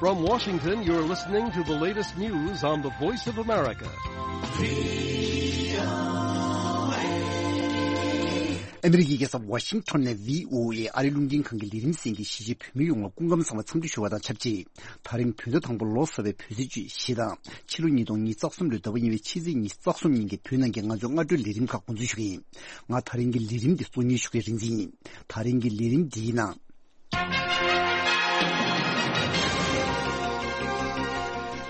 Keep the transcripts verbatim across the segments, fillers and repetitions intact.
From Washington, you're listening to the latest news on the Voice of America. ཨ་མི་རི་ཀའི་རྒྱལ་ས་ཝ་ཤིང་ཊོན་ནས་བྷི་ཨོ་ཨེ་ཨ་རིའི་རླུང་འཕྲིན་ཁང་གི་ལས་རིམ་གསན་མཁན་གཞིས་བྱེས་བོད་མི་ཡོངས་ལ་སྐུ་ཁམས་བཟང་བའི་འཚམས་འདྲི་ཞུ་བ་དང་ཆབས་ཅིག་ད་རིང་བོད་ཟླ་དང་པོ་ལོ་གསར་བའི་བོད་ཚེས་བཅུ་བཞི་དང་ཕྱི་ལོ་ཉིས་སྟོང་ཉི་ཤུ་རྩ་གསུམ་ལོའི་ཟླ་བ་གཉིས་པའི་ཕྱི་ཚེས་ཉི་ཤུ་རྩ་གསུམ་ཉིན་གྱི་བོད་ནང་གི་ང་ཚོའི་སྔ་དྲོའི་ལས་རིམ་ཁག་འགོ་འཛུགས་ཞུ་གི་ཡིན། ང་ད་རིང་གི་ལས་རིམ་འདི་གཙོ་གཉེར་ཞུ་མཁན་རིག་འཛིན་ཡིན། ད་རིང་གི་ལས་རིམ་འདིའི་ནང་།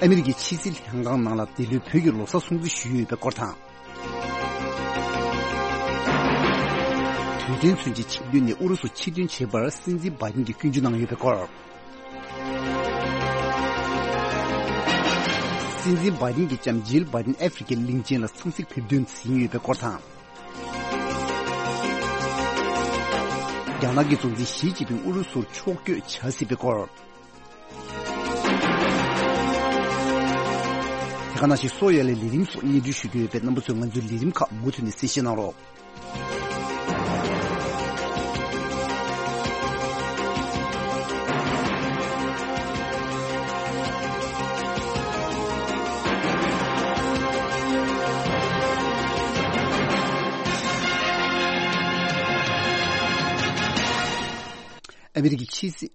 ཨ་མི་རི་ཀའི་ཕྱི་སྲིད་ལྷན་ཁང་ནང་ལ་འདི་ལོའི་བོད་ཀྱི་ལོ་གསར་སྲུང་བརྩི་ཞུས་ཡོད་པའི་སྐོར་དང་། དུས་དྲན་མཚོན་ཆེད་ཆིང་ཏུའུ་ནས་ཨུ་རུ་སུར་ཕྱིར་ཐོན་བྱེད་པར་སྲིད་འཛིན་བྷའི་ཏིན་གྱིས་སྐྱོན་བརྗོད་གནང་ཡོད་པའི་སྐོར། སྲིད་འཛིན་བྷའི་ཏིན་གྱི་ལྕམ་ཇིལ་བྷའི་ཏིན་ཨ་ཧྥེ་རི་ཁའི་གླིང་ཆེན་ལ་འཚམས་གཟིགས་ཕེབས་འདུན་ཟིན་ཡོད་པའི་སྐོར་དང་། རྒྱ་ནག་གི་གཙོ་འཛིན་ཞི་ཅིན་ཕིང་ཨུ་རུ་སུར་ཕྱོགས་བསྐྱོད་བྱ་སྲིད་པའི་སྐོར། དེ་ག་ནང་བཞིན་སོག་ཡ་ལའི་ལས་རིམ་སོགས་སྙན་སྒྲོན་ཞུ་རྒྱུ་ཡོད་པས་རྣམ་པ་ཚོས་ང་ཚོའི་ལས་རིམ་ཁག་མུ་མཐུད་ནས་གསན་བཞེས་གནང་རོགས། ཨ་མི་རི་ཀའི་ཕྱི་སྲིད།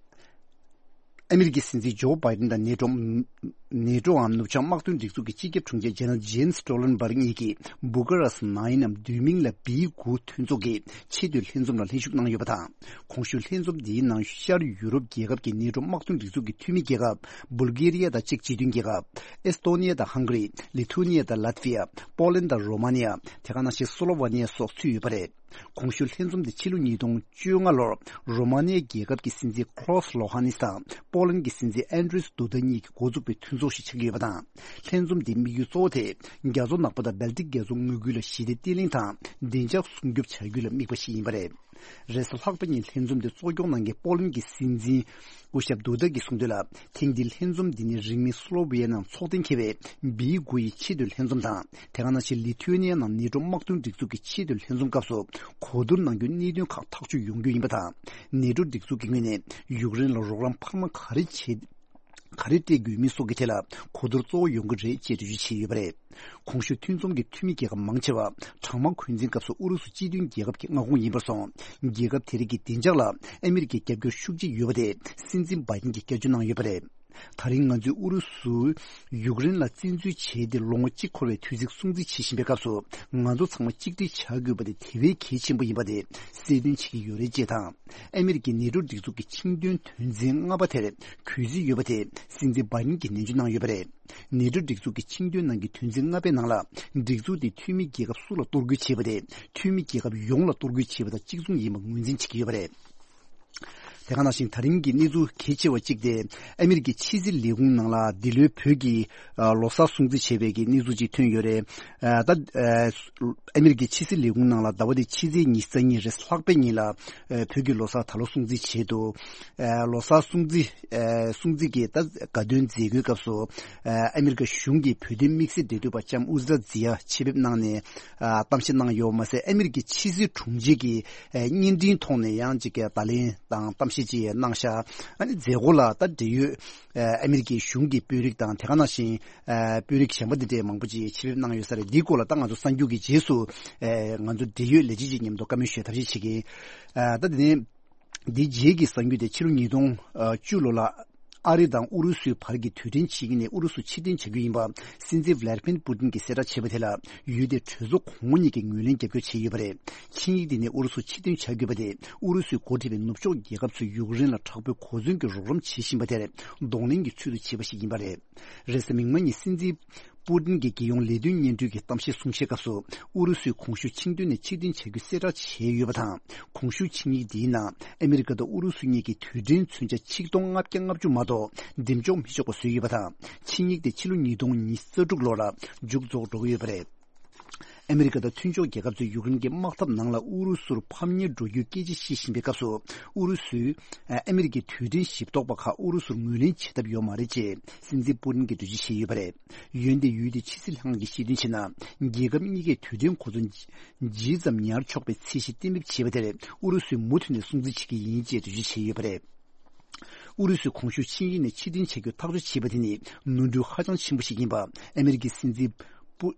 ཨ་མི་རི་ཀའི་སྲིད་འཛིན་ཇོ་བྷའི་ཏིན་དང་ནེ་ཀྲོ། ནེ་ཀྲོའམ་ནུབ་བྱང་དམག་དོན་སྒྲིག་འཛུགས་ཀྱི་སྤྱི་ཁྱབ་དྲུང་ཆེ་ཇེ་ནལ་ཇེན་སི་ཊོ་ལན་སྦར་གཉིས་ཀྱིས་སྦུ་ཀ་རེ་སི་ཊི་ནའིན་ནམ་བདུན་མིང་ལ་བི་དགུ་མཐུན་ཚོགས་ཀྱི་ཆེས་མཐོའི་ལྷན་འཛོམས་ལ་ལྷན་ཞུགས་གནང་ཡོད་པ་དང་། གོང་ཞུས་ལྷན་འཛོམས་འདིའི་ནང་ཤར་ཡུ་རོབ་རྒྱལ་ཁབ་ཀྱི་ནེ་ཀྲོ་དམག་དོན་སྒྲིག་འཛུགས་ཀྱི་འཐུས་མི་རྒྱལ་ཁབ་བུལ་གྷེ་རི་ཡ་དང་ཅེཀ་སྤྱི་མཐུན་རྒྱལ་ཁབ། ཨེ་སི་ཐོ་ནི་ཡ་དང་ཧང་གྷ་རི། ལི་ཐུ་ནི་ཡ་དང་ལཱ་ཐི་ཝི་ཡ། པོ་ལན་དང་རོ་མ་ནི་ཡ། དེ་ག་ནང་བཞིན་སོ་ལོ་ཝ་ནི་ཡ་སོགས་ཚུད་ཡོད་པ་རེད། གོང་ཞུས་ལྷན་འཛོམས་དེ་ཕྱི་ལོ་ཉིས་སྟོང་བཅོ་ལྔ་ལོར་རོ་མ་ནི་ཡ་རྒྱལ་ཁབ་ཀྱི་སྲིད་འཛིན་ཁོ་ལོ་ཧ་ནིས་དང་པོ་ལན་གྱི་སྲིད་འཛིན་ཨན་ཌྲེས་དུ་ད་གཉིས་ཀྱིས་འགོ་བཙུགས་པའི་མཐུན་ཚོགས་ཤིག་ཆགས་ཀྱི་ཡོད་པ་དང་། ལྷན་འཛོམས་དེའི་དམིགས་ཡུལ་གཙོ་བོ་དེ་རྒྱ་མཚོ་ནག་པོ་དང་སྦལ་ཏིག་རྒྱ་མཚོ་ངོས་ཁུལ་ལ་ཞི་བདེ་བརྟན་ལྷིང་དང་བདེ་འཇགས་སྲུང་སྐྱོབ་བྱ་རྒྱུ་ལ་དམིགས་པ་ཞིག་ཡིན་པ་རེད། རེས་གཟའ་ལྷག་པ་ཉིན་ལྷན་འཛོམས་དེ་གཙོ་སྐྱོང་གནང་མཁན་པོ་ལན་གྱི་སྲིད་འཛིན་སྐུ་ཞབས་དུ་ད་གིས་གསུངས་དོན་ལ། ཐེངས་འདིའི་ལྷན་འཛོམས་འདི་ནི་རིང་མིན་སོ་ལོ་ཝི་ཡའི་ནང་ཚོགས་གཏན་འཁེལ་བའི་བི་དགུ་ཡི་ཆེས་མཐོའི་ལྷན་འཛོམས་དང་། དེ་ག་ནང་བཞིན་ལི་ཐུ་ནི་ཡ་ནང་ནེ་ཀྲོ་དམག་དོན་སྒྲིག་འཛུགས་ཀྱི་ཆེས་མཐོའི་ལྷན་འཛོམས་སྐབས་སུ་གོ་བསྡུར་གནང་རྒྱུའི་གནད་དོན་ཁག་ཐག་གཅོད་ཡོང་རྒྱུ་ཡིན་པ་དང་། ནེ་ཀྲོ་སྒྲིག་འཛུགས་ཀྱི་ངོས་ནས་ཡུཀ་རེན་ལ་རོགས་རམ་འཕར་མ་ག་རེ་བྱེད། ག་རེ་སྤྲད་དགོས་མིན་སོགས་ཀྱི་ཐད་ལ་གོ་བསྡུར་གཙོ་བོ་ཡོང་གི་རེད་ཅེས་འགྲེལ་བརྗོད་བྱས་ཡོད་པ་རེད། གོང་ཞུས་མཐུན་ཚོགས་ཀྱི་འཐུས་མི་རྒྱལ་ཁབ་མང་ཆེ་བ་གྲང་དམག་འཁོན་འཛིན་སྐབས་སུ་ཨུ་རུ་སུ་སྤྱི་མཐུན་རྒྱལ་ཁབ་ཀྱི་མངའ་ཁོངས་ཡིན་པར་སོང་། རྒྱལ་ཁབ་དེ་རིགས་ཀྱི་བདེ་འཇགས་ལ་ཨ་མི་རི་ཀའི་རྒྱབ་སྐྱོར་ཤུགས་ཆེ་ཡོད་པ་དེ་སྲིད་འཛིན་བྷའི་ཏིན་གྱིས་བསྐྱར་བརྗོད་གནང་ཡོད་པ་རེད། ད་རིང་ང་ཚོས་ཨུ་རུ་སུས་ཡུཀ་རེན་ལ་བཙན་འཛུལ་བྱས་ཏེ་ལོ་ངོ་གཅིག་འཁོར་བའི་དུས་ཚིགས་སྲུང་བརྩི་བྱེད་བཞིན་པའི་སྐབས་སུ་ང་ཚོ་ཚང་མ་གཅིག་སྒྲིལ་བྱ་དགོས་པ་དེ་དེ་བས་གལ་ཆེན་པོ་ཡིན་པ་དེ་གསལ་སྟོན་བྱེད་ཀྱི་ཡོད་རེད་ཅེས་དང་། ཨ་མི་རི་ཀའི་ནེ་ཀྲོ་སྒྲིག་འཛུགས་ཀྱི་ཆིངས་དོན་དོན་ཚན་ལྔ་པ་དེར་གུས་བརྩི་ཡོད་པ་དེ་སྲིད་འཛིན་བྷའི་ཏིན་གྱིས་ནན་བརྗོད་གནང་ཡོད་པ་རེད། ནེ་ཀྲོ་སྒྲིག་འཛུགས་ཀྱི་ཆིངས་དོན་ནང་གི་དོན་ཚན་ལྔ་པའི་ནང་ལ་སྒྲིག་འཛུགས་དེ་འཐུས་མི་རྒྱལ་ཁབ་སུ་ལ་གཏོར་རྒོལ་བྱས་པ་དེ་འཐུས་མི་རྒྱལ་ཁབ་ཡོངས་ལ་གཏོར་རྒོལ་བྱས་པ་དང་གཅིག་མཚུངས་ཡིན་པ་ངོས་འཛིན་བྱེད་ཀྱི་ཡོད་པ་རེད། དེ་ག་ནང་བཞིན་ད་རིང་གི་གནས་ཚུལ་གལ་ཆེ་བ་གཅིག་དེ་ཨ་མི་རི་ཀའི་ཕྱི་སྲིད་ལས་ཁུངས་ནང་ལ་འདི་ལོའི་བོད་ཀྱི་ཨ་ལོ་གསར་སྲུང་བརྩི་བྱས་པའི་གི་གནས་ཚུལ་གཅིག་ཐོན་ཡོད་རེད། ཨ་ད་ཨ་ཨ་མི་རི་ཀའི་ཕྱི་སྲིད་ལས་ཁུངས་ནང་ལ་ཟླ་བ་འདིའི་ཕྱི་ཚེས་ཉི་ཤུ་རྩ་གཉིས་རེས་ལྷག་པའི་ཉིན་ལ་ཨ་བོད་ཀྱི་ལོ་གསར་ད་ལོ་སྲུང་བརྩི་བྱས་འདུག་ཨ་ལོ་གསར་སྲུང་བརྩི་ཨ་སྲུང་བརྩི་གི་ད་དགའ་སྟོན་མཛད་སྒོའི་སྐབས་སུ་ཨ་ཨ་མི་རི་ཀ་གཞུང་གི་བོད་དོན་དམིགས་བསལ་འབྲེལ་མཐུད་པ་ལྕམ་ཨུ་ཛི་ར་ཛི་ཡ་ཆེད་ཕེབས་གནང་ནས་ཨ་གཏམ་བཤད་གནང་ཡོད་མ་ཟད། ཨ་མི་རི་ཀའི་ཕྱི་སྲིད་དྲུང་ཆེ་གིས་ཨ་བརྙན་འཕྲིན་ཐོག་ནས་ཡང་ཅིག་བརྡ་ལན་དང་གཏམ་བཤད་ཅིག་གནང་ཤག་ཨ་ནི་མཛད་སྒོ་ལ་ད་འབྲེལ་ཡོད་ཨ་ཨ་མི་རི་ཀའི་གཞུང་གི་དཔོན་རིགས་དང་དེ་ག་ནང་བཞིན་ཨ་དཔོན་རིགས་གཞན་པ་འདི་འདྲའི་མང་པོ་ཅིག་ཆེད་ཕེབས་གནང་ཡོད་ས་རེད། འདིའི་སྐོར་ལ་ད་ང་ཚོ་གསར་འགྱུར་གྱི་རྗེས་སུ་ཨ་ང་ཚོ་འབྲེལ་ཡོད་ལས་བྱེད་ཅིག་མཉམ་དུ་བཀའ་མོལ་ཞུ་ཐབས་ཤེས་བྱེད་ཀྱི་ཡིན། ཨ་ད་དེ་ནས་འདིའི་རྗེས་ཀྱི་གསར་འགྱུར་དེ་ཕྱི་ལོ་ཉིས་སྟོང་བཅུ་ལོ་ལ་ཨ་རི་དང་ཨུ་རུ་སུའི་བར་གྱི་དུས་དྲན་ཕྱེད་ཀ་ནས་ཨུ་རུ་སུ་ཕྱིར་འཐེན་བྱ་རྒྱུ་ཡིན་པ་སྲིད་འཛིན་ཝི་ལ་ཏི་མིར་པུ་ཏིན་གྱིས་གསལ་བསྒྲགས་བྱས་པ་དེ་ལ་ཡུལ་དེའི་གྲོས་ཚོགས་གོང་མ་གཉིས་ཀྱིས་ངོས་ལེན་རྒྱབ་སྐྱོར་བྱས་ཡོད་པ་རེད། ཆིངས་ཡིག་དེ་ནས་ཨུ་རུ་སུ་ཕྱིར་འཐེན་བྱ་དགོས་པ་དེ་ཨུ་རུ་སུས་འགོ་ཁྲིད་པའི་ནུབ་ཕྱོགས་རྒྱལ་ཁབ་ཚོས་ཡུཀ་རེན་ལ་དྲག་པོའི་གོ་མཚོན་གྱི་རོགས་རམ་བྱེད་བཞིན་པ་དེར་གདོང་ལེན་གྱི་ཚུལ་དུ་བྱས་པ་ཞིག་ཡིན་པ་རེད། རེས་གཟའ་མིག་དམར་ཉིན་སྲིད་འཛིན་པུ་ཏིན་གྱིས་རྒྱལ་ཡོངས་ལས་དོན་སྙན་སྒྲོན་གྱི་གཏམ་བཤད་གསུང་བཤད་སྐབས་སུ་ཨུ་རུ་སུས་གོང་ཞུས་ཆིངས་དོན་ནས་ཕྱིར་འཐེན་བྱ་རྒྱུ་གསལ་བསྒྲགས་བྱས་ཡོད་པ་དང་། གོང་ཞུས་ཆིངས་ཡིག་འདིའི་ནང་ཨ་མི་རི་ཀ་དང་ཨུ་རུ་སུ་གཉིས་ཀྱི་དུས་དྲན་མཚོན་ཆ་ཆིག་སྟོང་ལྔ་བརྒྱ་ལྔ་བཅུ་མ་གཏོགས་འདེམས་འཇོག་མི་ཆོག་པ་བཟོས་ཡོད་པ་དང་། ཆིངས་ཡིག་དེ་ཕྱི་ལོ་ཉིས་སྟོང་ཉི་ཤུ་རྩ་དྲུག་ལོ་ལ་མཇུག་རྫོགས་འགྲོ་གི་ཡོད་པ་རེད། ཨ་མི་རི་ཀ་དང་མཐུན་ཕྱོགས་རྒྱལ་ཁབ་ཚོས་ཡུཀ་རེན་གྱི་དམག་འཐབ་ནང་ལ་ཨུ་རུ་སུར་ཕམ་ཉེས་འགྲོ་རྒྱུའི་སྐད་ཆ་བཤད་བཞིན་པའི་སྐབས་སུ་ཨུ་རུ་སུས་ཨ་མི་རི་ཀའི་དུས་དྲན་ཞིབ་ཐོག་པ་ཁག་ཨུ་རུ་སུར་ངོས་ལེན་བྱེད་ཐབས་ཡོད་མ་རེད་ཅེས་སྲིད་འཛིན་པུ་ཏིན་གྱིས་འགྲེལ་བརྗོད་བྱས་ཡོད་པ་རེད། འོན་ཏེ་ཡུལ་དེའི་ཕྱི་སྲིད་ལྷན་ཁང་གིས་བཤད་དོན་བྱས་ན། རྒྱལ་ཁབ་གཉིས་ཀས་དུས་དྲན་གོ་ཚོད་ཇི་ཙམ་ཉར་ཆོག་པའི་ཚད་གཞི་གཏན་འབེབས་བྱས་པ་དེར་ཨུ་རུ་སུས་མུ་མཐུད་ནས་སྲུང་བརྩི་བྱེད་ཀྱི་ཡིན་ཅེས་འགྲེལ་བརྗོད་བྱས་ཡོད་པ་རེད། ཨུ་རུ་སུས་གོང་ཞུས་ཆིངས་ཡིག་ནས་ཕྱིར་འཐེན་བྱ་རྒྱུ་ཐག་གཅོད་བྱས་པ་དེ་ནི་ནོར་འཁྲུལ་ཧ་ཅང་ཆེན་པོ་ཞིག་ཡིན་པ་ཨ་མེ་རི་ཀའི་སྲིད་འཛིན་པུ།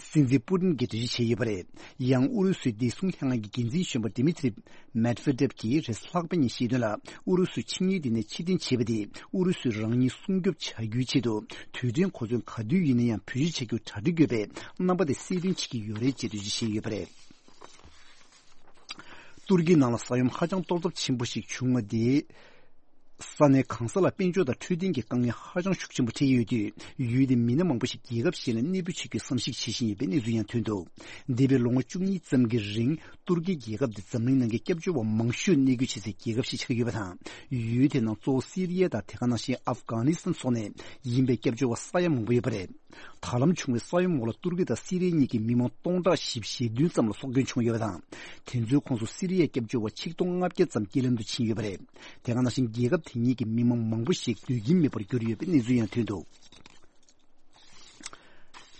སྲིད་འཛིན་པུ་ཏིན་གྱིས་འགྲེལ་བརྗོད་བྱས་ཡོད་པ་རེད། ཡང་ཨུ་རུ་སུའི་བདེ་སྲུང་ལྷན་ཁང་གི་འགན་འཛིན་གཞོན་པ་ཌི་མི་ཐི་རི་མེད་ཝེ་ཏེབ་ཀྱིས་རེས་གཟའ་ལྷག་པ་ཉིན་བཤད་དོན་ལ། ཨུ་རུ་སུས་ཆིངས་ཡིག་འདི་ནས་ཕྱིར་འཐེན་བྱས་པ་དེ་ཨུ་རུ་སུས་རང་ཉིད་སྲུང་སྐྱོབ་བྱ་རྒྱུའི་ཆེད་དུ་དུས་དྲན་གོ་མཚོན་ག་དུས་ཡིན་ན་ཡང་བེད་སྤྱོད་བྱ་རྒྱུར་གྲ་སྒྲིག་ཡོད་པའི་རྣམ་པ་དེ་གསལ་སྟོན་བྱེད་ཀྱི་ཡོད་རེད་ཅེས་འགྲེལ་བརྗོད་བྱས་ཡོད་པ་རེད། ཏུར་ཀིའི་ནང་ལ་ས་ཡོམ་ཧ་ཅང་གཏོར་ཚབས་ཆེན་པོ་ཞིག་བྱུང་བ་དེས། ས་གནས་གང་ས་ལ་དཔལ་འབྱོར་དང་འཕྲོད་བསྟེན་གྱི་དཀའ་ངལ་ཧ་ཅང་ཤུགས་ཆེན་པོ་འཕྲད་ཡོད་དུས། ཡུལ་དེའི་མི་སྣ་མང་པོ་ཞིག་རྒྱལ་ཁབ་གཞན་ལ་གནས་སྤོས་བྱེད་རྒྱུའི་བསམ་གཞིག་བྱེད་བཞིན་ཡོད་པའི་གནས་ཚུལ་ཡང་ཐོན་འདུག་འདས་པའི་ལོ་ངོ་བཅུ་གཉིས་ཙམ་གྱི་རིང་ཏུར་ཀི་རྒྱལ་ཁབ་དེ་འཛམ་གླིང་ནང་གི་སྐྱབས་བཅོལ་བ་མང་ཤོས་གནས་སྡོད་བྱེད་སའི་རྒྱལ་ཁབ་ཞིག་ཆགས་ཀྱི་ཡོད་པ་དང་། ཡུལ་དེའི་ནང་གཙོ་བོ་སི་རི་ཡ་དང་དེ་ག་ནང་བཞིན་ཨབ་གྷ་ནི་སི་ཐན་སོགས་ནས་ཡིན་པའི་སྐྱབས་བཅོལ་བ་ས་ཡ་མང་པོ་ཡོད་པ་རེད། ད་ལམ་བྱུང་བའི་ས་ཡོམ་འོག་ལ་ཏུར་ཀི་དང་སི་རི་ཡ་གཉིས་ཀྱི་མི་མང་སྟོང་ཕྲག་བཞི་བཅུ་ཞེ་བདུན་ཙམ་ལ་སྲོག་སྐྱོན་བྱུང་ཡོད་པ་དང་། དེ་ཚོའི་ཁོངས་སུ་སི་རི་ཡའི་སྐྱབས་བཅོལ་བ་ཆིག་སྟོང་ལྔ་བརྒྱ་ཙམ་རྐྱེན་ལམ་དུ་ཕྱིན་ཡོད་པ་རེད། དེ་ག་ནང་བཞིན་རྒྱལ་ཁབ་དེ་གཉིས་ཀྱི་མི་མང་མང་པོ་ཞིག་སྡོད་ཁྱིམ་མེད་པར་གྱུར་ཡོད་པའི་གནས་ཚུལ་ཡང་ཐོན་འདུག་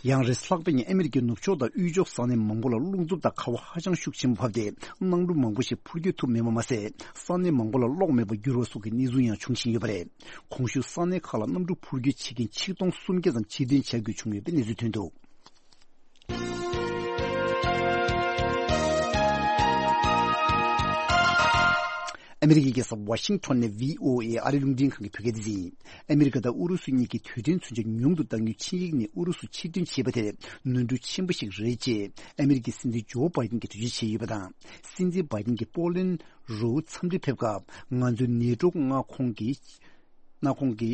ཡང་རེས་ལྷག་པ་ཉིན་ཨ་མེ་རི་ཀའི་ནུབ་ཕྱོགས་དང་དབུས་ཕྱོགས་ས་གནས་མང་པོ་ལ་རླུང་འཚུབ་དང་ཁ་བ་ཧ་ཅང་ཤུགས་ཆེན་པོ་བབས་ཏེ། གནམ་གྲུ་མང་པོ་ཞིག་འཕུར་སྐྱོད་ཐུབ་མེད་པ་མ་ཟད། ས་གནས་མང་པོ་ལ་གློག་མེད་པར་གྱུར་བ་སོགས་ཀྱི་གནས་ཚུལ་ཡང་འབྱུང་བཞིན་ཡོད་པ་རེད། གོང་ཞུས་ས་གནས་ཁག་ལ་གནམ་གྲུ་འཕུར་སྐྱོད་བྱེད་མཁན་ཆིག་སྟོང་སུམ་བརྒྱ་ཙམ་ཕྱིར་འཐེན་བྱ་དགོས་བྱུང་ཡོད་པའི་གནས་ཚུལ་ཐོན་འདུག་ཨ་མེ་རི་ཀའི་རྒྱལ་ས་ཝ་ཤིང་ཊོན་ནས་བྷི་ཨོ་ཨེ་ཨ་རིའི་རླུང་འཕྲིན་ཁང་གི་བོད་སྐད་སྡེ་ཚན་ཡིན། ཨ་མེ་རི་ཀ་དང་ཨུ་རུ་སུ་གཉིས་ཀྱིས་དུས་དྲན་མཚོན་ཆ་ཉུང་དུ་གཏང་རྒྱུའི་ཆིངས་ཡིག་ནས་ཨུ་རུ་སུ་ཕྱིར་འཐེན་བྱས་པ་དེར་ནོར་འཁྲུལ་ཆེན་པོ་ཞིག་རེད་ཅེས་ཨ་མེ་རི་ཀའི་སྲིད་འཛིན་ཇོ་བྷའི་ཏིན་གྱིས་འགྲེལ་བརྗོད་བྱས་ཡོད་པ་དང་། སྲིད་འཛིན་བྷའི་ཏིན་གྱིས་པོ་ལན་རུ་འཚམས་འདྲིར་ཕེབས་སྐབས། ང་ཚོས་ནེ་ཊོ་མངའ་ཁོངས་ཀྱི་མངའ་ཁོངས་ཀྱི་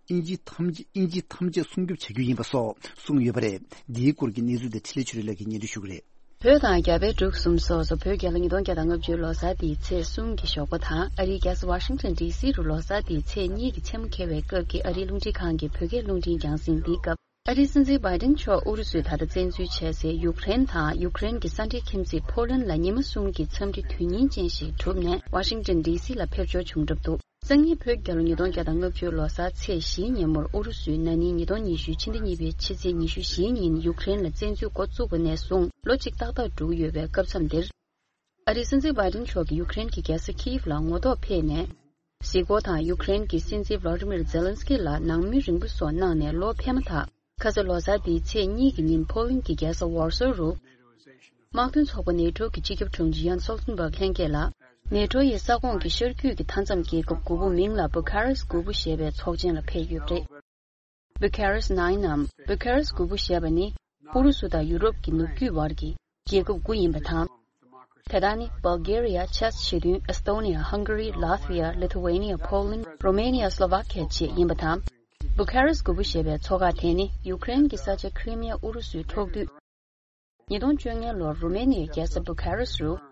དབྱིན་ཇི་ཐམས་ཅད་དབྱིན་ཇི་ཐམས་ཅད་སྲུང་སྐྱོབ་བྱ་རྒྱུ་ཡིན་པ་སོགས་གསུངས་ཡོད་པ་རེད། འདིའི་སྐོར་གྱི་གནས་ཚུལ་དེ་འཕྲིན་ལས་ཆོས་སྒྲོན་ལགས་ཀྱིས་སྙན་སྒྲོན་ཞུ་གི་རེད། བོད་དང་རྒྱ་བལ་འབྲུག་གསུམ་སོགས་སུ་བོད་རྒྱལ་ལོ་ཉིས་སྟོང་བརྒྱ་དང་ལྔ་བཅུ་ལོ་གསར་དེའི་ཚེས་གསུམ་གྱི་ཞོགས་པ་དང་། ཨ་རིའི་རྒྱལ་ས་ཝ་ཤིང་ཊོན་ཌི་སི་རུ་ལོ་གསར་དེའི་ཚེས་གཉིས་ཀྱི་མཚན་མོ་འཁེལ་བའི་སྐབས་ཀྱི་ཨ་རིའི་རླུང་འཕྲིན་ཁང་གི་བོད་སྐད་རླུང་འཕྲིན་རྒྱང་སྲིང་འདིའི་སྐབས། ཨ་རིའི་སྲིད་འཛིན་བྷའི་ཏིན་མཆོག་ཨུ་རུ་སུས་ད་ལྟ་བཙན་འཛུལ་བྱས་སའི་ཡུཀ་རེན་དང་ཡུཀ་རེན་གྱི་ས་འབྲེལ་ཁྱིམ་མཚེས་ཕོ་ལན་ལ་ཉི་མ་གསུམ་གྱི་འཚམས་འདྲི་དོན་སྙིང་ཅན་ཞིག་གྲུབ་ནས་ཝ་ཤིང་ཊོན་ཌི་སི་ལ་ཕེབས་འབྱོར་བྱུང་གྲབས་འདུག་སང་ཉིན་བོད་རྒྱལ་ལོ་ཉིས་སྟོང་བརྒྱ་དང་ལྔ་བཅུ་ལོ་གསར་ཚེས་བཞིའི་ཉིན་མོར་ཨུ་རུ་སུས་ན་ནིང་ཉིས་སྟོང་ཉི་ཤུ་ཕྱི་ཟླ་གཉིས་པའི་ཕྱི་ཚེས་ཉི་ཤུ་བཞིའི་ཉིན་ཡུཀ་རེན་ལ་བཙན་འཛུལ་འགོ་བཙུགས་པ་ནས་བཟུང་ལོ་གཅིག་ཏག་ཏག་འགྲོ་གི་ཡོད་པའི་སྐབས་མཚམས་འདིར། ཨ་རིའི་སྲིད་འཛིན་བྷའི་ཏིན་མཆོག་གིས་ཡུཀ་རེན་གྱི་རྒྱལ་ས་ཁིའིབ་ལ་ངོ་ཐོག་ཕེབས་ནས། གཟིགས་སྐོར་དང་ཡུཀ་རེན་གྱི་སྲིད་འཛིན་ཝོ་ལོ་ཌི་མིར་ཛེ་ལན་སི་ཀི་ལ་ནང་མོལ་རིང་པོ་སོགས་གནང་ནས་ལོ་ཕེབས་མ་ཐག་ཁ་ས་ལོ་གསར་འདིའི་ཚེས་གཉིས་ཀྱི་ཉིན་ཕོ་ལན་གྱི་རྒྱལ་ས་ཝར་སོ་རུ། དམག་དོན་ཚོགས་པ་ནེ་ཊོ་གི་སྤྱི་ཁྱབ་དྲུང་ཆེ་ཡན་སོལ་ཊན་བྷག་ལྷན་རྒྱས་ལ། ནེ་ཊོ་ཡི་ས་ཁོངས་ཀྱི་ཤར་རྒྱུད་ཀྱི་མཐའ་མཚམས་རྒྱལ་ཁབ་དགུ་པོ་མིང་ལ་བུ་ཁ་རེ་སི་དགུ་པོ་ཞེས་པའི་ཚོགས་ཆེན་ལ་ཕེབས་ཡོད་པ་རེད། Bucharest Nine ནམ་བུ་ཁ་རེ་སི་དགུ་པོ་ཞེས་པ་ནི་ཨུ་རུ་སུ་དང་ཡུ་རོབ་ཀྱི་ནུབ་རྒྱུད་བར་གྱི་རྒྱལ་ཁབ་དགུ་ཡིན་པ་དང་། དེ་དག་ནི་Bulgaria, Czech ཞེ་བདུན། Estonia, Hungary, Latvia, Lithuania, Poland, Romania, Slovakia བཅས་ཡིན་པ་དང་། བུ་ཁ་རེ་སི་དགུ་པོ་ཞེས་པའི་ཚོ་ཁག་དེ་ནི་ཡུཀ་རེན་གྱི་ས་ཆ་ཁི་རི་མི་ཡ་ཨུ་རུ་སུས་འཕྲོག་དུས། ཉིས་སྟོང་བཅོ་ལྔ་ལོར་རུ་མེ་ནི་ཡའི་རྒྱལ་ས་བུ་ཁ་རེ་སི་རུ།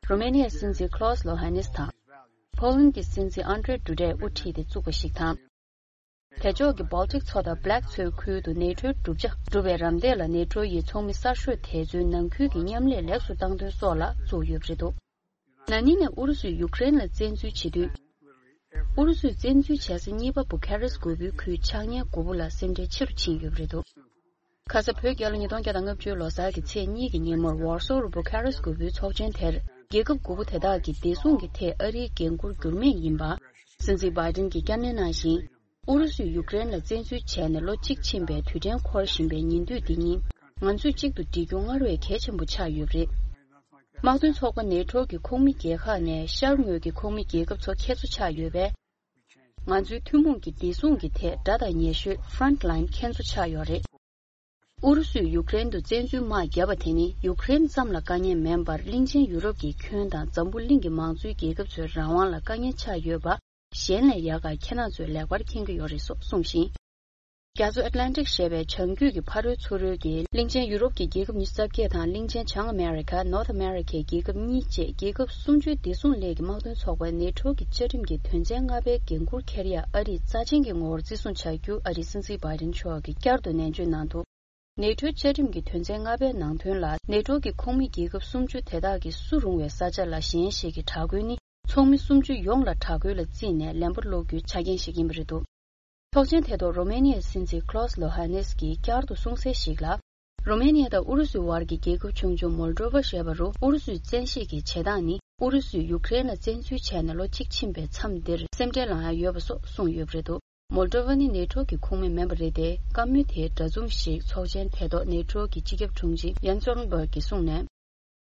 རུ་མེ་ནི་ཡའི་སྲིད་འཛིན་ཁློ་སི་ལོ་ཧ་ནེ་སི་དང་། ཕོ་ལན་གྱི་སྲིད་འཛིན་ཨན་ཏྲེ་ཌུ་ཏྲེ་དབུ་ཁྲིད་དེ་བཙུགས་པ་ཞིག་དང་། དེ་ཕྱོགས་ཀྱི་Baltic མཚོ་དང་Black མཚོའི་ཁུལ་དུ་ནེ་ཊོའི་གྲུབ་ཆ་གྲུབ་པའི་རམ་འདེགས་ལ་ནེ་ཊོ་ཡི་ཚོགས་མི་གསར་ཤོས་དེ་ཚོའི་ནང་ཁུལ་གྱི་མཉམ་ལས་ལེགས་སུ་བཏང་དོན་སོགས་ལ་བཙུགས་ཡོད་པ་རེད་འདུག་ན་ནིང་ནས་ཨུ་རུ་སུས་ཡུཀ་རེན་ལ་བཙན་འཛུལ་བྱེད་དུས། ཨུ་རུ་སུས་བཙན་འཛུལ་བྱས་ས་གཉིས་པ་བུ་ཁ་རེ་སི་དགུ་པོའི་ཁུལ་ཆགས་ཉེན་དགུ་པོ་ལ་སེམས་ཁྲལ་ཆེ་རུ་ཕྱིན་ཡོད་པ་རེད་འདུག་ཁ་ས་བོད་རྒྱལ་ལོ་ཉིས་སྟོང་བརྒྱ་དང་ལྔ་བཅུ་ལོ་གསར་གྱི་ཚེས་གཉིས་ཀྱི་ཉིན་མོར་ཝར་སོ་རུ་བུ་ཁ་རེ་སི་དགུ་པོའི་ཚོགས་ཆེན་དེར་རྒྱལ་ཁབ་དགུ་པོ་དེ་དག་གི་བདེ་སྲུང་གི་ཐད་ཨ་རིའི་འགན་འཁུར་འགྱུར་མེད་ཡིན་པ། སྲིད་འཛིན་བྷའི་ཏིན་གྱིས་བསྐྱར་ནན་གནང་ཞིང་། ཨུ་རུ་སུས་ཡུཀ་རེན་ལ་བཙན་འཛུལ་བྱས་ནས་ལོ་གཅིག་ཕྱིན་པའི་དུས་དྲན་འཁོར་བཞིན་པའི་ཉིན་དུས་འདི་ཉིད་ང་ཚོས་གཅིག་ཏུ་སྒྲིལ་རྒྱུ་སྔར་བས་གལ་ཆེན་པོ་ཆགས་ཡོད་པ་རེད། དམག་དོན་ཚོགས་པ་ནེ་ཊོ་གི་ཁོངས་མི་རྒྱལ་ཁག་ནས་ཤར་ངོས་ཀྱི་ཁོངས་མི་རྒྱལ་ཁབ་ཚོ་ཁྱད་མཚར་ཆགས་ཡོད་པས། ང་ཚོའི་ཐུན་མོང་གི་བདེ་སྲུང་གི་ཐད་དགྲ་དང་ཉེ་ཤོས་Front Line ཁྱེད་ཚོ་ཆགས་ཡོད་རེད། ཨུ་རུ་སུས་ཡུཀ་རེན་དུ་བཙན་འཛུལ་དམག་བརྒྱབ་པ་དེ་ནི་ཡུཀ་རེན་ཙམ་ལ་དཀའ་ངལ་མིན་པར་གླིང་ཆེན་ཡུ་རོབ་ཀྱི་ཁྱོན་དང་འཛམ་བུ་གླིང་གི་མང་གཙོའི་རྒྱལ་ཁབ་ཚོའི་རང་དབང་ལ་དཀའ་ངལ་ཆགས་ཡོད་པ་གཞན་ལས་ཡག་ག་ཁྱེད་རང་ཚོས་ལེགས་པར་མཁྱེན་གྱི་ཡོད་རེད་སོགས་གསུངས་ཤིང་། རྒྱ་མཚོ་ཨེཊ་ལན་ཊིག་ཞེས་པའི་བྱང་རྒྱུད་ཀྱི་ཕ་རོལ་ཚུ་རོལ་གྱི་གླིང་ཆེན་ཡུ་རོབ་ཀྱི་རྒྱལ་ཁབ་ཉི་ཤུ་རྩ་བརྒྱད་དང་གླིང་ཆེན་བྱང་ཨ་མེ་རི་ཁ་North America ཡི་རྒྱལ་ཁབ་གཉིས་བཅས་རྒྱལ་ཁབ་སུམ་ཅུའི་བདེ་སྲུང་ལས་ཀྱི་དམག་དོན་ཚོགས་པ་ནེ་ཊོ་གི་བཅའ་ཁྲིམས་ཀྱི་དོན་ཚན་ལྔ་པའི་འགན་འཁུར་འཁྱེར་ཡ་ཨ་རིས་རྩ་ཆེན་གྱི་ངོ་བོར་བརྩི་སྲུང་བྱ་རྒྱུ་ཨ་རིའི་སྲིད་འཛིན་བྷའི་ཏིན་མཆོག་གིས་བསྐྱར་དུ་ནན་བརྗོད་གནང་འདུག་ནེ་ཊོའི་བཅའ་ཁྲིམས་ཀྱི་དོན་ཚན་ལྔ་པའི་ནང་དོན་ལ་ནེ་ཊོ་གི་ཁོངས་མི་རྒྱལ་ཁབ་སུམ་ཅུ་དེ་དག་གི་སུ་རུང་བའི་ས་ཆ་ལ་གཞན་ཞིག་གི་དྲག་རྒོལ་ནི་ཚོགས་མི་སུམ་ཅུ་ཡོངས་ལ་དྲག་རྒོལ་ལ་བརྩིས་ནས་ལན་པ་སློག་རྒྱུའི་ཆ་རྐྱེན་ཞིག་ཡིན་པ་རེད་འདུག་ཚོགས་ཆེན་དེ་ཐོག་རོ་མེ་ནི་ཡའི་སྲིད་འཛིན་ཁློ་སི་ལོ་ཧ་ནེ་སི་ཀྱིས་བསྐྱར་དུ་གསུངས་གསལ་ཞིག་ལ། རོ་མེ་ནི་ཡ་དང་ཨུ་རུ་སུའི་བར་གྱི་རྒྱལ་ཁབ་ཆུང་ཆུང་མོལ་ཌོ་ཝ་ཞེས་པ་རུ་ཨུ་རུ་སུས་བཙན་ཤེད་ཀྱིས་བྱེད་སྟངས་ནི་ ཨུ་རུ་སུས་ཡུཀ་རེན་ལ་བཙན་འཛུལ་བྱས་ནས་ལོ་གཅིག་ཕྱིན་པའི་མཚམས་འདིར་སེམས་ཁྲལ་ལངས་ཡ་ཡོད་པ་སོགས་གསུངས་ཡོད་པ་རེད་འདུག་མོལ་ཏོ་ཝ་ནི་ནེ་ཊོ་གི་ཁོངས་མི་མིན་པ་རེད་དེ། བཀའ་མོལ་དེའི་འདྲ་མཚུངས་ཤིག་ཚོགས་ཆེན་ཐད་ཐོག་ནེ་ཊོ་གི་སྤྱི་ཁྱབ་དྲུང་ཆེ་ཡན་སོལ་ན་སྦར་གྱིས་གསུངས་ནས།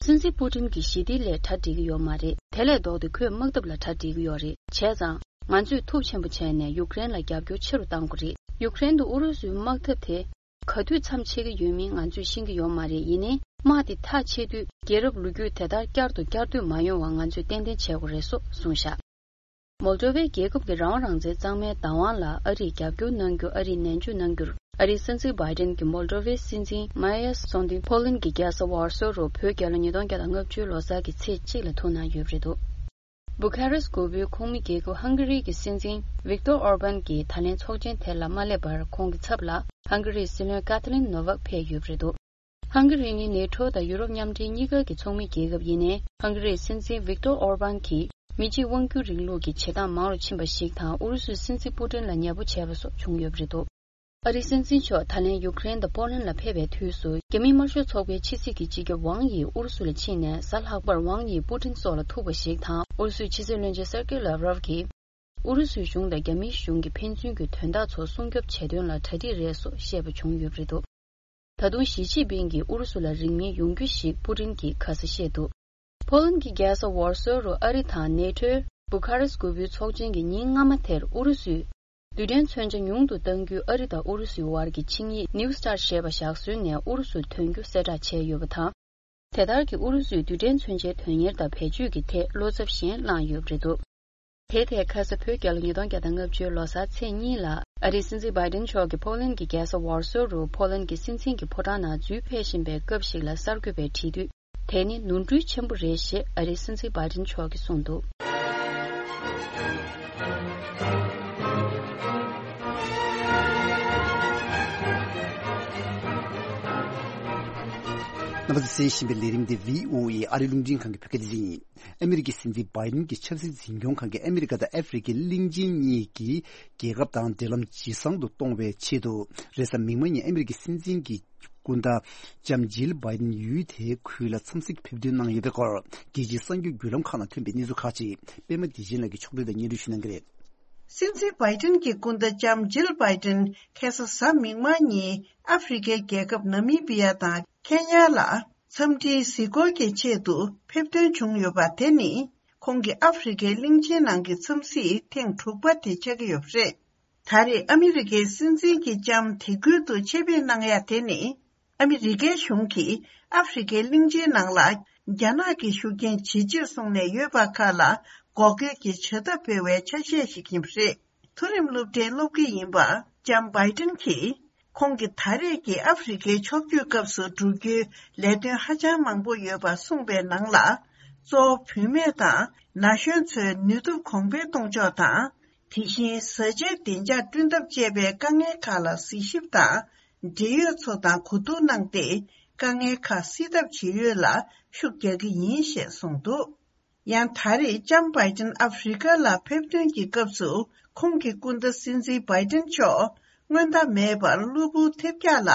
སྲིད་འཛིན་པུ་ཏིན་གྱིས་ཞི་བདེ་སླད་གྲ་སྒྲིག་གི་ཡོད་མ་རེད། དེ་ལས་ལྡོག་སྟེ་ཁོས་དམག་འཐབ་ལ་གྲ་སྒྲིག་གི་ཡོད་རེད། བྱས་ཙང་ང་ཚོས་ཐུགས་ཆེན་པོ་བྱས་ནས་ཡུཀ་རེན་ལ་རྒྱབ་སྐྱོར་ཆེ་རུ་གཏང་དགོས་རེད། ཡུཀ་རེན་དུ་ཨུ་རུ་སུའི་དམག་འཐབ་དེ་ག་དུས་མཚམས་ཆད་ཀྱི་ཡོད་མིན་ང་ཚོས་ཤེས་ཀྱི་ཡོད་མ་རེད། ཡིན་ནའི་དམག་དེ་མཐའ་ཆད་དུས་རྒྱལ་རབས་ལོ་རྒྱུས་དེ་ལྟར་བསྐྱར་དུ་བསྐྱར་ཟློས་མ་ཡོང་བ་ང་ཚོས་ཏན་ཏན་བྱེད་དགོས་རེད་སོགས་གསུངས་བཞག་མོལ་ཏོ་ཝའི་རྒྱལ་ཁབ་ཀྱི་རང་དབང་རང་བཙན་གཙང་མའི་བདག་དབང་ལ་ཨ་རིས་རྒྱབ་སྐྱོར་གནང་རྒྱུ། ཨ་རིས་ནན་བརྗོད་གནང་རྒྱུར་ཨ་རིའི་སྲིད་འཛིན་བྷའི་ཏིན་གྱིས་མོལ་ཏོ་ཝའི་སྲིད་འཛིན་མ་ཡ་སོན་ཏི་པོ་ལན་གྱི་རྒྱལ་ས་ཝར་སོ་རུ་བོད་རྒྱལ་ལོ་ཉིས་སྟོང་བརྒྱ་དང་ལྔ་བཅུ་ལོ་གསར་གྱི་ཚེས་གཅིག་ལ་ཐུག་གནང་ཡོད་པ་རེད་འདུག་བུ་ཁ་རེས་མགོ་པོའི་ཁོངས་མི་རྒྱལ་ཁབ་ཧང་ག་རི་གི་སྲིད་འཛིན་ཝིག་ཏོར་ཨོར་བན་གྱིས་ད་ལན་ཚོགས་ཆེན་དེ་ལ་མ་སླེབས་པར་ཁོང་གི་ཚབ་ལ་ཧང་ག་རིའི་སྲིད་བློན་ཀ་ཐ་ལིན་ནོ་ཝག་ཕེབས་ཡོད་པ་རེད་འདུག་ཧང་ག་རི་ནི་ནེ་ཊོ་དང་ཡུ་རོབ་མཉམ་འབྲེལ་གཉིས་ཀ་གི་ཚོགས་མི་རྒྱལ་ཁབ་ཡིན་ནའི། ཧང་ག་རིའི་སྲིད་འཛིན་ཝིག་ཏོར་ཨོར་བན་གྱིས་མི་གཅིག་དབང་སྒྱུར་རིང་ལུགས་ཀྱི་བྱེད་སྟངས་མང་རུ་ཕྱིན་པ་ཞིག་དང་། ཨུ་རུ་སུའི་སྲིད་འཛིན་པུ་ཏིན་ལ་ཉེ་པོ་བྱས་པ་སོགས་བྱུང་ཡོད་པ་རེད་འདུག་ཨ་རིའི་སྲིད་འཛིན་མཆོག་ད་ལན་ཡུཀ་རེན་དང་པོ་ལན་ལ་ཕེབས་པའི་དུས་སུ། རྒྱ་མིའི་དམར་ཤོག་ཚོགས་པའི་ཕྱི་སྲིད་ཀྱི་སྤྱི་ཁྱབ་ཝང་ཡི་ཨུ་རུ་སུ་ལ་ཕྱིན་ནས། གཟའ་ལྷག་པར་ཝང་ཡིས་པུ་ཏིན་སོགས་ལ་ཐུག་པ་ཞིག་དང་། ཨུ་རུ་སུའི་ཕྱི་སྲིད་བློན་ཆེན་སེར་ཀེ་ལབ་རོབ་ཀྱིས། ཨུ་རུ་སུའི་གཞུང་དང་རྒྱ་མིའི་གཞུང་གིས་ཕན་ཚུན་གྱི་དོན་དག་ཚོ་སྲུང་སྐྱོབ་བྱེད་དོན་ལ་གྲ་སྒྲིག་རེད་སོགས་བཤད་པ་བྱུང་ཡོད་པ་རེད་འདུག་ད་དུང་ཞི་ཅིན་ཕིང་གིས་ཨུ་རུ་སུ་ལ་རིང་མིན་ཡོང་རྒྱུ་ཞིག་པུ་ཏིན་གྱིས་ཁ་གསལ་བཤད་འདུག་ཕོ་ལན་གྱི་རྒྱལ་ས་ཝར་སོ་རུ་ཨ་རི་དང་ནེ་ཊོའི་བུ་ཁ་རེས་མགོ་པོའི་ཚོགས་ཆེན་གྱི་ཉིན་སྔ་མ་དེར། ཨུ་རུ་སུས་རྡུལ་ཕྲན་མཚོན་ཆ་ཉུང་དུ་གཏང་རྒྱུའི་ཨ་རི་དང་ཨུ་རུ་སུའི་བར་གྱི་ཆིངས་ཡིག་ནིའུ་སི་ཊར་ཞེས་པ་བཞག་སྲོལ་ནས་ཨུ་རུ་སུར་ཐོན་རྒྱུ་གསལ་བསྒྲགས་བྱས་ཡོད་པ་དང་། དེ་ལྟར་གྱི་ཨུ་རུ་སུའི་རྡུལ་ཕྲན་མཚོན་ཆའི་དོན་གཉེར་དང་བེད་སྤྱོད་ཀྱི་ཐད་བློ་འཚབ་གཞན་བསླངས་ཡོད་པ་རེད་འདུག་དེའི་ཐད་ཁ་ས་བོད་རྒྱལ་ལོ་ཉིས་སྟོང་བརྒྱ་དང་ལྔ་བཅུའི་ལོ་གསར་ཚེས་གཉིས་ལ་ཨ་རིའི་སྲིད་འཛིན་བྷའི་ཏིན་མཆོག་གིས་ཕོ་ལན་གྱི་རྒྱལ་ས་ཝར་སོ་རུ་ཕོ་ལན་གྱི་སྲིད་འཛིན་གྱི་ཕོ་བྲང་ནང་འཛུལ་ཕེབས་བཞིན་པའི་སྐབས་ཤིག་ལ་གསར་འགོད་པས་དྲིས་དུས། དེ་ནི་ནོར་འཁྲུལ་ཆེན་པོ་རེད་ཞེས་ཨ་རིའི་སྲིད་འཛིན་བྷའི་ཏིན་མཆོག་གིས་གསུངས་འདུག་རྣམ་པ་ཚོས་གསན་བཞིན་པའི་ལས་རིམ་འདི་བྷི་ཨོ་ཨེ་ཨ་རིའི་རླུང་འཕྲིན་ཁང་གི་བོད་སྐད་སྡེ་ཚན་ཡིན། ཨ་མི་རི་ཀའི་སྲིད་འཛིན་བྷའི་ཏིན་གྱི་ཆབ་སྲིད་འཛིན་སྐྱོང་ཁང་གིས་ཨ་མི་རི་ཀ་དང་ཨ་ཧྥེ་རི་ཁའི་གླིང་ཆེན་གཉིས་ཀྱི་རྒྱལ་ཁབ་དང་འབྲེལ་ལམ་ཇེ་བཟང་དུ་གཏོང་བའི་ཆེད་དུ། རེས་གཟའ་མིག་དམར་ཉིན་ཨ་མི་རི་ཀའི་སྲིད་འཛིན་གྱི་སྐུ་ཟླ་ལྕམ་ཇིལ་བྷའི་ཏིན་ཡུལ་དེའི་ཁུལ་ལ་འཚམས་གཟིགས་ཕེབས་ཐོན་གནང་ཡོད་པའི་སྐོར། རྒྱལ་སྤྱིའི་གསར་འགྱུར་བརྒྱུད་ལམ་ཁག་ནང་ཐོན་པའི་གནས་ཚུལ་ཁག་ཅིག་པད་མ་བདེ་ཆེན་ལགས་ཀྱིས་ཕྱོགས་བསྒྲིགས་དང་སྙན་སྒྲོན་ཞུ་གནང་གི་རེད། སྲིད་འཛིན་བྷའི་ཏིན་གྱི་སྐུ་ཟླ་ལྕམ་ཇིལ་བྷའི་ཏིན་ཁ་སང་གཟའ་མིག་དམར་ཉིན་ཨ་ཧྥེ་རི་ཁའི་རྒྱལ་ཁབ་ནཱ་མི་བི་ཡ་དང་ཁེ་ཉ་ལ་འཚམས་འདྲིའི་གཟིགས་སྐོར་གྱི་ཆེད་དུ་ཕེབས་ཐོན་བྱུང་ཡོད་པ། དེ་ནི་ཁོང་གི་ཨ་ཧྥེ་རི་ཁའི་གླིང་ཆེན་ནང་གི་འཚམས་གཟིགས་ཐེངས་དྲུག་པ་དེ་ཆགས་ཀྱི་ཡོད་པ་རེད། ད་རེས་ཨ་མི་རི་ཀའི་སྲིད་འཛིན་གྱི་ལྕམ་དེ་ཁུལ་དུ་ཆེད་ཕེབས་གནང་ཡ་དེ་ནི། ཨ་མི་རི་ཀའི་གཞུང་གིས་ཨ་ཧྥེ་རི་ཁའི་གླིང་ཆེན་ནང་ལ་རྒྱ་ནག་གི་ཤུགས་རྐྱེན་ཇེ་ཆེར་སོང་ནས་ཡོད་པ་ཁག་ལ་འགོག་རྒོལ་གྱི་བྱ་ཐབས་སྤེལ་བའི་ཆ་ཤས་ཤིག་ཡིན་པ་རེད། མཐོ་རིམ་སློབ་གྲྭའི་སློབ་དགེ་ཡིན་པ་ལྕམ་བྷའི་ཏིན་གྱིས། ཁོང་གིས་ད་རེས་ཀྱི་ཨ་ཧྥེ་རི་ཁའི་ཕྱོགས་བསྐྱོད་སྐབས་སུ་བསྒྲུབ་རྒྱུའི་ལས་དོན་ཧ་ཅང་མང་པོ་ཡོད་པ་གསུངས་པའི་ནང་ལ། གཙོ་བོ་བུད་མེད་དང་ན་གཞོན་ཚོའི་ནུས་སྟོབས་གོང་འཕེལ་གཏོང་ཕྱོགས་དང་། དེ་བཞིན་བཟའ་བཅའི་བདེ་འཇགས་བསྐྲུན་ཐབས་བཅས་པའི་དཀའ་ངལ་ཁག་ལ་གཟིགས་ཞིབ་དང་། འབྲེལ་ཡོད་ཚོ་དང་གོ་བསྡུར་གནང་སྟེ། དཀའ་ངལ་ཁག་སེལ་ཐབས་བྱེད་ཡུལ་ལ་ཤུགས་རྒྱག་གི་ཡིན་ཞེས་གསུངས་འདུག་ཡང་ད་རེས་ལྕམ་བྷའི་ཏིན་ཨ་ཧྥེ་རི་ཁ་ལ་ཕེབས་ཐོན་གྱི་སྐབས་སུ། ཁོང་གི་སྐུ་ཟླ་སྲིད་འཛིན་བྷའི་ཏིན་མཆོག་སྔོན་བརྡ་མེད་པར་གློ་བུར་ཐེབས་རྒྱག་ལ་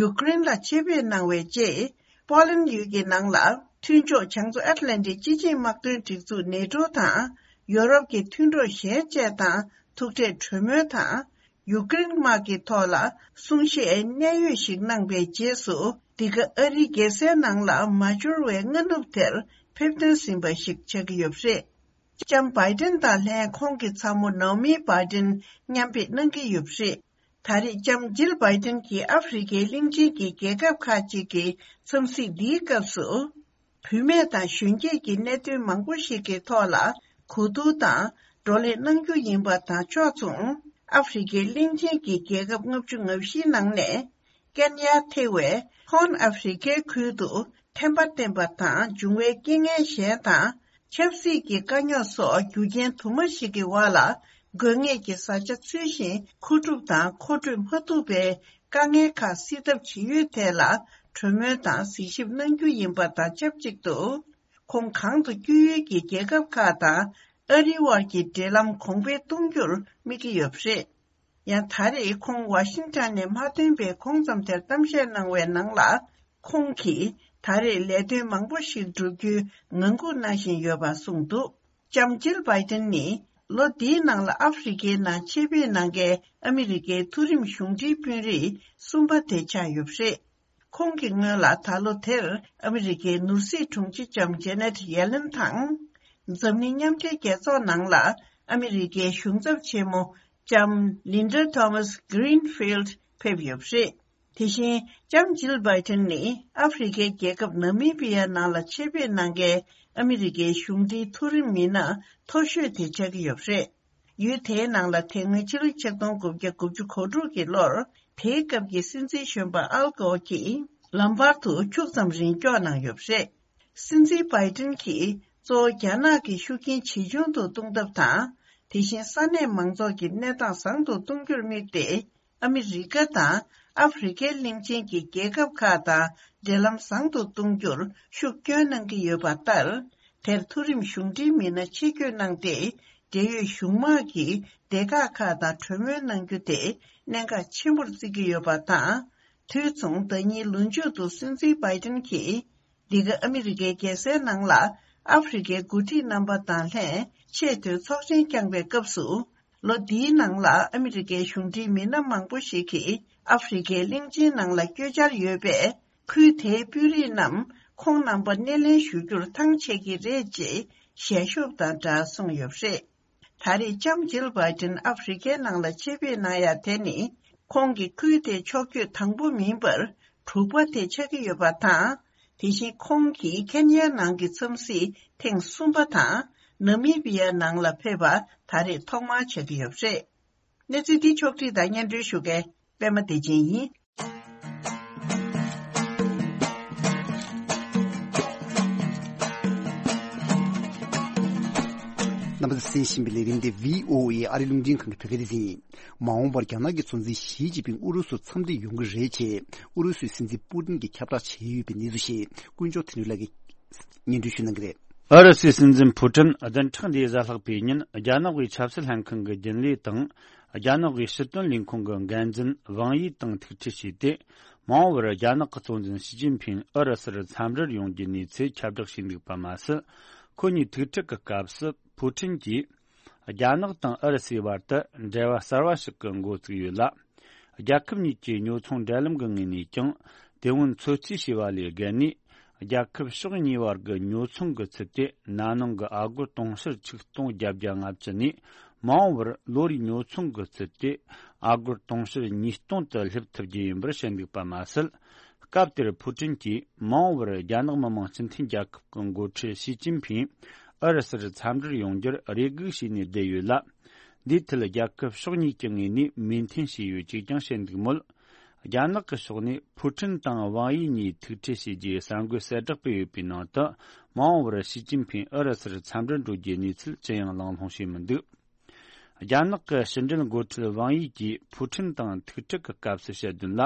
ཡུཀ་རེན་ལ་ཆེད་ཕེབས་གནང་བའི་རྗེས། པོ་ལན་ཡུལ་གྱི་ནང་ལ་མཐུན་ཕྱོགས་བྱང་མཚོ་ཨེཊ་ལན་ཊིག་སྤྱི་ཆིངས་དམག་དོན་སྒྲིག་འཛུགས་ནེ་ཊོ་དང་། ཡོ་རོབ་ཀྱི་མཐུན་གྲོགས་གཞན་བཅས་དང་ཐུག་འཕྲད་གྲོས་མོལ་དང་། ཡུཀ་རེན་དམག་གི་ཐོག་ལ་གསུང་བཤད་གནད་ཡོད་ཞིག་གནང་པའི་རྗེས་སུ། འདི་ག་ཨ་རིའི་རྒྱལ་སའི་ནང་ལ་མ་འབྱོར་བའི་སྔ་ནུབ་དེར་ཕེབས་ཐོན་ཟིན་པ་ཞིག་ཆགས་ཀྱི་ཡོད་པ་རེད། ལྕམ་བྷའི་ཏིན་དང་ལྷན་ཁོང་གི་ཚ་མོ་ནའོ་མི་བྷའི་ཏིན་མཉམ་ཕེབས་གནང་གི་ཡོད་པ་རེད། ད་རེས་ལྕམ་ཇིལ་བྷའི་ཏིན་གྱིས་ཨ་ཧྥེ་རི་ཁའི་གླིང་ཆེན་གྱི་རྒྱལ་ཁབ་ཁག་ཅིག་གི་འཚམས་གཟིགས་འདིའི་སྐབས་སུ། བུད་མེད་དང་གཞོན་སྐྱེས་ཀྱི་གནད་དོན་མང་པོ་ཞིག་གི་ཐོག་ལ་གོ་བསྡུར་དང་བགྲོ་གླེང་གནང་རྒྱུ་ཡིན་པ་དང་ཕྱོགས་མཚུངས། ཨ་ཧྥེ་རི་ཁའི་གླིང་ཆེན་གྱི་རྒྱལ་ཁབ་ལྔ་བཅུ་ང་བཞིའི་ནང་ནས། ཀན་ཡ་ཐེ་བའི་ཧོན་ཨ་ཧྥེ་རི་ཁའི་ཁུལ་དུ་ཐན་པ་བསྟེན་པ་དང་འབྱུང་བའི་རྐྱེན་ངན་གཞན་དང་། ཆབ་སྲིད་ཀྱི་དཀའ་རྙོག་སོགས་རྒྱུ་རྐྱེན་དུ་མ་ཞིག་གི་འོག་ལ། དགོས་ངེས་ཀྱི་བཟའ་བཅའ་ཚུལ་བཞིན་མཁོ་སྒྲུབ་དང་མཁོ་སྤྲོད་མ་ཐུབ་པའི་དཀའ་ངལ་ཁག་སེལ་ཐབས་བྱེད་ཡུལ་ཐད་ལ་གྲོས་མོལ་དང་གཟིགས་ཞིབ་གནང་རྒྱུ་ཡིན་པ་དང་ཆབས་ཅིག་ཏུ། ཁོང་གང་དུ་བསྐྱོད་ཡུལ་གྱི་རྒྱལ་ཁབ་ཁག་དང་ཨ་རིའི་དབར་གྱི་འབྲེལ་ལམ་གོང་འཕེལ་གཏོང་རྒྱུར་དམིགས་ཀྱི་ཡོད་པ་རེད། ཡང་ད་རེས་ཁོང་ཝ་ཤིང་ཊོན་ནས་མ་ཐོན་པའི་གོང་ཙམ་དེར་གཏམ་བཤད་གནང་བའི་ནང་ལ། ཁོང་གིས་ ད་རེས་ལས་དོན་མང་པོ་ཞིག་བསྒྲུབ་རྒྱུའི་ངང་སྒུག་གནང་བཞིན་ཡོད་པ་གསུངས་འདུག་ལྕམ་ཇིལ་བྷའི་ཏིན་ནི་ལོ་འདིའི་ནང་ལ་ཨ་ཧྥེ་རི་ཁའི་ནང་ཆེད་ཕེབས་གནང་མཁན་ཨ་མི་རི་ཀའི་མཐོ་རིམ་གཞུང་འབྲེལ་དཔོན་རིགས་གསུམ་པ་དེ་ཆགས་ཡོད་པ་རེད། ཁོང་གི་སྔོན་ལ་ད་ལོ་དེར་ཨ་མི་རི་ཀའི་ནོར་སྲིད་དྲུང་ཆེ་ལྕམ་ཇེ་ནེད་ཡེ་ལེན་དང་། འཛམ་གླིང་མཉམ་འབྲེལ་རྒྱལ་ཚོགས་ནང་ལ་ཨ་མི་རི་ཀའི་གཞུང་ཚབ་ཆེན་མོ་ལྕམ་ལིན་ཌ་ཐོ་མཱས་གྷི་རིན་ཕིལ་ཌི་ཕེབས་ཡོད་པ་རེད། དེ་བཞིན་ལྕམ་ཇིལ་བྷའི་ཏིན་ནི་ཨ་ཧྥེ་རི་ཁའི་རྒྱལ་ཁབ་ནཱ་མི་བི་ཡ་ནང་ལ་ཆེད་ཕེབས་གནང་མཁན་ཨ་མི་རི་ཀའི་གཞུང་འབྲེལ་མཐོ་རིམ་མི་སྣ་མཐོ་ཤོས་དེ་ཆགས་ཀྱི་ཡོད་པ་རེད། ཡུལ་དེའི་ནང་ལ་དེ་སྔོན་ཕྱི་ལོ་ཆིག་སྟོང་དགུ་བརྒྱ་དགུ་བཅུ་གོ་དྲུག་གི་ལོར་དེའི་སྐབས་ཀྱི་སྲིད་འཛིན་གཞོན་པ་ཨལ་གོར་གྱིས་ལམ་བར་དུ་ཁྱུག་ཙམ་རིང་སྐྱོག་གནང་ཡོད་པ་རེད། སྲིད་འཛིན་བྷའི་ཏིན་གྱིས་གཙོ་བོ་རྒྱ་ནག་གི་ཤུགས་རྐྱེན་ཇེ་ཆུང་དུ་གཏོང་ཐབས་དང་། དེ་བཞིན་ས་གནས་མང་ཚོགས་ཀྱི་གནས་སྟངས་བཟང་དུ་གཏོང་རྒྱུར་དམིགས་ཏེ། ཨ་མི་རི་ཀ་དང་ཨ་ཧྥེ་རི་ཁའི་གླིང་ཆེན་གྱི་རྒྱལ་ཁབ་ཁག་དང་འབྲེལ་ལམ་བཟང་དུ་གཏོང་རྒྱུར་ཤུགས་སྐྱོན་གནང་གི་ཡོད་པ་ལྟར། དེར་མཐོ་རིམ་གཞུང་འབྲེལ་མི་སྣ་ཆེད་བསྐྱོད་གནང་སྟེ། འབྲེལ་ཡོད་གཞུང་དམག་གིས་སྡེ་ཁག་ཁག་དང་གྲོས་མོལ་གནང་རྒྱུ་དེ་གནད་འགག་ཆེན་པོར་བརྩི་གི་ཡོད་པ་དང་། དུས་མཚུངས་ཟླ་གཉིས་ལོ་མཇུག་ཏུ་སྲིད་འཛིན་བྷའི་ཏིན་གྱིས། འདི་ག་ཨ་མི་རི་ཀའི་རྒྱལ་སའི་ནང་ལ་ཨ་ཧྥེ་རི་ཁའི་འགོ་ཁྲིད་རྣམ་པ་དང་ལྷན་ཆེས་མཐོའི་ཚོགས་ཆེན་བསྐྱངས་པའི་སྐབས་སུ། ལོ་འདིའི་ནང་ལ་ཨ་མི་རི་ཀའི་གཞུང་འབྲེལ་མི་སྣ་མང་པོ་ཞིག་གིས་ཨ་ཧྥེ་རི་ཁའི་གླིང་ཆེན་ནང་ལ་བསྐྱོད་འཆར་ཡོད་པས། ཁུལ་དེའི་དཔོན་རིགས་རྣམས་ཁོང་རྣམ་པ་སྣེ་ལེན་ཞུ་རྒྱུར་ཐང་ཆད་ཀྱི་རེད་ཅེས་ཞལ་ཤོབ་དང་སྦྲགས་གསུངས་ཡོད་པ་རེད། ད་རེས་ལྕམ་ཇིལ་བྷའི་ཏིན་ཨ་ཧྥེ་རི་ཁའི་ནང་ལ་ཆེད་ཕེབས་གནང་ཡ་དེ་ནི། ཁོང་གི་ཁུལ་དེའི་ཕྱོགས་བསྐྱོད་དང་པོ་མིན་པར་དྲུག་པ་དེ་ཆགས་ཀྱི་ཡོད་པ་དང་། དེ་བཞིན་ཁོང་གིས་ཁེན་ཡའི་ནང་གི་འཚམས་གཟིགས་ཐེངས་གསུམ་པ་དང་། ནཱ་མི་བི་ཡ་ནང་ལ་ཕེབས་པ་ད་རེས་ཐོག་མར་ཆགས་ཀྱི་ཡོད་པ་རེད། གནས་ཚུལ་འདི་ཕྱོགས་བསྒྲིགས་དང་སྙན་སྒྲོན་ཞུ་མཁན་པད་མ་བདེ་ཆེན་ཡིན། རྣམ་པ་ཚོས་གསན་བཞིན་པའི་ལས་རིམ་དེ་བྷི་ཨོ་ཨེ་ཨ་རི་རླུང་འཕྲིན་ཁང་གི་བོད་སྐད་སྡེ་ཚན་ཡིན། མ་འོངས་པར་རྒྱ་ནག་གི་གཙོ་འཛིན་ཞི་ཅིན་ཕིང་ཨུ་རུ་སུར་འཚམས་འདྲིར་ཡོང་གི་རེད་ཅེས་ཨུ་རུ་སུའི་སྲིད་འཛིན་པུ་ཏིན་གྱིས་ཁྱབ་བསྒྲགས་བྱས་ཡོད་པའི་གནས་ཚུལ་ཞིག་དཀོན་མཆོག་དོན་གྲུབ་ལགས་ཀྱིས་སྙན་སྒྲོན་ཞུ་གནང་གི་རེད། ཨུ་རུ་སུའི་སྲིད་འཛིན་ཕུ་ཀྲིན་བདུན་ཕྲག་འདིའི་གཟའ་ལྷག་པའི་ཉིན་རྒྱ་ནག་གི་ཆབ་སྲིད་ལྷན་ཁང་གི་རྒྱུན་ལས་དང་། རྒྱ་ནག་གི་ཕྱི་དོན་ལས་ཁུངས་ཀྱི་འགན་འཛིན་ཝང་ཡི་དང་ཐུག་འཕྲད་བྱས་ཏེ། མ་འོངས་པར་རྒྱ་ནག་གི་གཙོ་འཛིན་ཞི་ཅིན་ཕིང་ཨུ་རུ་སུར་འཚམས་འདྲིར་ཡོང་རྒྱུའི་གནས་ཚུལ་ཁྱབ་བསྒྲགས་བྱས་འདུག་པ་མ་ཟད། ཁོ་གཉིས་ཐུག་འཕྲད་ཀྱི་སྐབས་སུ་ཕུ་ཀྲིན་གྱིས། རྒྱ་ནག་དང་ཨུ་རུ་སུའི་བར་དུ་འབྲེལ་བ་གསར་བ་ཞིག་གི་འགོ་བཙུགས་ཡོད་ལ། རྒྱལ་ཁབ་གཉིས་ཀྱི་ཉོ་ཚོང་འབྲེལ་ལམ་གྱི་ངོས་ནས་ཀྱང་དེ་སྔོན་ཚོད་རྩིས་བྱས་པ་ལས་བརྒལ་ནས། རྒྱལ་ཁབ་ཕྱོགས་གཉིས་བར་གྱི་ཉོ་ཚོང་གི་ཚུལ་དེ་ན་ནིང་གི་ཨ་སྒོར་དུང་ཕྱུར་ཆིག་སྟོང་བརྒྱད་བརྒྱ་ལྔ་བཅུ་ནས། མ་འོངས་པར་ལོ་རེའི་ཉོ་ཚོང་གི་ཚུལ་དེ་ཨ་སྒོར་དུང་ཕྱུར་ཉིས་སྟོང་དུ་སླེབས་ཐུབ་རྒྱུ་ཡིན་པར་བཤད་འདུག་པ་མ་ཟད། སྐབས་དེར་ཕུ་ཀྲིན་གྱིས་མ་འོངས་པར་རྒྱ་ནག་མི་དམངས་སྤྱི་མཐུན་རྒྱལ་ཁབ་ཀྱི་འགོ་ཁྲིད་ཞི་ཅིན་ཕིང་ཨུ་རུ་སུར་འཚམས་འདྲིར་ཡོང་རྒྱུར་རེ་སྒུག་བྱས་ནས་བསྡད་ཡོད་ལ། འདིའི་ཐད་རྒྱལ་ཁབ་ཕྱོགས་གཉིས་ཀྱི་ངོས་ནས་མོས་མཐུན་བྱས་ཡོད་ཅེས་ཀྱང་བཤད་འདུག་མོད། རྒྱ་ནག་གི་ཕྱོགས་ནས་ཕུ་ཀྲིན་དང་ཝང་ཡི་གཉིས་ཐུག་འཕྲད་བྱས་རྗེས་གསར་འགོད་གསལ་བསྒྲགས་སྤེལ་ཡོད་པའི་ནང་དུ། མ་འོངས་པར་ཞི་ཅིན་ཕིང་ཨུ་རུ་སུར་འཚམས་འདྲིར་འགྲོ་རྒྱུའི་གནས་ཚུལ་ཅི་ཡང་གླེང་སློང་བྱས་མི་འདུག་རྒྱ་ནག་གི་ཕྱི་འབྲེལ་འགོ་ཁྲིད་ཝང་ཡི་གིས་ཕུ་ཀྲིན་དང་ཐུག་འཕྲད་ཀྱི་སྐབས་སུ་བཤད་དོན་ལ།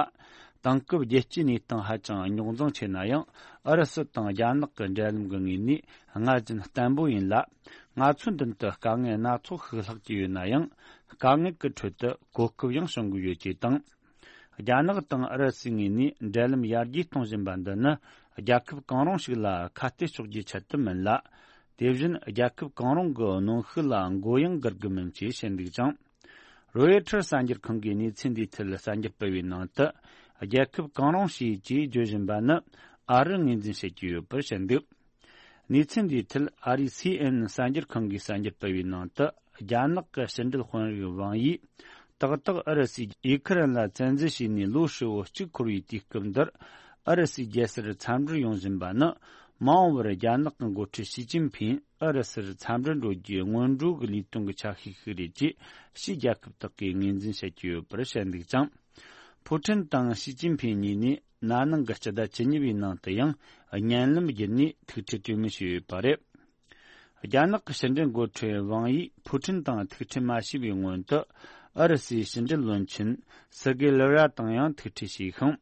དེང་སྐབས་རྒྱལ་སྤྱིའི་གནས་སྟངས་ཧ་ཅང་རྙོག་འཛིང་ཆེ་ན་ཡང་། ཨུ་རུ་སུ་དང་རྒྱ་ནག་གི་འབྲེལ་ལམ་གྱི་ངོས་ནས་སྔར་བཞིན་བརྟན་པོ་ཡིན་ལ། ང་ཚོའི་མདུན་དུ་དཀའ་ངལ་སྣ་ཚོགས་ཤིག་ལྷག་གི་ཡོད་ན་ཡང་། དཀའ་ངལ་གྱི་ཁྲོད་དུ་གོ་སྐབས་ཡང་བྱུང་གི་ཡོད་ཅེས་དང་། རྒྱ་ནག་དང་ཨུ་རུ་སུའི་ངོས་ནས་འབྲེལ་ལམ་ཡར་རྒྱས་གཏོང་བཞིན་པ་འདི་ནི། རྒྱལ་ཁབ་གང་རུང་ཞིག་ལ་ཁ་གཏད་གཅོག་རྒྱུའི་ཆེད་དུ་མིན་ལ། དེ་བཞིན་རྒྱལ་ཁབ་གང་རུང་གི་གནོན་ཤུགས་ལ་མགོ་ཡང་སྒུར་རྒྱུ་མིན་ཅེས་བཤད་འདུག་ཅིང་། རོའི་ཊར་གསར་འགྱུར་ཁང་གིས་གནས་ཚུལ་འདིའི་ཐད་གསར་འགྱུར་སྤེལ་བའི་ནང་དུ། རྒྱལ་ཁབ་གང་རུང་ཞིག་ཅེས་བརྗོད་བཞིན་པ་ནི་ཨ་རི་ངོས་འཛིན་བྱེད་ཀྱི་ཡོད་པར་བཤད་འདུག་གནས་ཚུལ་འདིའི་ཐད་ཨ་རིའི་སི་ཨེན་ཨེན་གསར་འགྱུར་ཁང་གིས་གསར་འགྱུར་སྤེལ་བའི་ནང་དུ། རྒྱ་ནག་གི་ཕྱི་འབྲེལ་དཔོན་རིགས་ཝང་ཡིས། ཏག་ཏག་ཨུ་རུ་སུས་ཡུ་ཁུ་རེན་ལ་བཙན་འཛུལ་བྱས་ནས་ལོ་ཧྲིལ་བོ་གཅིག་འཁོར་བའི་དུས་སྐབས་འདིར། ཨུ་རུ་སུའི་རྒྱལ་སར་འཚམས་འདྲིར་ཡོང་བཞིན་པ་ནི། མ་འོངས་པར་རྒྱ་ནག་གི་འགོ་ཁྲིད་ཞི་ཅིན་ཕིང་ཨུ་རུ་སུར་འཚམས་འདྲིར་འགྲོ་རྒྱུའི་སྔོན་འགྲོ་གི་ལས་དོན་གྱི་ཆ་ཤས་ཤིག་རེད་ཅེས། ཕྱིའི་རྒྱལ་ཁབ་དག་གིས་ངོས་འཛིན་བྱེད་ཀྱི་ཡོད་པར་བཤད་འདུག་ཅིང་། ཕུ་ཀྲིན་དང་ཞི་ཅིན་ཕིང་གཉིས་ནས་ན་ནིང་གི་སྤྱི་ཟླ་བཅུ་གཉིས་པའི་ནང་དུ་ཡང་། བརྙན་ལམ་བརྒྱུད་ནས་ཐུག་འཕྲད་གྲོས་མོལ་བྱས་ཡོད་པ་རེད། རྒྱ་ནག་གི་ཕྱི་འབྲེལ་འགོ་ཁྲིད་ཝང་ཡིས་ཕུ་ཀྲིན་དང་ཐུག་འཕྲད་མ་བྱས་པའི་སྔོན་དུ། ཨུ་རུ་སུའི་ཕྱི་འབྲེལ་བློན་ཆེན་སེར་གེ་ལེ་ར་དང་ཡང་ཐུག་འཕྲད་བྱས་ཤིང་།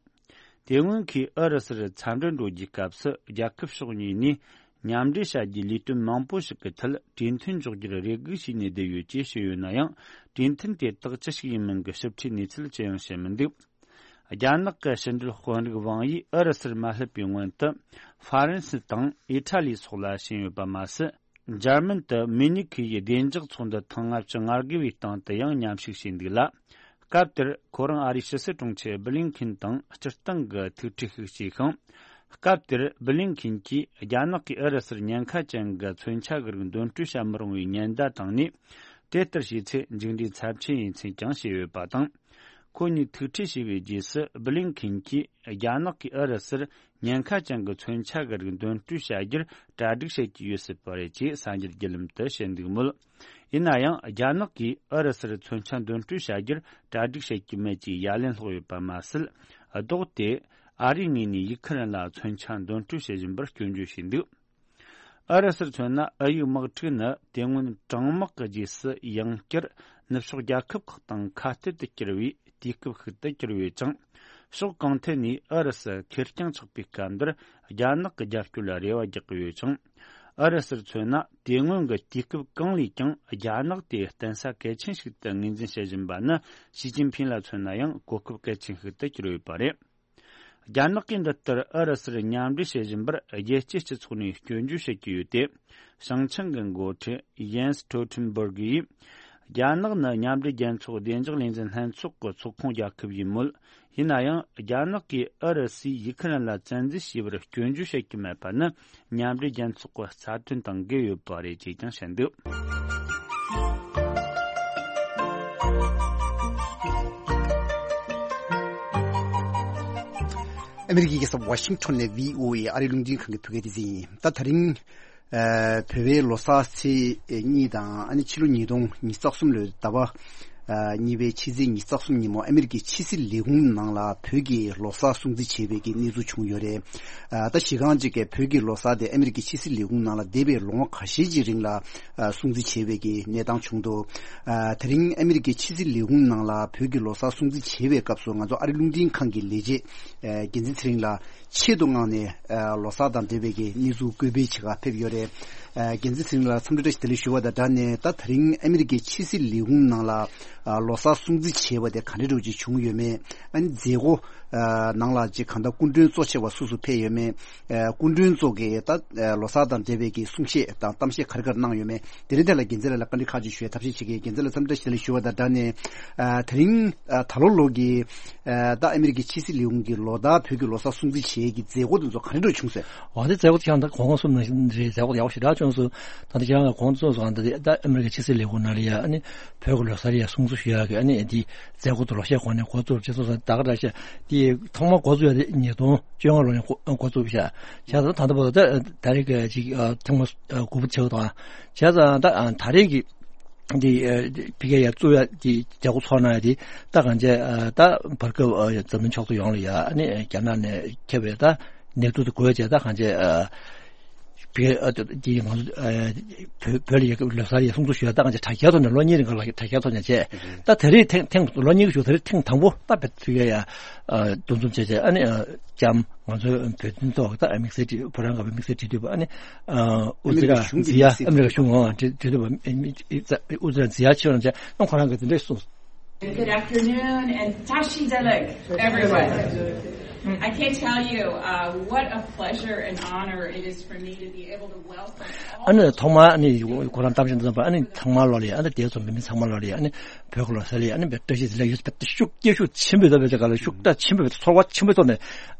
དེ་སྔོན་གྱི་ཨུ་རུ་སུར་འཚམས་འདྲིར་འགྲོ་རྒྱུའི་སྐབས་སུ། རྒྱལ་ཁབ་ཕྱོགས་གཉིས་ནས་མཉམ་འབྲེལ་བྱ་རྒྱུའི་ལས་དོན་མང་པོ་ཞིག་གི་ཐད་གྲོས་མཐུན་འཇོག་རྒྱུར་རེ་སྒུག་བྱས་ནས་བསྡད་ཡོད་ཅེས་བཤད་ཡོད་ན་ཡང་། གྲོས་མཐུན་དེ་དག་ཅི་ཞིག་ཡིན་མིན་གྱི་ཞིབ་ཕྲའི་གནས་ཚུལ་ཅི་ཡང་བཤད་མི་འདུག་རྒྱ་ནག་གི་ཕྱི་འབྲེལ་དཔོན་རིགས་ཝང་ཡིས་ཨུ་རུ་སུར་མ་སླེབས་པའི་སྔོན་དུ། ཧྥ་རན་སི་དང་ཨི་ཊ་ལི་སོགས་ལ་ཕྱིན་ཡོད་པ་མ་ཟད། འཇར་མན་དུ་མུ་ནིག་གི་བདེ་འཇགས་ཚོགས་འདུ་ཐེངས་ལྔ་བཅུ་ང་དགུ་བའི་སྟེང་དུ་ཡང་མཉམ་ཞུགས་བྱས་འདུག་ལ། སྐབས་དེར་ཁོ་རང་ཨ་རིའི་ཕྱི་སྲིད་དྲུང་ཆེ་བྷི་ལིན་ཁིན་དང་སྤྱིར་བཏང་གི་ཐུག་འཕྲད་ཤིག་བྱས་ཤིང་། སྐབས་དེར་བྷི་ལིན་ཁིན་གྱིས་རྒྱ་ནག་གིས་ཨུ་རུ་སུར་ཉེན་ཁ་ཅན་གྱི་མཚོན་ཆ་གི་རིགས་འདོན་སྤྲོད་བྱ་མི་རུང་བའི་ཉེན་བརྡ་བཏང་ནས། དེ་ལྟར་བྱས་ཚེ་མཇུག་འབྲས་ཚབས་ཆེན་ཡིན་ཚུལ་ཀྱང་བཤད་ཡོད་པ་དང་། ཁོ་གཉིས་ཐུག་འཕྲད་བྱས་པའི་རྗེས་སུ་བྷི་ལིན་ཁིན་གྱིས་རྒྱ་ནག་གིས་ཨུ་རུ་སུར་ཉེན་ཁ་ཅན་གྱི་མཚོན་ཆ་གི་རིགས་འདོན་སྤྲོད་བྱ་རྒྱུར་གྲ་སྒྲིག་བྱེད་ཀྱི་ཡོད་སྲིད་པ་རེད་ཅེས་གསར་འགྱུར་བརྒྱུད་ལམ་དུ་བཤད་འདུག་མོད། ཡིན་ན་ཡང་རྒྱ་ནག་གིས་ཨུ་རུ་སུར་མཚོན་ཆ་འདོན་སྤྲོད་བྱ་རྒྱུར་གྲ་སྒྲིག་བྱེད་ཀྱི་མེད་ཅེས་ཡ་ལན་སློག་ཡོད་པ་མ་ཟད། ལྡོག་སྟེ་ཨ་རིའི་ངོས་ནས་ཡུ་ཁུ་རེན་ལ་མཚོན་ཆ་འདོན་སྤྲོད་བྱེད་བཞིན་པར་སྐྱོན་བརྗོད་བྱས་འདུག་ཨུ་རུ་སུར་མཚོན་ན་ཨུ་ཡུག་དམག་འཁྲུག་ནི་དེ་སྔོན་གྲང་དམག་གི་རྗེས་སུ་ཡང་བསྐྱར་ནུབ་ཕྱོགས་རྒྱལ་ཁབ་ཁག་དང་ཁ་གཏད་དུ་གྱུར་བའི་དུས་སྐབས་ཤིག་ཏུ་གྱུར་ཡོད་ཅིང་། ཕྱོགས་གང་ཐད་ནས་ཨུ་རུ་སུ་ཁེར་རྐྱང་ཆགས་པའི་སྐབས་འདིར་རྒྱ་ནག་གི་རྒྱབ་སྐྱོར་ལ་རེ་བ་རྒྱག་གི་ཡོད་ཅིང་། ཨུ་རུ་སུར་མཚོན་ན་དེ་སྔོན་གྱི་དུས་སྐབས་གང་ལས་ཀྱང་རྒྱ་ནག་དེ་བརྟེན་ས་གལ་ཆེན་ཞིག་ཏུ་ངོས་འཛིན་བྱེད་བཞིན་པ་ནི་ཞི་ཅིན་ཕིང་ལ་མཚོན་ན་ཡང་གོ་སྐབས་གལ་ཆེན་ཞིག་ཏུ་གྱུར་ཡོད་པ་རེད། རྒྱ་ནག་གིས་འདི་ལྟར་ཨུ་རུ་སུར་མཉམ་འབྲེལ་བྱེད་བཞིན་པར་རྒྱལ་སྤྱིའི་སྤྱི་ཚོགས་ནས་སྐྱོན་བརྗོད་བྱེད་ཀྱི་ཡོད་དེ། བྱང་ཆིངས་ཀྱི་འགོ་ཁྲིད་ཡེན་སི་སྟོལ་ཊེན་སྦུར་གིས། རྒྱ་ནག་ནི་མཉམ་འབྲེལ་རྒྱལ་ཚོགས་བདེ་འཇགས་ལས་འཛིན་ལྷན་ཚོགས་ཀྱི་ཚོགས་ཁོངས་རྒྱལ་ཁབ་ཡིན་མོད། ཡིན་ན་ཡང་རྒྱ་ནག་གིས་ཨུ་རུ་སུས་ཡུ་ཁུ་རེན་ལ་བཙན་འཛུལ་བྱས་པར་སྐྱོན་བརྗོད་བྱེད་ཀྱི་མེད་པ་ནི་མཉམ་འབྲེལ་རྒྱལ་ཚོགས་ཀྱི་རྩ་དོན་དང་འགལ་ཡོད་པ་རེད་ཅེས་ཀྱང་བཤད་འདུག་ཨ་མེ་རི་ཀའི་རྒྱལ་ས་ཝ་ཤིང་ཊོན་ནས་བྷི་ཨོ་ཨེ་ཨ་རིའི་རླུང་འཕྲིན་ཁང་གི་བོད་སྐད་སྡེ་ཚན་ཡིན། ད་དེ་རིང་ཨ་བོད་པའི་ལོ་གསར་ཚེས་གཉིས་དང་ཨ་ནི་ཕྱི་ལོ་ཉིས་སྟོང་ཉི་ཤུ་རྩ་གསུམ་ལོའི་ཟླ་བ་ཨ་གཉིས་པའི་ཕྱི་ཚེས་ཉི་ཤུ་རྩ་གསུམ་ཉིན་མོ་ཨ་མེ་རི་ཀའི་ཕྱི་སྲིད་ལས་ཁུངས་ནང་ལ་བོད་ཀྱི་ལོ་གསར་སྲུང་བརྩི་བྱེད་པའི་གི་གནས་ཚུལ་བྱུང་ཡོད་རེད། ཨ་ད་གཞི་རྐང་གཅིག་གི་བོད་ཀྱི་ལོ་གསར་དེ་ཨ་མེ་རི་ཀའི་ཕྱི་སྲིད་ལས་ཁུངས་ནང་ལ་འདས་པའི་ལོ་ངོ་ཁ་ཤས་ཀྱི་རིང་ལ་ཨ་སྲུང་བརྩི་བྱེད་པའི་གི་གནས་སྟངས་བྱུང་འདུག་ཨ་དེ་རིང་ཨ་མེ་རི་ཀའི་ཕྱི་སྲིད་ལས་ཁུངས་ནང་ལ་བོད་ཀྱི་ལོ་གསར་སྲུང་བརྩི་བྱེད་པའི་སྐབས་སུ་ང་ཚོ་ཨ་རི་རླུང་འཕྲིན་ཁང་གི་ལས་བྱེད་ཨ་འགན་འཛིན་ཚེ་རིང་ལགས་ཆེད་དུ་མངགས་ནས་ཨ་ལོ་གསར་དང་འབྲེལ་བའི་གི་གནས་ཚུལ་བཀོད་སྤེལ་བྱེད་གར་ཕེབས་ཡོད་རེད། ཨ་འགན་འཛིན་ཚེ་རིང་ལགས་འཚམས་འདྲི་བཀྲ་ཤིས་བདེ་ལེགས་ཞུ་བ་དང་སྦྲགས་ནས་ད་དེ་རིང་ཨ་མེ་རི་ཀའི་ཕྱི་སྲིད་ལས་ཁུངས་ནང་ལ་ཨ་ལོ་གསར་སྲུང་བརྩི་བྱས་པ་དེ་ག་འདྲ་འདྲ་བོ་ཅིག་བྱུང་ཡོད་མེད། ཨ་ནི་མཛད་སྒོ་ཨ་ནང་ལ་ཅིག་གང་ལྟར་སྐུ་མགྲོན་གཙོ་ཆེ་བ་སུ་སུ་ཕེབས་ཡོད་མེད། ཨ་སྐུ་མགྲོན་ཚོ་གིས་ད་ཨ་ལོ་གསར་དང་འབྲེལ་བའི་གི་གསུང་བཤད་དང་གཏམ་བཤད་ག་རེ་ག་རེ་གནང་ཡོད་མེད། དེ་རིང་དེ་ལ་འགན་འཛིན་ལགས་ལ་བཀའ་འདྲི་ཁག་ཅིག་ཞུ་ཡ་ཐབས་ཤེས་བྱེད་ཀྱི་ཡིན། འགན་འཛིན་ལགས་འཚམས་འདྲི་བཀྲ་ཤིས་བདེ་ལེགས་ཞུ་བ་དང་སྦྲགས་ནས་ཨ་དེ་རིང་ཨ་ད་ལོ་ལོ་གི་ཨ་ད་ཨ་མེ་རི་ཀའི་ཕྱི་སྲིད་ལས་ཁུངས་ཀྱི་ལོ་ཟླ་བོད་ཀྱི་ལོ་གསར་སྲུང་བརྩི་བྱེད་ཀྱི་མཛད་སྒོ་དེ་ཚོ་ག་འདྲ་འདྲ་བྱུང་ཟེར། འོ་དེ་མཛད་སྒོ་དེ་ཁྱེད་རང་ད་གོང་གོང་གསུངས་ནང་བཞིན་རེད། མཛད་སྒོ་ཡག་པོ་ཞེ་དྲག་བྱུང་སོང་། ད་ལྟ་ཁྱེད་རང་ག་གོང་དུ་གསུངས་སོང་། ད་ལྟ་ཨ་མེ་རི་ཀའི་ཕྱི་སྲིད་ལས་ཁུངས་ནང་ལ་ཡ་ཨ་ནི་བོད་ཀྱི་ལོ་གསར་ཡ་སྲུང་བརྩི་ཞུ་ཡག་གི་ཨ་ནི་དེ་མཛད་སྒོ་དེ་ལོ་ཤས་གོང་ནས་འགོ་བཙུགས་བྱས་སོང་ཟེར། ད་ག་འདྲ་ཤག་དེ་ཐོག་མར་འགོ་བཙུགས་ཡ་དེ་ཉིས་སྟོང་བཅོ་ལྔ་ལོ་ནས་འགོ་འགོ་བཙུགས་ཤག་བྱས་ཙང་ད་ལྟ་བར་དུ་ད་ད་རེས་ཀྱི་ཅིག་ཨ་ཐེངས་མ་ཨ་དགུ་པ་བྱེད་པ་དང་། བྱས་ཙང་ད་ཨ་ད་རེས་ཀྱི་འདི་ཨ་ཕ་གིར་ཡ་བཙུགས་ཡ་དེ་མཛད་སྒོ་ཚོགས་གནང་ཡ་དེ་ད་གང་བྱས་ཨ་ད་བར་སྐབས་ཨ་འཛམ་གླིང་ཕྱོགས་སུ་ཡོངས་ལ་ཡ་ཨ་ནི་རྒྱ་ནག་ནས་ཁྱབ་པའི་ད་ནད་དུག་དེ་འགོས་བྱས་ད་གང་བྱས་ཨ་བོད་ཨ་དེ་ང་ཚོ་ཨ་བོད་བོད་ལ་ཡ་ལོ་གསར་ཡ་སྲུང་བརྩི་ཞུ་ཡ་ད་གང་བྱས་དྲ་རྒྱའི་ཐོག་ནས་ལོ་གཉིས་རིང་ག་ལ་དྲ་རྒྱའི་ཐོག་ནས་བྱས། ད་དེ་རིང་ཐེངས་ཐེངས་ལོ་གཉིས་ཀྱི་གཞུག་དེ་རིང་ཐེངས་དང་པོ་ད་བོད་ཕ་གིར་ཡ་ཨ་འདུ་འཛོམས་བྱས་བྱས་ཨ་ནི་ཨ་ལྕམ་ང་ཚོའི་བོད་དོན་ཐོག་ད་དམིགས་བསལ་བོད་རང་གི་དམིགས་བསལ་འབྲེལ་མཐུད་པ་ཨ་ནི་ཨ་ཨུ་ཛི་ར་ཛི་ཡ་ཨ་མེ་རི་ཀ་གཞུང་ཨ་འབྲེལ་མཐུད་པ་ཨུ་ཛི་ར་ཛི་ཡ་ཆེ་བ་ལ་བྱས་ཨ་ཁོ་རང་གིས་དེ་འདྲས་གསུངས། Good afternoon and Tashi Delek, everyone. I can't tell you uh, what a pleasure and honor it is for me to be able to welcome all ཨ་ནི་ཐོག་མར་ཨ་ནི་ཁོ་རང་གཏམ་བཤད་འདི་ཚོ་ཨ་ནི་ཚང་མ་ལོ་ལ་ཨ་ནི་དེ་ཚོ་མི་མི་ཚང་མ་ལོ་ལ་ཨ་ནི་བོད་ཀྱི་ལོ་གསར་ལ་ཨ་ནི་བཀྲ་ཤིས་བདེ་ལེགས་ཡོད་པའི་ཤུགས་སྐྱེད་ཤུགས་ཆེན་པོས་ད་བེད་ཀ་ལ་ཤུགས་དྲག་ཆེན་པོས་ཚོར་བ་ཆེན་པོའི་ཐོག་ནས་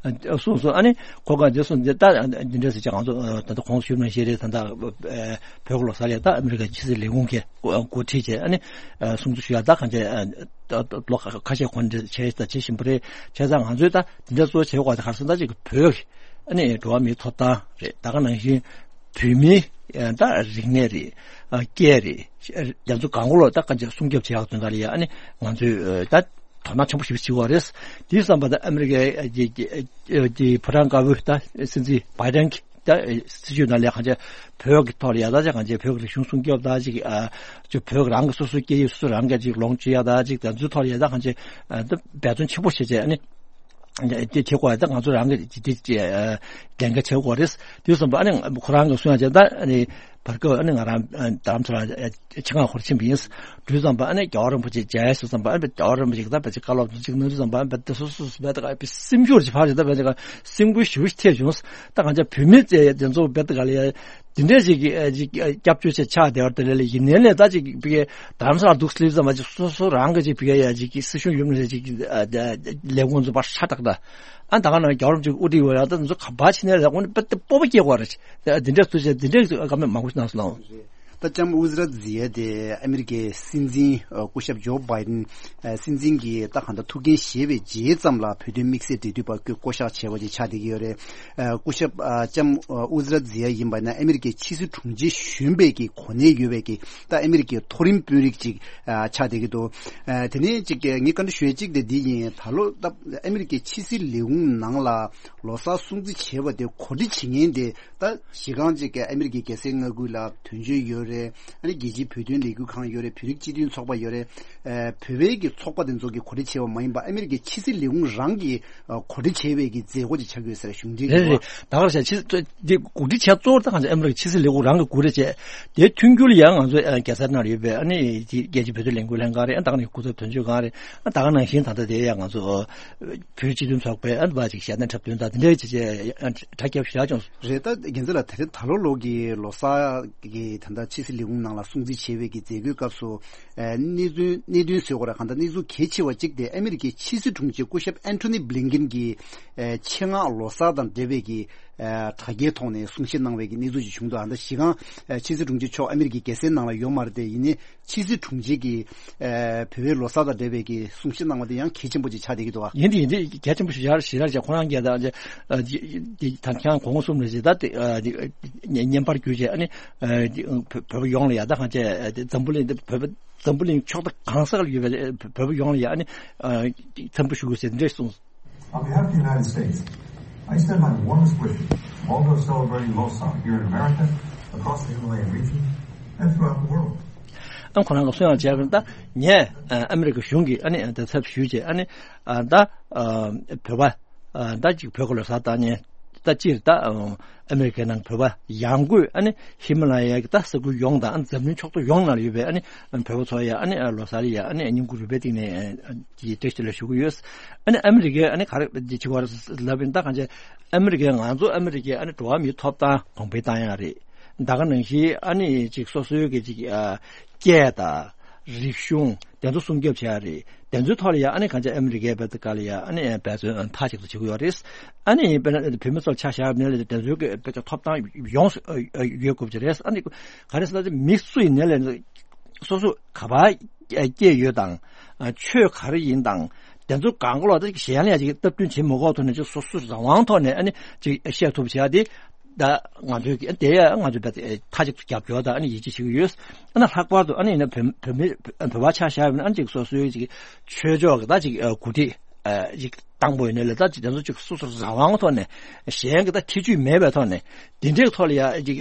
གསུངས་སོང་། ཨ་ནི་ཁོ་ག་འདི་གསུངས་འདི་ད་འདི་འདྲ་ཟེར་ཅིག་ང་ཚོ་ད་ལྟ་གོང་དུ་ཞུས་ནང་བཞིན་རེད། ད་ལྟ་བོད་ཀྱི་ལོ་གསར་ལ་ད་ཨ་མེ་རི་ཀའི་ཕྱི་སྲིད་ལས་ཁུངས་ཀྱིས་འགོ་ཁྲིད་བྱས་ཨ་ནི་སྲུང་བརྩི་ཞུ་ཡག་ད་གང་བྱས་ལོ་ཁ་ཤས་གོང་འདྲ་བྱས་ད་བྱེད་བཞིན་པ་རེད། བྱས་ཙང་ང་ཚོས་ད་འདི་འདྲ་གཙོ་བོ་བྱེད་དགོས་པ་དེ་ག་རེ་ཟེར་ན་ད་ཅིག་བོད་ཀྱི་ཨ་ནི་འགྲོ་བ་མིའི་ཐོབ་ཐང་རེད། ད་ག་ནང་བཞིན་བོད་མིའི་ད་རིག་གནས་རེད། སྐད་རེད། རྒྱ་མཚོ་གང་གོ་ལོ་ད་གང་ཅི་སྲུང་སྐྱོབ་བྱེད་ཡག་དོན་དག་ལ་ཡ་ཨ་ནི་ང་ཚོས་ད་དོ་སྣང་ཆེན་པོ་ཞིག་བྱེད་དགོས་རེད། དེའི་བསམ་པ་ད་ཨ་མེ་རི་ཀའི་ཀྱི་ཀྱི་ཀྱི་ཕོ་བྲང་དཀར་པོའི་ད་སྲིད་འཛིན་བྷའི་ཌེན་གྱི་ད་སྲིད་ཇུས་ནང་ལ་གང་ཅི་བོད་ཀྱི་ཐོག་ལ་ཡ་ད་ཅི་གང་ཅི་བོད་ཀྱི་རིག་གཞུང་སྲུང་སྐྱོབ་ད་ཅིག་ཨ་ཅི་བོད་རང་གི་སོ་སོའི་སྐད་ཡིག་སོ་སོ་རང་གི་ཅིག་ལོངས་སྤྱོད་ཡ་ད་ཅིག་ད་ཚོའི་ཐོག་ལ་ཡ་ད་གང་ཅི་ད་འབད་བརྩོན་ཆེན་པོ་བྱེད་བྱས་ཨ་ནི། དེ་བྱེད་དགོས་ཡ་ད་ང་ཚོ་རང་གི་དེ་དེ་ལས་འགན་བྱེད་དགོས་རེད། དེ་བསམ་པ་ཨ་ནི་ཁོ་རང་གི་གསུང་ཡ་བྱས་ད་ཨ་ནི་ བར་སྐབས་ཨ་ནི་ང་རང་རྡ་རམ་ས་ལ་ཆེད་མངགས་ཧོར་ཕྱིན་པ་ཡིན། དུས་ཙམ་པ་ཨ་ནི་རྒྱལ་བ་རིན་པོ་ཆེ་མཇལ་སོང་ཙམ་པ་ཨ་ནི་རྒྱལ་བ་རིན་པོ་ཆེ་གིས་ད་བེད་ཀྱི་བཀའ་སློབ་ཅིག་གནང་དུས་ཙམ་པ་ཨ་ནི་བེད་སོ་སོ་སོ་བེད་ཀྱི་སེམས་ཤུགས་ཅིག་ཕར་ཞིག་ད་བེད་ཀྱི་སེམས་འགུལ་ཞེ་པོ་ཞིག་ཐེབས་བྱུང་། ད་གང་ཅག་བོད་མི་ཚོས་དེ་ཚོ་བེད་ཀྱི་ལ་ཡ་དེ་འདྲས་ཞིག་གི་ཅིག་སྐྱབས་བཅོལ་ཆེད་ཆགས་བསྡད་པ་དེ་ལས་ལ་ཡིན་ནའི་ལས་ད་ཅིག་བེད་ཀྱི་རྡ་རམ་ས་ལ་འདུག་སླེབས་ཙམ་པ་ཅིག་སོ་སོ་རང་གི་ཅིག་བེད་ཀྱི་ཡ་ཅིག་སྲིད་གཞུང་ཡོད་མ་རེད་ཅིག་ལས་ཁུངས་ཚོ་ཕར་ཧྲ་ཏག་ཏག་ཨ་ད་ག་ནང་རྒྱལ་བ་རིན་པོ་ཆེ་དབུ་ཁྲིད་ཡོད་ཡ་ད་ཚོ་ག་པར་ཕྱིན་ནའི་ལས་ཁུངས་ནི་དཔེ་དེ་སྤོབས་པ་སྐྱེ་དགོས་རེད། འདི་འདྲ་ཐུགས་རྗེ་འདི་འདྲའི་བཀའ་མོལ་མང་པོ་ཞིག་གནང་སོང་ལགས། ད་ལྕམ་ཨུ་ཛི་ར་ཛི་ཡ་དེ་ཨ་མི་རི་ཀའི་སྲིད་འཛིན་སྐུ་ཞབས་ཇོ་བྷའི་ཌེན་སྲིད་འཛིན་གྱི་ད་གང་ལྟར་ཐུགས་འགན་བཞེས་པའི་རྗེས་ཙམ་ལ་བོད་དོན་དམིགས་བསལ་འབྲེལ་མཐུད་པ་བསྐོ་བཞག་བྱས་པ་ཅིག་ཆགས་བསྡད་ཀྱི་ཡོད་རེད། སྐུ་ཞབས་ལྕམ་ཨུ་ཛི་ར་ཛི་ཡ་ཡིན་པ་ན་ཨ་མི་རི་ཀའི་ཕྱི་སྲིད་དྲུང་ཆེ་གཞོན་པའི་གི་གོ་གནས་ཡོད་པའི་གི་ད་ཨ་མི་རི་ཀའི་མཐོ་རིམ་དཔོན་རིགས་ཅིག་ཆགས་བསྡད་ཀྱི་འདུག་དེ་ནས་ཅིག་ངས་བཀའ་འདྲི་ཞུ་ཡས་གཅིག་དེ་འདི་ཡིན། ད་ལོ་ད་ཨ་མི་རི་ཀའི་ཕྱི་སྲིད་ལས་ཁུངས་ནང་ལ་ལོ་གསར་སྲུང་བརྩི་བྱས་པ་དེ་གོ་སྒྲིག་བྱེད་མཁན་དེ་ད་གཞི་རྐང་གཅིག་གི་ཨ་མི་རི་ཀའི་རྒྱལ་སའི་མངའ་ཁུལ་ལ་དོན་གཅོད་ཡོད་རེད། ཨ་ནི་རྒྱལ་སྤྱིའི་བོད་དོན་ལས་འགུལ་ཁང་ཡོད་རེད། བོད་རིགས་སྤྱི་མཐུན་ཚོགས་པ་ཡོད་རེད། ཨ་བོད་པའི་གི་ཚོགས་པ་དེ་ཚོ་གི་གོ་སྒྲིག་བྱས་པ་མ་ཡིན་པ་ཨ་མི་རི་ཀའི་ཕྱི་སྲིད་ལས་ཁུངས་རང་གི་ཨ་གོ་སྒྲིག་བྱས་པའི་གི་མཛད་སྒོ་ཅིག་ཆགས་ཀྱི་ཡོད་ཟེར་གཞུང་འབྲེལ་རེད་གྱི་རེད། ད་ག་རེ་བྱས་ཕྱི་དེ་གོ་སྒྲིག་བྱས་གཙོ་བོ་ད་གང་ཟེར་ཨ་མི་རི་ཀའི་ཕྱི་སྲིད་ལས་ཁུངས་རང་གི་གོ་སྒྲིག་བྱས་དེ་མཐུན་འགྱུར་ཡང་ང་ཚོ་ཨ་རྒྱལ་སར་ནང་ཡོད་པའི་ཨ་ནི་དེ་རྒྱལ་སྤྱིའི་བོད་དོན་ལས་འགུལ་ལྷན་ཁང་རེད། ཨ་ད་ག་ནང་གི་སྐུ་ཚབ་དོན་གཅོད་ཁང་རེད། ཨ་ད་ག་ནང་བཞིན་ད་ལྟ་དེ་ཡང་ང་ཚོ་བོད་སྤྱི་མཐུན་ཚོགས་པའི་ཨ་ནི་བ་ཅིག་ཞལ་འདོན་འཁྲབ་སྟོན་དང་དེ་འདྲའི་བྱས་བྱས་ཨ་དྲ་རྒྱ་ཞུ་ཡག་བྱུང་སོང་། རེད། ད་རྒྱལ་མཚན་ལགས་དེ་རིང་ད་ལོ་ལོ་གི་ལོ་གསར་གི་ད་ལྟ་ཕྱི་སྲིད་ལས་ཁུངས་ནང་ལ་སྲུང་བརྩི་བྱས་པའི་གི་མཛད་སྒོའི་སྐབས་སུ་ཨ་གནད་དོན་གནད་དོན་ཟེར་དགོས་རེད། གང་ལྟར་གནས་ཚུལ་གལ་ཆེ་བ་གཅིག་དེ་ཨ་མི་རི་ཀའི་ཕྱི་སྲིད་དྲུང་ཆེ་སྐུ་ཞབས་ཨན་ཐོ་ནི་བྷི་ལིན་ཀིན་གྱིས་ཨ་ཆེད་མངགས་ལོ་གསར་དང་འབྲེལ་བའི་གི་ཨ་དྲ་རྒྱའི་ཐོག་ནས་གསུང་བཤད་གནང་བའི་གི་གནས་ཚུལ་ཅིག་བྱུང་འདུག་ཨ་ད་གཞི་རྐང་ཨ་ཕྱི་སྲིད་དྲུང་ཆེ་མཆོག་ཨ་མི་རི་ཀའི་རྒྱལ་སའི་ནང་ལ་ཡོད་མ་རེད་དེ། ཡིན་ནའི་ཕྱི་སྲིད་དྲུང་ཆེ་གིས་ཨ་བོད་པའི་ལོ་གསར་དང་འབྲེལ་བའི་གི་གསུང་བཤད་གནང་བ་དེ་ཡང་གལ་ཆེན་པོ་ཅིག་ཆགས་བསྡད་ཀྱི་འདུག་ཨ། ཡིན་དེ་ཡིན་དེ་གལ་ཆེན་པོ་ཞིག་ཡར་ཞིག་རག་ཅིག་ཁོ་རང་གིས་ད་ཨ་ཅིག་ཨ་ཅིག་ད་ཁྱེད་རང་གོང་གསུམ་རེད་ཅེས་ད་དེ་ཨ་ཅིག་བརྙན་པར་བརྒྱུད་བྱས་ཨ་ནི་ཨ་ཅིག་བོད་བོད་པ་ཡོངས་ལ་ཡ་ད་གང་བྱས་ཨ་འཛམ་བུ་གླིང་འདི་བོད་པ་འཛམ་བུ་གླིང་ཕྱོགས་མཐའ་གང་ས་ལ་ཡོད་པའི་བོད་པ་ཡོངས་ལ་ཡ་ཨ་ནི་ཨ་འཚམས་འདྲི་ཞུ་དགོས་ཟེར་འདྲ་གསུངས། On behalf of the United States, I extend my warmest wishes to all those celebrating Losar here in America, across the Himalayan region, and throughout the world. ཨ་ཁོ་རང་གིས་གསུང་ཡག་བྱས་པ་ད་ངས་ཨ་ཨ་མི་རི་ཀའི་གཞུང་གི་ཨ་ནི་ད་ཚབ་ཞུས་བྱས་ཨ་ནི་ཨ་ད་ཨ་བོད་པ་ཨ་ད་ཅིག་བོད་ཀྱི་ལོ་གསར་བཏང་ནས་ད་སྤྱིར་ད་ཨ་ཨ་མི་རི་ཀའི་ནང་བོད་པ་ཡང་སྒོས་ཨ་ནི་ཧི་མ་ལ་ཡའི་ད་ས་ཁུལ་ཡོངས་དང་ཨ་འཛམ་གླིང་ཕྱོགས་གཏོགས་ཡོངས་ནང་ལ་ཡོད་པའི་ཨ་ནི་བོད་པ་ཚོ་ཡ་ཨ་ནི་ལོ་གསར་ཡ་ཨ་ནི་བསྙེན་བཀུར་རུས་པའི་གཏིང་ནས་ཀྱི་བཀྲ་ཤིས་བདེ་ལེགས་ཞུ་གི་ཡོད། ཨ་ནི་ཨ་མི་རི་ཀའི་ཨ་ནི་ག་རེ་བྱེད་ཀྱི་ཡོད་རེད་ལབ་ཡིན་ད་གང་བྱས་ཨ་མི་རི་ཀའི་ང་ཚོ་ཨ་མི་རི་ཀའི་ཨ་ནི་འགྲོ་བ་མིའི་ཐོབ་ཐང་གོང་འཕེལ་བཏང་ཡག་རེད། ད་ག་ནང་བཞིན་ཨ་ནི་ཅིག་སོ་སོའི་གི་ཅིག་ཨ་སྐད་དང་རིག་གཞུང་དེ་ཚོ་སྲུང་སྐྱོབ་བྱེད་ཡག་རེད། དེ་ཚོའི་ཐོག་ལ་ཡང་ཨ་ནི་གང་བྱས་ཨ་མི་རི་ཀའི་བེད་ཀ་ལ་ཡང་ཨ་ནི་འབད་བརྩོན་མཐའ་གཅིག་ཏུ་བྱེད་ཀྱི་ཡོད་རེད། ཨ་ནི་དཔེར་ན་བོད་མི་ཚོར་ཆ་བཞག་ནས་ལ་དེ་ཚོའི་གི་བེད་ཀ་ཐོབ་ཐང་ཡོངས་སུ་ཡོད་དགོས་ཀྱི་རེད། ཨ་ནི་ག་རེ་ཟེར་ན་མི་སུ་ཡིན་ནའི་ལ་སོ་སོ་ག་པར་སྐྱེས་ཡོད་དང་ཆོས་ག་རེ་ཡིན་དང་དེ་ཚོ་གང་ག་ལོག་ད་གཞན་ལ་ཡང་ཅིག་སྟབས་བསྟུན་བྱེད་མི་དགོས་ཐོག་ནས་ཅིག་སོ་སོ་རང་དབང་ཐོག་ནས་ཨ་ནི་ཅིག་བཤད་ཐུབ་བྱ་དེ་ད་ང་ཚོའི་གི་དེ་ཡང་ང་ཚོའི་བེད་མཐའ་གཅིག་ཏུ་རྒྱབ་སྐྱོར་དང་ཨ་ནི་ཡིད་ཆེས་བྱེད་ཀྱི་ཡོད། ཨ་ནི་ལྷག་པར་དུ་ཨ་ནི་ཡིན་ན་བོད་བོད་མི་བོད་པ་ཆ་བཞག་ཡོད་ན་ཨ་ནི་ཅིག་སོ་སོའི་ཅིག་ཆོས་ཕྱོགས་གི་ད་ཅིག་འགོ་ཁྲིད་ཅིག་བཏང་པོ་ཡིན་ནའི་ལ་ད་ཅིག་དེ་ཚོ་ཅིག་སོ་སོ་རང་དབང་ཐོག་ནས་གཞན་གྱི་ད་ཐེ་ཇུས་མེད་པའི་ཐོག་ནས་དེ་འདྲའི་ཐོག་ལ་ཡ་ཅིག་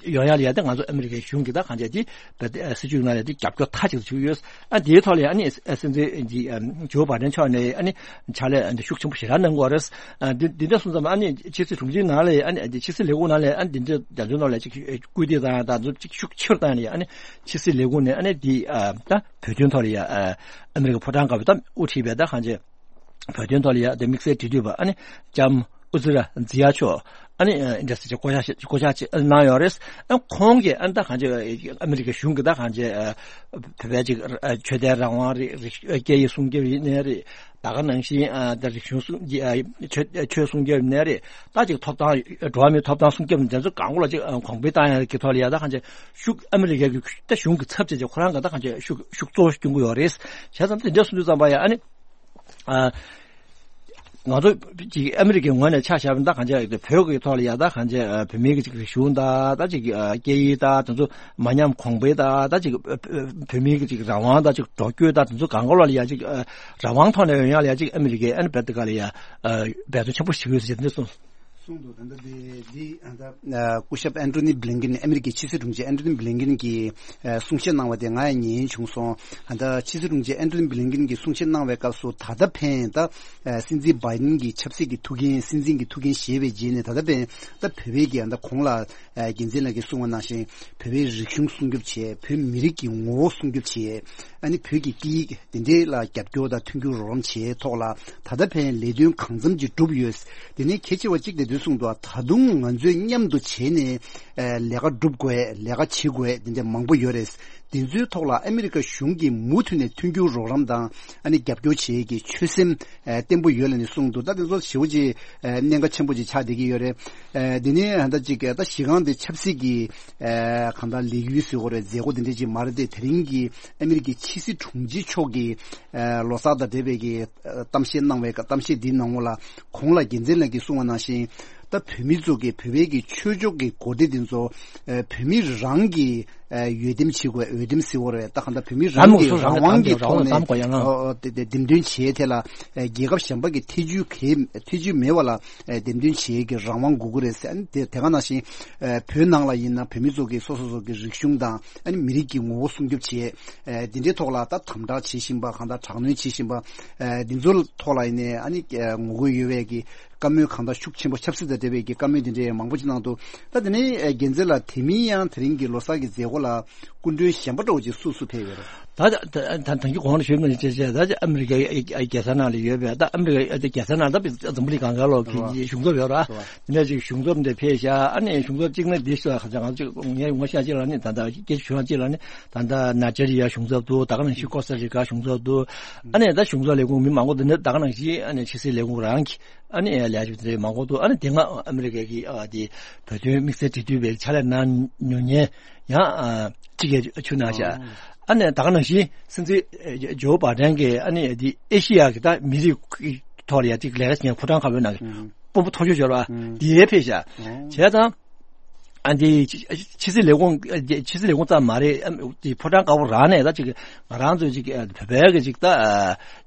ཡོང་ཡ་ལ་ཡ་ད་ང་ཚོ་ཨ་མི་རི་ཀའི་གཞུང་གི་ད་གང་བྱས་དེ་སྲིད་ཇུས་ནང་ལ་དེ་རྒྱབ་སྐྱོར་མཐའ་གཅིག་ཏུ་བྱེད་ཀྱི་ཡོད། ཨ་དེའི་ཐོག་ལ་ཡ་ཨ་ནི་སྲིད་འཛིན་ཇོ་བྷའི་ཌེན་མཆོག་ནས་ཨ་ནི་ཕྱག་ལས་ཤུགས་ཆེན་པོ་ཞེ་དྲག་གནང་གི་ཡོད་རེད། ཨ་འདི་འདི་འདྲ་སོང་ཙང་ཨ་ནི་ཕྱི་སྲིད་དྲུང་ཆེའི་ནང་ལ་ཡ་ཨ་ནི་ཕྱི་སྲིད་ལས་ཁུངས་ནང་ལ་ཡ་ཨ་ནི་འདི་འདྲ་རྒྱ་མཚོའི་ནང་ལ་ཅིག་སྐུལ་འདེད་བཏང་ཡ་ད་ཚོ་ཅིག་ཤུགས་ཆེ་རུ་བཏང་ཡ་ལ་ཡ་ཨ་ནི་ཕྱི་སྲིད་ལས་ཁུངས་ནས་ཨ་ནི་འདི་ཨ་ད་བོད་དོན་ཐོག་ལ་ཡ་ཨ་ཨ་མི་རི་ཀ་ཕོ་བྲང་དཀར་པོའི་ད་དབུ་ཁྲིད་པའི་ད་གང་ཅི་བོད་དོན་ཐོག་ལ་ཡ་ད་དམིགས་བསལ་འབྲེལ་མཐུད་པ་ཨ་ནི་ལྕམ་ཨུ་ཛི་ར་ཛི་ཡ་མཆོག་ཨ་ནི་ཨ་འདྲ་ཟེར་བྱས་བསྐོ་བཞག་བསྐོ་བཞག་ཅིག་གནང་ཡོད་རེད། ཨ་ཁོང་གིས་ཨ་ནི་ད་གང་ཅི་ཨ་མི་རི་ཀ་གཞུང་གིས་ད་གང་ཅི་ཨ་བོད་པའི་ཅིག་ཨ་ཆོས་དད་རང་དབང་རེད། རིག་ཨ་སྐད་ཡིག་སྲུང་སྐྱོབ་ཡིན་ནའི་རེད། ད་ག་ནང་བཞིན་ཨ་ད་རིག་གཞུང་སྲུང་ཨ་ཆོས་ཆོས་སྲུང་སྐྱོབ་ཡིན་ནའི་རེད། ད་ཅིག་ཐོབ་ཐང་འགྲོ་བ་མིའི་ཐོབ་ཐང་སྲུང་སྐྱོབ་དེ་ཚོ་གང་ག་ལ་ཅིག་ཨ་གོང་འཕེལ་བཏང་ཡ་གི་ཐོག་ལ་ཡ་ད་གང་ཅི་ཤུགས་ཨ་མི་རི་ཀའི་གི་ད་གཞུང་གི་ཚབ་བྱས་ཅིག་ཁོ་རང་གི་ད་གང་ཅི་ཤུགས་ཤུགས་གཙོ་བོ་སྐྱོན་གྱི་ཡོད་རེད། བྱས་ཙང་དེ་འདྲ་གསུང་དུས་ཙམ་པ་ཡ་ཨ་ནི་ཨ་ང་ཚོ་ཅིག་ཨ་མི་རི་ཀའི་ངོས་ནས་ཆ་བཞག་པ་ད་གང་ཅི་བོད་ཀྱི་ཐོག་ལ་ཡ་ད་གང་ཅི་ཨ་བོད་མིའི་གི་ཅིག་རིག་གཞུང་ད་ད་ཅིག་ཨ་སྐད་ཡིག་ད་དེ་ཚོ་མ་ཉམས་གོང་འཕེལ་ད་ད་ཅིག་ཨ་བོད་མིའི་གི་ཅིག་རང་དབང་ད་ཅིག་འགྲོ་སྐྱོད་ད་དེ་ཚོ་གང་ག་ལ་ཡ་ཅིག་ཨ་རང་དབང་ཐོག་ནས་ཡོང་ཡ་ལ་ཡ་ཅིག་ཨ་མི་རི་ཀས་ཨ་ནི་བེད་ཀ་ལ་ཡ་ཨ་འབད་བརྩོན་ཆེན་པོ་ཞིག་ཡོད་ཟེར་ནས་གསུངས། ད་ལྟ་དེ་འདི་ད་ལྟ་སྐུ་ཞབས་ཨན་ཐོ་ནི་བྷི་ལིན་ཀིན། ཨ་མི་རི་ཀའི་ཕྱི་སྲིད་དྲུང་ཆེ་ཨན་ཐོ་ནི་བྷི་ལིན་ཀིན་གྱིས་གསུང་བཤད་གནང་བ་དེ་ང་ཡང་ཉན་བྱུང་སོང་། ད་ལྟ་ཕྱི་སྲིད་དྲུང་ཆེ་ཨན་ཐོ་ནི་བྷི་ལིན་ཀིན་གྱིས་གསུང་བཤད་གནང་བའི་སྐབས་སུ། ད་ལྟ་ཕན་ད་སྲིད་འཛིན་བྷའི་ཌེན་གྱི་ཆབ་སྲིད་ཀྱི་ཐུགས་འགན། སྲིད་འཛིན་གྱི་ཐུགས་འགན་བཞེས་པའི་རྗེས་ནས། ད་ལྟ་ཕན་ད་བོད་པའི་གི་ད་གོང་ལ་རྒྱལ་མཚན་ལགས་ཀྱིས་གསུངས་པ་ནང་བཞིན་བོད་པའི་རིག་གཞུང་སྲུང་སྐྱོབ་བྱས། བོད་མི་རིགས་ཀྱི་ངོ་བོ་སྲུང་སྐྱོབ་བྱས། ཨ་ནི་བོད་ཀྱི་སྐད་ཡིག་དེ་འདྲའི་ལ་རྒྱབ་སྐྱོར་དང་མཐུན་འགྱུར་རོགས་རམ་བྱས་ཐོག་ལ་ད་ལྟ་ཕན་ལས་དོན་གང་འཚམ་ཅིག་གྲུབ་ཡོད། དེ་ནས་གལ་ཆེ་བ་གཅིག་དེ་དུས་གསུངས་འདུག། ད་དུང་ང་ཚོས་མཉམ་དུ་བྱས་ནས་ཨ་ལས་ཀ་སྒྲུབ་དགོས། ལས་ཀ་བྱེད་དགོས། དེ་འདྲ་མང་པོ་ཡོད་རེད། དེ་ཚོའི་ཐོག་ལ་ཨ་མི་རི་ཀ་གཞུང་གིས་མུ་མཐུད་ནས་མཐུན་འགྱུར་རོགས་རམ་དང་ཨ་ནི་རྒྱབ་སྐྱོར་བྱེད་ཀྱི་ཆོད་སེམས་ཨ་བརྟན་པོ་ཡོད་ལབ་ནས་གསུངས་འདུག། ད་དེ་ཚོ་ཞེ་པོ་ཅིག་ཨ་གནད་འགག་ཆེན་པོ་ཅིག་ཆགས་བསྡད་ཀྱི་ཡོད་རེད། ཨ་དེ་ནས་ད་ཅིག་ད་གཞི་རྐང་དེ་ཆབ་སྲིད་ཀྱི་ཨ་གང་ལྟར་ལས་འགུལ་ཟེར་དགོས་རེད། མཛད་སྒོ་དེ་འདྲ་ཅིག་མ་རེད་དེ། དེ་རིང་གི་ཨ་མི་རི་ཀའི་ཕྱི་སྲིད་དྲུང་ཆེ་མཆོག་གིས་ཨ་ལོ་གསར་དང་འབྲེལ་བའི་གི་ཨ་གཏམ་བཤད་གནང་བའི་སྐབས། གཏམ་བཤད་འདིའི་ནང་ལོགས་ལ་གོང་ལ་རྒྱལ་མཚན་ལགས་ཀྱིས་གསུངས་པ་ནང་བཞིན། ད་བོད་མི་ཚོ་གི་བོད་པའི་གི་ཆོས་ཕྱོགས་ཀྱི་འགོ་ཁྲིད་དེ་ཚོ་ཨ་བོད་མི་རང་གི་ཨ་འོས་འདེམས་བྱེད་དགོས། འོས་འདེམས་ཟེར་དགོས་རེད། ད་གང་ལྟར་བོད་མི་རང་གི་རང་དབང་གི་ཐོག་ནས་ཨོ་དེ་དེ་འདེམས་ཐོན་བྱེད་ཐད་ལ་ཨ་རྒྱལ་ཁབ་གཞན་པ་གི་ཐེ་ཇུས་གལ་ཐེ་ཇུས་མེད་པ་ལ་ཨ་འདེམས་ཐོན་བྱེད་ཀྱི་རང་དབང་དགོས་ཀྱི་རེད་ཟེར། ཨ་ནི་དེ་དེ་ག་ནང་བཞིན་ཨ་བོད་ནང་ལ་ཡིན་ན་བོད་མི་ཚོ་གི་སོ་སོ་སོ་གི་རིག་གཞུང་དང་ཨ་ནི་མི་རིགས་ཀྱི་ངོ་བོ་སྲུང་སྐྱོབ་བྱེད། ཨ་འདི་འདྲའི་ཐོག་ལ་ད་དམ་དྲག་བྱེད་བཞིན་པ། གང་ལྟར་དྲག་གནོན་བྱེད་བཞིན་པ། ཨ་འདི་ཚོའི་ཐོག་ལ་ཡིན་ནའི་ཨ་ནི་ཨ་ངོ་རྒོལ་ཡོད་པའི་གི་བཀའ་མོལ་གང་དག་ཤུགས་ཆེན་པོ། ཆབ་སྲིད་དང་འབྲེལ་བའི་གི་བཀའ་མོལ་དེ་འདྲའི་མང་པོ་ཅིག་གནང་འདུག། ད་དེ་ནས་ཨ་རྒྱལ་མཚན་ལགས། དེ་མིན་ཡང་དེ་རིང་གི་ལོ་གསར་གྱི་མཛད་སྒོ་ལ་སྐུ་མགྲོན་གཞན་པ་འདྲ་བོ་ཅིག་སུ་སུ་ཕེབས་ཡོད་རེད། ད་ད་ད་ད་གིན་གོང་ལ་ཞུས་པ་ནང་བཞིན་བྱས་བྱས། ད་ཨ་མི་རི་ཀའི་རྒྱལ་ས་ནང་ལ་ཡོད་པའི། ད་ཨ་མི་རི་ཀའི་རྒྱལ་ས་ནང་ད་འཛམ་བུ་གླིང་སྒང་ག་ལོག་གི་གཞུང་ཚབ་ཡོད་ར། དེ་ནས་ཅིག་གཞུང་ཚབ་འདི་ཕེབས་ཤག། ཨ་ནི་གཞུང་ཚབ་གཅིག་ནི་འདི་ཤོད་ཁ་ང་ཚོ་ངས་ངོ་ཤེས་ཅིག་ལ་ནི། ད་ད་སྐད་ཆ་ཞུ་ཡང་གཅིག་ལ་ནི། ད་ད་ནཱི་ཇི་རི་ཡ་གཞུང་ཚབ་འདུག། ད་ག་ནང་བཞིན་ཀོ་སྟ་རི་ཀ་གཞུང་ཚབ་འདུག། ཨ་ནི་ད་གཞུང་ཚབ་ལས་ཁུངས་མི་མང་པོ་འདི་ནི་ད་ག་ནང་བཞིན་ཨ་ནི་ཕྱི་སྲིད་ལས་ཁུངས་རང་གི་ཨ་ནི་ལས་བྱེད་དེ་མང་པོ་འདུག། ཨ་ནི་དེ་སྔ་ཨ་མི་རི་ཀའི་གི་ཨ་དེ་བོད་དོན་དམིགས་བསལ་འབྲེལ་མཐུད་པའི་ཕྱག་ལས་གནང་མྱོང་མཁན་ཡང་ཨ་གཅིག་གིས་ཆུ་གནང་ཤག། ཨ་ནི་ད་ག་ནང་བཞིན་སྲིད་འཛིན་ཨ་ཇོ་བྷའི་ཌེན་གྱིས་ཨ་ནི་དེ་ཨེ་ཤི་ཡ་གི་ད་མི་རིགས་ཀྱི་ཐོག་ལ་ཡ་གཅིག་ལས་ཀ་བྱེད་མཁན་ཕོ་བྲང་དཀར་པོའི་ནང་གི་དཔོན་པོ་མཐོ་ཤོས་ཤོར་བ་དེ་ཕེབས་ཤག། བྱས་ཙང་། ཨ་འདི་ཕྱི་སྲིད་ལས་ཁུངས་ཕྱི་སྲིད་ལས་ཁུངས་ཙམ་མ་རེད། ཨ་འདི་ཕོ་བྲང་དཀར་པོ་རང་ནས་ད་ཅིག་ང་རང་ཚོའི་ཅིག་ཨ་བོད་པའི་གི་ཅིག་ད་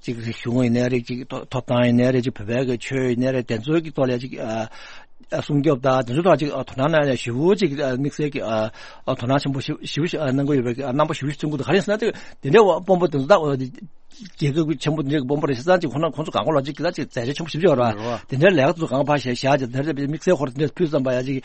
ཅིག་རིག་གཞུང་ཡིན་ནའི་རེད། ཅིག་ཐོབ་ཐང་ཡིན་ནའི་རེད། ཅིག་བོད་པའི་གི་ཆོས་ཡིན་ནའི་རེད། དེ་ཚོའི་གི་ཐོག་ལ་ཅིག་ཨ་སྲུང་སྐྱོབ་དང་དེ་ཚོའི་ཐོག་ཅིག་ཨ་དོ་སྣང་གནང་ཡ་ཞེ་པོ་ཅིག་ཨ་དམིགས་བསལ་གི་ཨ་དོ་སྣང་ཆེན་པོ་ཞེ་པོ་ཞེ་པོ་ཞིག་གནང་གི་ཡོད་པའི་གི་ཨ་རྣམ་པ་ཞེ་པོ་ཞིག་མཚོན་གྱི་འདུག། ག་རེ་ཟེར་ན་དེ་དེ་འདྲའི་དཔོན་པོ་དེ་ཚོ་ད་རྒྱལ་ཁབ་ཆེན་པོ་འདི་འདྲའི་དཔོན་པོ་རེད་ཟེར་ཙང་ཅིག་ཁོ་ན་ཁོང་ཚོ་གང་ག་ལ་ཅིག་གི་ད་ཅིག་མཛད་རྗེས་ཆེན་པོ་ཞེ་པོ་ཅིག་ཡོད་རེད་བ། དེ་འདྲའི་ལས་ཀ་ཚོ་གང་ཕར་བཞག་བཞག་ཅིག་དེ་འདྲ་དམིགས་བསལ་ཁོ་ར་དེ་འདྲ་ཕུལ་ཙམ་པ་ཡ་ཅིག་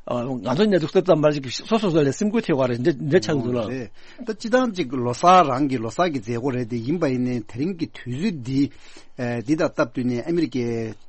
ང་ཚོ་གནས་ཚུལ་ལྟ་ཙམ་པ་ཅིག་སོ་སོ་སོ་ལ་སེམས་འགུལ་ཐེབས་པ་རེད། འདི་འདི་ཆགས་ཀྱི་འདུག་ལ། རེད། ད་སྤྱི་བཏང་ཅིག་ལོ་གསར་རང་གི་ལོ་གསར་གྱི་མཛད་སྒོ་རེད་དེ། ཡིན་པ་ཡིན་ནའི་དེ་རིང་གི་དུས་ཚོད་འདི་ཨ་འདི་དང་སྟབས་བསྟུན་ནས་ཨ་མི་རི་ཀའི་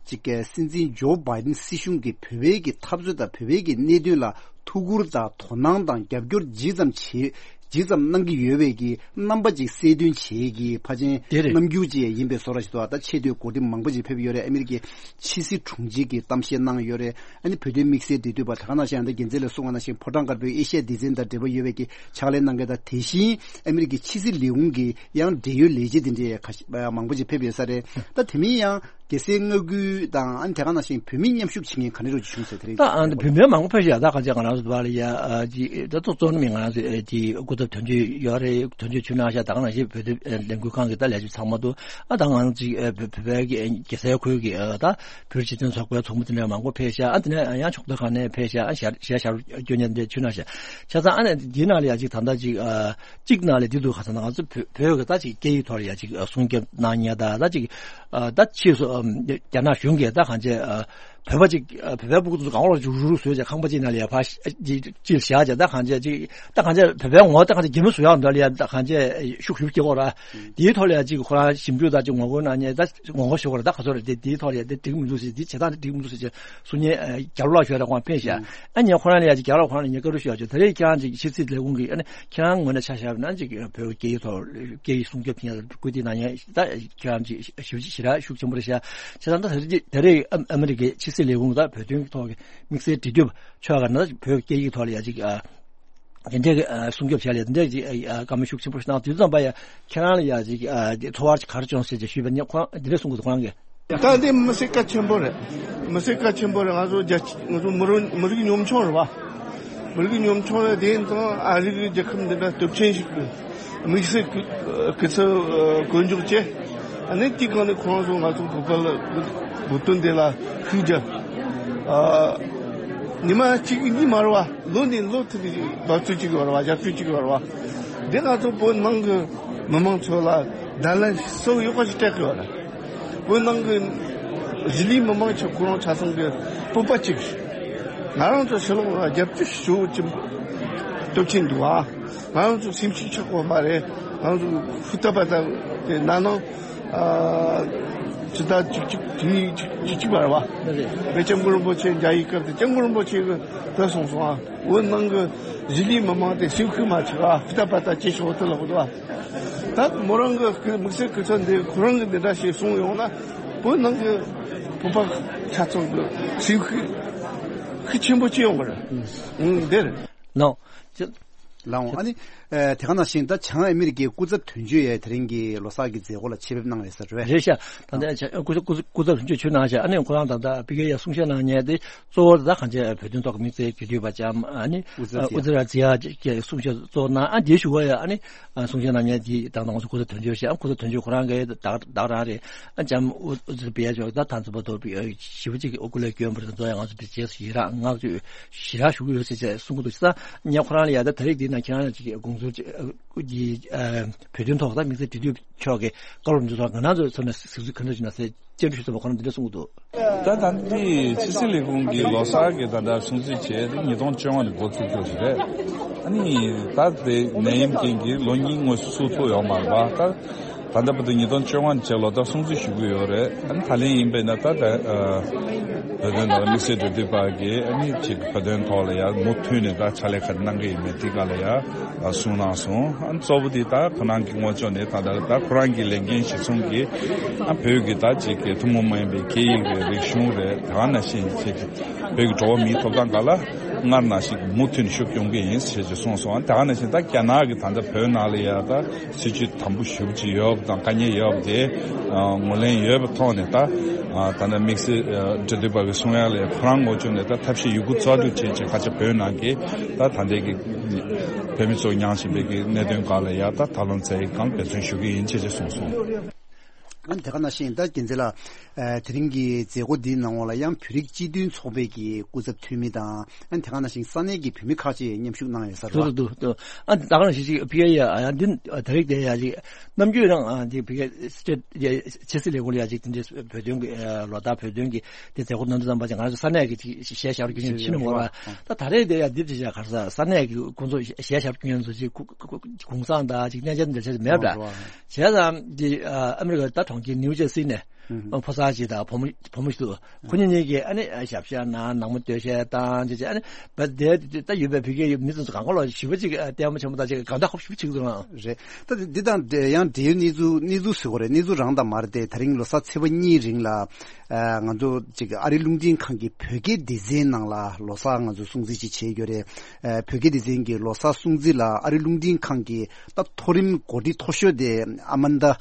ཅིག་སྲིད་འཛིན་ཇོ་བྷའི་ཌེན་སྲིད་གཞུང་གིས་བོད་པའི་གི་འཐབ་རྩོད་དང་བོད་པའི་གི་གནད་དོན་ལ་ཐུགས་ཁུར་དང་དོ་སྣང་དང་རྒྱབ་སྐྱོར་ཇི་ཙམ་བྱེད་ཇི་ཙམ་གནང་གི་ཡོད་པའི་གི་རྣམ་པ་ཅིག་གསལ་སྟོན་བྱེད་ཀྱི་ཕལ་ཆེར་དེ་རེད། རྣམ་འགྱུར་ཅིག་ཡིན་པའི་བཟོ་འདྲ་ཞིག་འདུག། ད་ཆེས་མཐོའི་འགོ་ཁྲིད་མང་པོ་ཅིག་ཕེབས་ཡོད་རེད། ཨ་མི་རི་ཀའི་ཕྱི་སྲིད་དྲུང་ཆེ་གིས་གཏམ་བཤད་གནང་ཡོད་རེད། ཨ་ནི་བོད་དོན་དམིགས་བསལ་འབྲེལ་མཐུད་པ་ད་ག་ནང་བཞིན་ད་རྒྱལ་མཚན་ལགས་གསུངས་པ་ནང་བཞིན་ཕོ་བྲང་དཀར་པོའི་ཨེ་ཤ་ཡ་སྡེ་ཚན་དང་འབྲེལ་བ་ཡོད་པའི་གི་ཕྱག་ལས་གནང་མཁན་དང་། དེ་བཞིན་ཨ་མི་རི་ཀའི་ཕྱི་སྲིད་ལས་ཁུངས་ཀྱི་ཡང་འབྲེལ་ཡོད་ལས་བྱེད་དེ་འདྲའི་ཁ་ཤས་མང་པོ་ཅིག་ཕེབས་ཡོད་ས་རེད། ད་དེ་མིན་ཡང་རྒྱལ་སའི་མངའ་ཁུལ་དང་ཨ་ནི་དེ་ག་ནང་བཞིན་བོད་མི་མཉམ་ཞུགས་བྱེད་མཁན་ག་འདྲ་རུ་བྱུང་ཟེར། དེ་རིང་ད་ཨ་ནི་བོད་མི་མང་པོ་ཕེབས་ཤག། ད་ག་ཅིག་ང་རང་ཚོ་བར་ལ་ཡ་ཨ་ཅིག་ད་གཙོ་གཙོ་ནི་མི་ང་རང་ཚོ་ཨ་ཅིག་སྐུ་ཚབ་དོན་གཅོད་ཡོད་རེད། དོན་གཅོད་ཆུ་ནང་ཤག། ད་ག་ནང་བཞིན་བོད་དོན་ལས་འགུལ་ཁང་གི་ད་ལས་བྱེད་ཚང་མ་འདུག། ཨ་ད་ང་ཚོ་ཅིག་ཨ་བོད་བོད་པའི་གི་རྒྱལ་སའི་ཁུལ་གྱི་ཨ་ད་བོད་སྤྱི་མཐུན་ཚོགས་པའི་ཚོགས་མི་དེ་འདྲ་མང་པོ་ཕེབས་ཤག། ཨ་དེ་ནས་ཡང་ཕྱོགས་མཐའ་ཁག་ནས་ཕེབས་ཤག། ཨ་ཞལ་ཞལ་ཞལ་སྐྱོན་ཉན་དེ་ཆུ་ནང་ཤག། བྱས་ཙང་ཨ་ནི་འདི་ནང་ལ་ཡ་ཅིག་ད་ལྟ་ཅིག་ཨ་གཅིག་ནང་ལ་འདི་འདུག་ག་ཟེར་ན། ང་ཚོ་བོད་བོད་ཀྱི་ད་ཅིག་སྐད་ཡིག་ཐོག་ལ་ཡ་ཅིག་ཨ་སྲུང་སྐྱོབ་གནང་ཉེན་དང་། ད་ཅིག་ཨ་ད་ཕྱིས་སུ་ཨ་རྒྱ་ནག་གཞུང་གིས་ད་གང་བྱས་ཨ་བོད་པ་ཅིག་ཨ་བོད་པའི་སྤུ་གུ་ཚོ་གང་ལ་ཅིག་རུག་རུག་བཟོས་བྱས་ཁང་པ་ཅིག་ནང་ལ་ཡ་ཕར་ཅིག་ཅིག་བཞག་བྱས། ད་གང་བྱས་ཅིག་ད་གང་བྱས་བོད་པའི་ངོ་ད་གང་བྱས་གད་མོ་བཟོ་ཡག་འདྲ་ལ་ཡ་ད་གང་བྱས་ཤུགས་ཤུགས་སྐྱེ་གོ་ར། དེའི་ཐོག་ལ་ཡ་ཅིག་ཁོ་རང་ཞིབ་འཇུག་དང་ཅིག་ངོ་རྒོལ་གནང་ཉེན་ད་ངོ་རྒོལ་ཞུ་གོ་ར། ད་ག་ཚོད་རེད་དེ། དེའི་ཐོག་ལ་ཡ་དེ་འགྲིག་མི་འདུག་ཟེར། དེ་བྱེད་སྟངས་དེ་འགྲིག་མི་འདུག་ཟེར་བྱས་གསུང་ཉེན་རྒྱ་ལོ་ལགས་ཞུ་ཡ་ར་ཁོང་ཕེབས་ཤག། ཨ་ནི་ཁོ་རང་ལ་ཡ་ཅིག་རྒྱ་ལོ་ལགས་ཁོ་རང་ལ་ངས་བཀའ་འདྲི་ཞུ་ཡ་ཅིག། དེ་རིང་ཁྱེད་རང་ཅིག་ཕྱི་སྲིད་ལས་ཁུངས་ཀྱི་ཨ་ནི་ཁྱེད་རང་ངོས་ནས་ཆ་བཞག་ན་ཅིག་བོད་སྐད་ཡིག་ཐོག་སྐད་ཡིག་སྲུང་སྐྱོབ་བྱེད་ཡ་སྐུལ་འདེད་གནང་ཡ་ད་ཁྱེད་རང་ཅིག་ཞིབ་ཞིབ་ཞེ་དྲག་ཤུགས་ཆེན་པོ་རེད་ཤག། བྱས་ཙང་ད་དེ་རིང་ཨ་མི་རི་ཀའི་ཕྱི་སྲིད་ལས་ཁུངས་ད་བོད་དོན་གྱི་ཐོག་གི་དམིགས་བསལ་འབྲེལ་མཐུད་ཕྱོགས་ཁག་ནས་བོད་སྐད་ཡིག་ཐོག་ལ་ཡ་ཅིག་ཨ། དེ་འདྲའི་གི་ཨ་སྲུང་སྐྱོབ་བྱ་ལས་དེ་འདྲའི་ཅིག་ཨ་བཀའ་མོལ་ཤུགས་ཆེན་པོ་ཞིག་གནང་། དུས་ཙམ་པ་ཡ་ཁྱེད་རང་ལ་ཡ་ཅིག་ཨ་ཚོར་བ་ཅིག་ག་རེ་བྱུང་ཟེར་ཅིག་ཞུས་པ་ནི་ཁོང་འདི་འདྲ་གསུང་གི་འདུག་ཁོ་རང་གིས། ད་འདི་མི་སེར་གལ་ཆེན་པོ་རེད། མི་སེར་གལ་ཆེན་པོ་རེད། ང་ཚོ་རྒྱ་ང་ཚོ་མི་རིགས་མི་རིགས་ཉམ་ཆུང་རེད་བ། མི་རིགས་ཉམ་ཆུང་རེད། དེ་ཡིན་ཙང་ཨ་རི་གི་རྒྱལ་ཁབ་འདི་འདྲ་སྟོབས་ཆེན་ཞིག་གི་དམིགས་བསལ་གི་སྐུ་ཚབ་གོ་མཇུག་བྱས། ཨ་ནི་དེའི་སྒང་ནས་ཁོང་ཚོ་ང་ཚོ་བོད་པ་ལ་བོད་དོན་འདི་ལ་ཤུགས་རྒྱབ། ཨ། ཉི་མ་གཅིག་གཉིས་མ་རེད་བ། ལོ་ནས་ལོ་དེ་ནས་འབབ་ཚུགས་གཅིག་ཡོད་རེད་བ། རྒྱབ་སྐྱོར་གཅིག་ཡོད་རེད་བ། འདི་ང་ཚོ་བོད་ནང་གི་མི་མང་ཚོ་ལ་བརྡ་ལན་གསལ་པོ་ཡག་པོ་ཞིག་སྤྲད་གི་ཡོད་རེད། བོད་ནང་གི་གཞིས་ལུས་མི་མང་ཆ་ཁོ་རང་ཆ་ཚང་གི་སྤོབས་པ་གཅིག་ང་རང་ཚོ་ཕྱི་ལོགས་ལ་རྒྱབ་སྐྱོར་ཞུ་ཅིག་སྟོབས་ཆེན་འདུག་ཨ། ང་རང་ཚོ་སེམས་ཤུགས་ཆག་པ་མ་རེད། ང་རང་ཚོ་ཧུར་ཐག་པ་ཐག་དེ་ན་ནང་ཨ་ཇི་ལྟར་ཅིག་ཅིག་དེ་ཅིག་ཅིག་ཅིག་མ་རེད་བ། དཔེ་སྐྱབས་མགོན་རིན་པོ་ཆེ་མཇལ་བའི་སྐབས་དེ་སྐྱབས་མགོན་རིན་པོ་ཆེ་གིས་དེ་གསུངས་སོང་ཨ། བོད་ནང་གི་གཞིས་ལུས་མི་མང་དེ་སེམས་ཤུགས་མ་ཆག་ཨ། ཧུར་ཐག་པ་ཐག་བྱེད་ཤོག་དེ་ལབ་འདུག་ཨ། ད་མོ་རང་གི་དམིགས་བསལ་སྐུ་ཚབ་འདི་ཁོ་རང་གིས་འདི་འདྲ་ཞིག་གསུངས་ཡོང་ན་བོད་ནང་གི་བོད་པ་ཆ་ཚང་གི་སེམས་ཤུགས་ཤུགས་ཆེན་པོ་སྐྱེ་ཡོང་གི་རེད། ཨང་འདིར། ལགས། ལགས་འོང་། ཨ་ནི་ཨ་དེ་ག་ནང་བཞིན་ད་བྱང་ཨ་མི་རི་ཀའི་སྐུ་ཚབ་དོན་གཅོད་ཡས་དེ་རིང་གི་ལོ་གསར་གྱི་མཛད་སྒོ་ལ་ཆེད་ཕེབས་གནང་ཡོད་ས་རེད། རེད་ཤག་ད་ལྟ་བྱང་སྐུ་ཚབ་སྐུ་ཚབ་དོན་གཅོད་ཆོས་གནང་ཤག་ཨ་ནི་ཁོ་རང་ད་ལྟ་ཕ་གིར་ཡ་གསུང་བཤད་གནང་མཁན་དེ་གཙོ་བོ་ད་གང་ཅི་བོད་དོན་ཐོག་གི་དམིགས་བསལ་གྱི་འཐུས་པ་ལྕམ་ཨ་ནི་ཨུ་ཛི་ར་ཛི་ཡ་གིས་གསུང་བཤད་གཙོ་བོ་གནང་། ཨ་དེའི་གཞུག་གུ་ཡ་ཨ་ནི་གསུང་བཤད་གནང་མཁན་དེ་ད་ང་ཚོ་སྐུ་ཚབ་དོན་གཅོད་ཤག་ཨ་སྐུ་ཚབ་དོན་གཅོད་ཁོ་རང་གིས་ད་ད་རང་རེད། ཨ་ལྕམ་ཨུ་ཨུ་ཛི་ར་བི་ཡ་ཅོག་ད་ཐང་ཚོ་པ་དོ་བི་ཞི་བ་གཅིག་གི་ཨོ་སྐུ་ལས་སྐྱོན་པ་རེད། ད་ང་ཚོ་བི་རྗེས་སུ་ཡི་རང་བསྔགས་བརྗོད་ཞེ་དྲག་ཞུ་གི་ཡོད་ཟེར་བྱས་གསུང་གི་འདུག་ས་ཉ་ཁོ་རང་ལ་ཡ་ད་ད་རེས་འདི་ན་ཁྱེད་རང་ཅིག་དགོངས་ཚུལ་ཅིག་ཨ་ཀུ་ཀྱི་ཨ་བོད་དོན་ཐོག་ད་དམིགས་བསལ་འབྲེལ་མཐུད་ཕྱོགས་ཀྱི་བཀའ་སློབ་འདི་ཚོ་ང་རང་ཚོའི་ཚོ་ནས་གཟིགས་ཚུལ་ག་འདྲ་ཞིག་ན་ཟེར་སྤྱན་འདྲེན་ཞུས་ཙམ་པ་ཁོ་རང་འདི་འདྲ་གསུང་གི་འདུག་ད་ད་འདི་ཕྱི་སྲིད་ལས་ཁུངས་ཀྱི་ལོ་གསར་གྱི་ད་ལྟ་སྲུང་བརྩི་བྱས་ཏེ་ཉིས་སྟོང་བཅོ་ལྔ་ནས་འགོ་བཙུགས་རྒྱུ་ཞིག་རེད། ཨ་ནི་ད་དེ་ནད་ཡམས་རྐྱེན་གྱིས་ལོ་གཉིས་དངོས་སུ་ཚུགས་ཐུབ་ཡོད་མ་རེད་པ། ད་ད་ལྟ་བར་དུ་ཉིས་སྟོང་བཅོ་ལྔ་ནས་བྱས་ལོ་ལྟར་སྲུང་བརྩི་ཞུ་གི་ཡོད་རེད། ཨ་ནི་ད་ལན་ཡིན་པས་ན་ད་ད་ཨ་བོད་དོན་དང་དམིགས་བསལ་འབྲེལ་མཐུད་པ་གིས་ཨ་ནི་ཅིག་བོད་དོན་ཐོག་ལ་ཡ་མུ་མཐུད་ནས་ད་ཕྱག་ལས་ག་རེ་གནང་གི་ཡིན་མེད་དེ་ག་ལ་ཡ་གསུངས་གནང་སོང་། ཨ་ནི་གཙོ་བོ་དེ་ད་ཁོ་རང་གི་ངོས་ཕྱོགས་ནས་ད་ད་ད་ཁོ་རང་གི་ལས་འགན་གཞིར་བཟུང་གིས་ཨ་བོད་ཀྱི་ད་ཅིག་གི་ཐུན་མོང་མ་ཡིན་པའི་སྐད་ཡིག་རེད། རིག་གཞུང་རེད། དེ་ག་ནང་བཞིན་ཅིག་བོད་ཀྱི་འགྲོ་བ་མིའི་ཐོབ་ཐང་སྒང་ལ་སྔར་ནང་བཞིན་མུ་མཐུད་ནས་ཤུགས་སྐྱོང་གི་ཡིན་ཞེས་ཀྱི་གསུངས་སོང་། དེ་ག་ནང་བཞིན་ད་རྒྱ་ནག་གི་ད་ལྟ་བོད་ནང་ལ་ཡ་ད་སྲིད་བྱུས་དམ་པོ་ཞེ་པོ་ཅིག་ཡོད་པ་དང་དཀའ་ངལ་ཡོད་པ་དེ་ཨ་ངོས་ལེན་ཡོད་པའི་ཐོག་ནས་ད་ཨ་ད་ལྟ་དམིགས་བསལ་ཨ་འབྲེལ་མཐུད་པ་གི་གསུང་ཡག་ལ་ཁོ་རང་ངོས་ཕྱོགས་ནས་ད་ཐབས་ཤེས་ཡོད་རྒུ་རྩལ་སྤྲུགས་བྱས་བྱས་ཁ་ཆེ་བོད་ནང་གི་ད་ད་ལྟའི་གི་བོད་མི་ཚོ་མྱངས་བཞིན་པའི་གི་གནད་དོན་སྒང་ལ་ཡ་ད་ཐབས་ལམ་བཙལ་ཡག་སྒང་འབད་བརྩོན་ཞུ་གི་ཡིན་ཞེས་ཀྱི་གསུངས་སོང་། ཨ་ནི་དེ་ག་ནང་བཞིན་ད་རྒྱལ་མཚན་ལགས། ཨ་དེ་རིང་གི་མཛད་སྒོ་འདིའི་ནང་ལོགས་ལ་ཡང་བོད་རིགས་སྤྱི་མཐུན་ཚོགས་པའི་གི་སྐུ་ཚབ་འཐུས་མི་དང་། ཨ་ནི་དེ་ག་ནང་བཞིན་ས་གནས་ཀྱི་བོད་མི་ཁག་ཅིག་མཉམ་ཞུགས་གནང་ཡོད་ས་རེད་པ། འདུག་འདུག་འདུག་ཨ་ད་ག་ནང་བཞིན་ཅིག་ཕི་ཨེ་ཡ་ཨ་ཡ་འདི་ཨ་ད་རེས་དེ་ཡ་ཅིག་ནམ་རྒྱུན་རང་ཨ་འདི་ཕི་ཨེ་སི་ཊེཊ་ཡ་ཕྱི་སྲིད་ལས་ཁུངས་ལ་ཡ་ཅིག་དེ་འདྲའི་བོད་དོན་གྱི་ཨ་ལོ་ལྟར་བོད་དོན་གྱི་དེ་མཛད་སྒོ་གནང་དུས་ཙམ་པ་ཅིག་ང་རང་ཚོ་ས་གནས་ཀྱི་ཅིག་གཞས་ཤར་རྒྱུ་ཉིན་ཕྱིན་ནས་མ་རེད་པ། ད་ད་རེས་དེ་ཡ་འདི་ཅིག་ཡ་ག་རེ་ཟ་ས་གནས་ཀྱི་ཁོང་ཚོ་གཞས་ཤར་རྒྱུ་ཉིན་ཚོ་ཅིག་གུང་སེང་དང་ཅིག་གནས་མཇལ་འདྲ་ཆེ་མེད་པ། བྱས་ཙང་འདི་ཨ་ཨ་མི་རི་ཀ་ད་གྲོང་ཁྱེར་ནིའུ་ཇར་སི་ནས་ཨ་ཕོ་གསར་ཅིག་དང་བུ་མོ་བུ་མོ་ཞིག་འདུག་ཁོ་གཉིས་གཉིས་ཀྱིས་ཨ་ནི་ཨ་ཞབས་བཤད་གནང་། ནང་མི་སྟོད་གཞས་བཏང་བྱས་བྱས་ཨ་ནི་བ་དེ་ད་ཡོད་པའི་བོད་སྐད་ཡོད་མི་ཚོ་གང་ག་ལོ་ཞི་བ་ཅིག་ཨ་ལྟད་མོ་ཆེན་པོ་དང་ཅིག་གང་ལྟར་ཧོབ་ཞིབ་ཅིག་འདུག་ཨང་། རེད། ད་འདི་དང་འབྲེལ་ཡང་འབྲེལ་ཡོད་གནས་ཚུལ་གནས་ཚུལ་ཟེར་དགོས་རེད། གནས་ཚུལ་རང་དང་མ་རེད་དེ། ད་རིང་ལོ་གསར་ཚེས་པ་གཉིས་རིང་ལ་ཨ་ང་ཚོ་ཅིག་ཨ་རི་རླུང་འཕྲིན་ཁང་གི་བོད་སྐད་སྡེ་ཚན་ནང་ལ་ལོ་གསར་ང་ཚོ་སྲུང་བརྩི་ཅིག་བྱས་ཡོད་རེད། ཨ་བོད་སྐད་སྡེ་ཚན་གྱི་ལོ་གསར་སྲུང་བརྩི་ལ་ཨ་རི་རླུང་འཕྲིན་ཁང་གི་ད་མཐོ་རིམ་འགོ་ཁྲིད་མཐོ་ཤོས་དེ་ཨ་མན་ད་ཨ་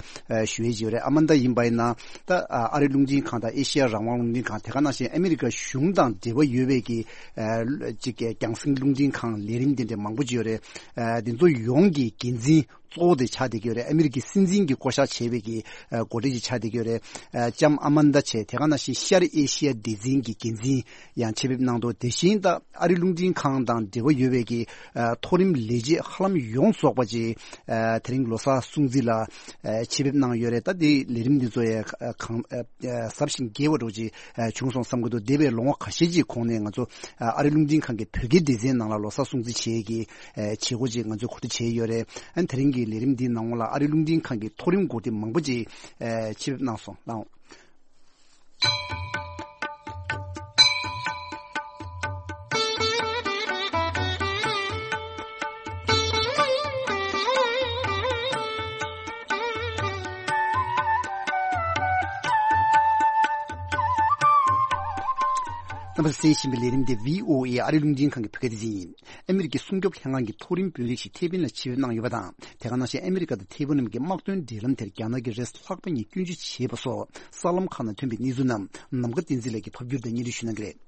ཞུ་ཡས་ཅིག་ཡོད་རེད། ཨ་མན་ད་ཡིན་པ་ཡིན་ན་ད་ཨ་ཨ་རི་རླུང་འཕྲིན་ཁང་དང་ཨེ་ཤི་ཡ་རང་དབང་རླུང་འཕྲིན་ཁང་དེ་ག་ནང་བཞིན་ཨ་མི་རི་ཀ་གཞུང་དང་འབྲེལ་བ་ཡོད་པའི་གི་ཨ་ཅིག་རྒྱང་སྲིང་རླུང་འཕྲིན་ཁང་ལས་རིམ་དེ་འདྲ་མང་པོ་ཅིག་ཡོད་རེད། ཨ་དེ་ཚོ་ཡོངས་ཀྱི་འགན་འཛིན་གཙོ་བོ་དེ་ཆགས་བསྡད་ཀྱི་ཡོད་རེད། ཨ་མི་རི་ཀའི་སྲིད་འཛིན་གྱིས་བསྐོ་བཞག་བྱས་པའི་གི་ཨ་འགོ་ཁྲིད་ཅིག་ཆགས་བསྡད་ཀྱི་ཡོད་རེད། ཨ་ལྕམ་ཨ་མན་ད་བྱས། དེ་ག་ནང་བཞིན་ཤར་ཨེ་ཤི་ཡ་སྡེ་ཚན་གྱི་འགན་འཛིན་ཡང་ཆེད་ཕེབས་གནང་འདུག་དེ་བཞིན་ད་ཨ་རི་རླུང་འཕྲིན་ཁང་དང་འབྲེལ་བ་ཡོད་པའི་གི་ཨ་མཐོ་རིམ་ལས་བྱེད་ཧ་ལམ་ཡོངས་རྫོགས་པ་ཅིག་ཨ་དེ་རིང་ལོ་གསར་སྲུང་བརྩི་ལ་ཨ་ཆེད་ཕེབས་གནང་ཡོད་རེད། ད་དེ་ལས་རིམ་འདི་ཚོ་ཡང་གང་ཨ་ཨ་ཟབ་ཞིང་རྒྱས་པ་འདྲ་ཅིག་ཨ་བྱུང་སོང་བསམ་གྱི་འདུག་འདས་པའི་ལོ་ངོ་ཁ་ཤས་ཀྱི་གོང་ནས་ང་ཚོ་ཨ་ཨ་རི་རླུང་འཕྲིན་ཁང་གི་བོད་སྐད་སྡེ་ཚན་ནང་ལ་ལོ་གསར་སྲུང་བརྩི་བྱེད་ཀྱི་ཨ་བྱེད་སྒོ་ཅིག་ང་ཚོས་གོ་སྒྲིག་བྱས་ཡོད་རེད། ཨ་ནི་དེ་རིང་གི་ལས་རིམ་འདིའི་ནང་ལ་ཨ་རི་རླུང་འཕྲིན་ཁང་གི་མཐོ་རིམ་འགོ་ཁྲིད་མང་པོ་ཅིག་ཨ་ཆེད་ཕེབས་གནང་སོང་། ལགས་འོང་། རྣམ་པ་གསན་བཞིན་པའི་ལས་རིམ་དེ་བྷི་ཨོ་ཨེ་ཨ་རི་རླུང་འཕྲིན་ཁང་གི་བོད་སྐད་སྡེ་ཚན་ཡིན། ཨ་མི་རི་ཀའི་སྲུང་སྐྱོབ་ལྷན་ཁང་གི་མཐོ་རིམ་དཔོན་རིགས་ཤིག་ཐེ་ཝན་ལ་ཆེད་ཕེབས་གནང་ཡོད་པ་དང་། དེ་ག་ནང་བཞིན་ཨ་མི་རི་ཀ་དང་ཐེ་ཝན་གཉིས་ཀྱི་དམག་དོན་འབྲེལ་ལམ་དེར་རྒྱ་ནག་གིས་རེས་ལྷག་པ་ཉིད་སྐྱོན་བརྗོད་བྱས་པ་སོགས་གསར་ལམ་ཁག་ནང་ཐོན་པའི་གནས་ཚུལ་རྣམས་ནམ་མཁའ་བསྟན་འཛིན་ལགས་ཀྱིས་ཕབ་སྒྱུར་དང་སྙན་སྒྲོན་ཞུ་གནང་གི་རེད།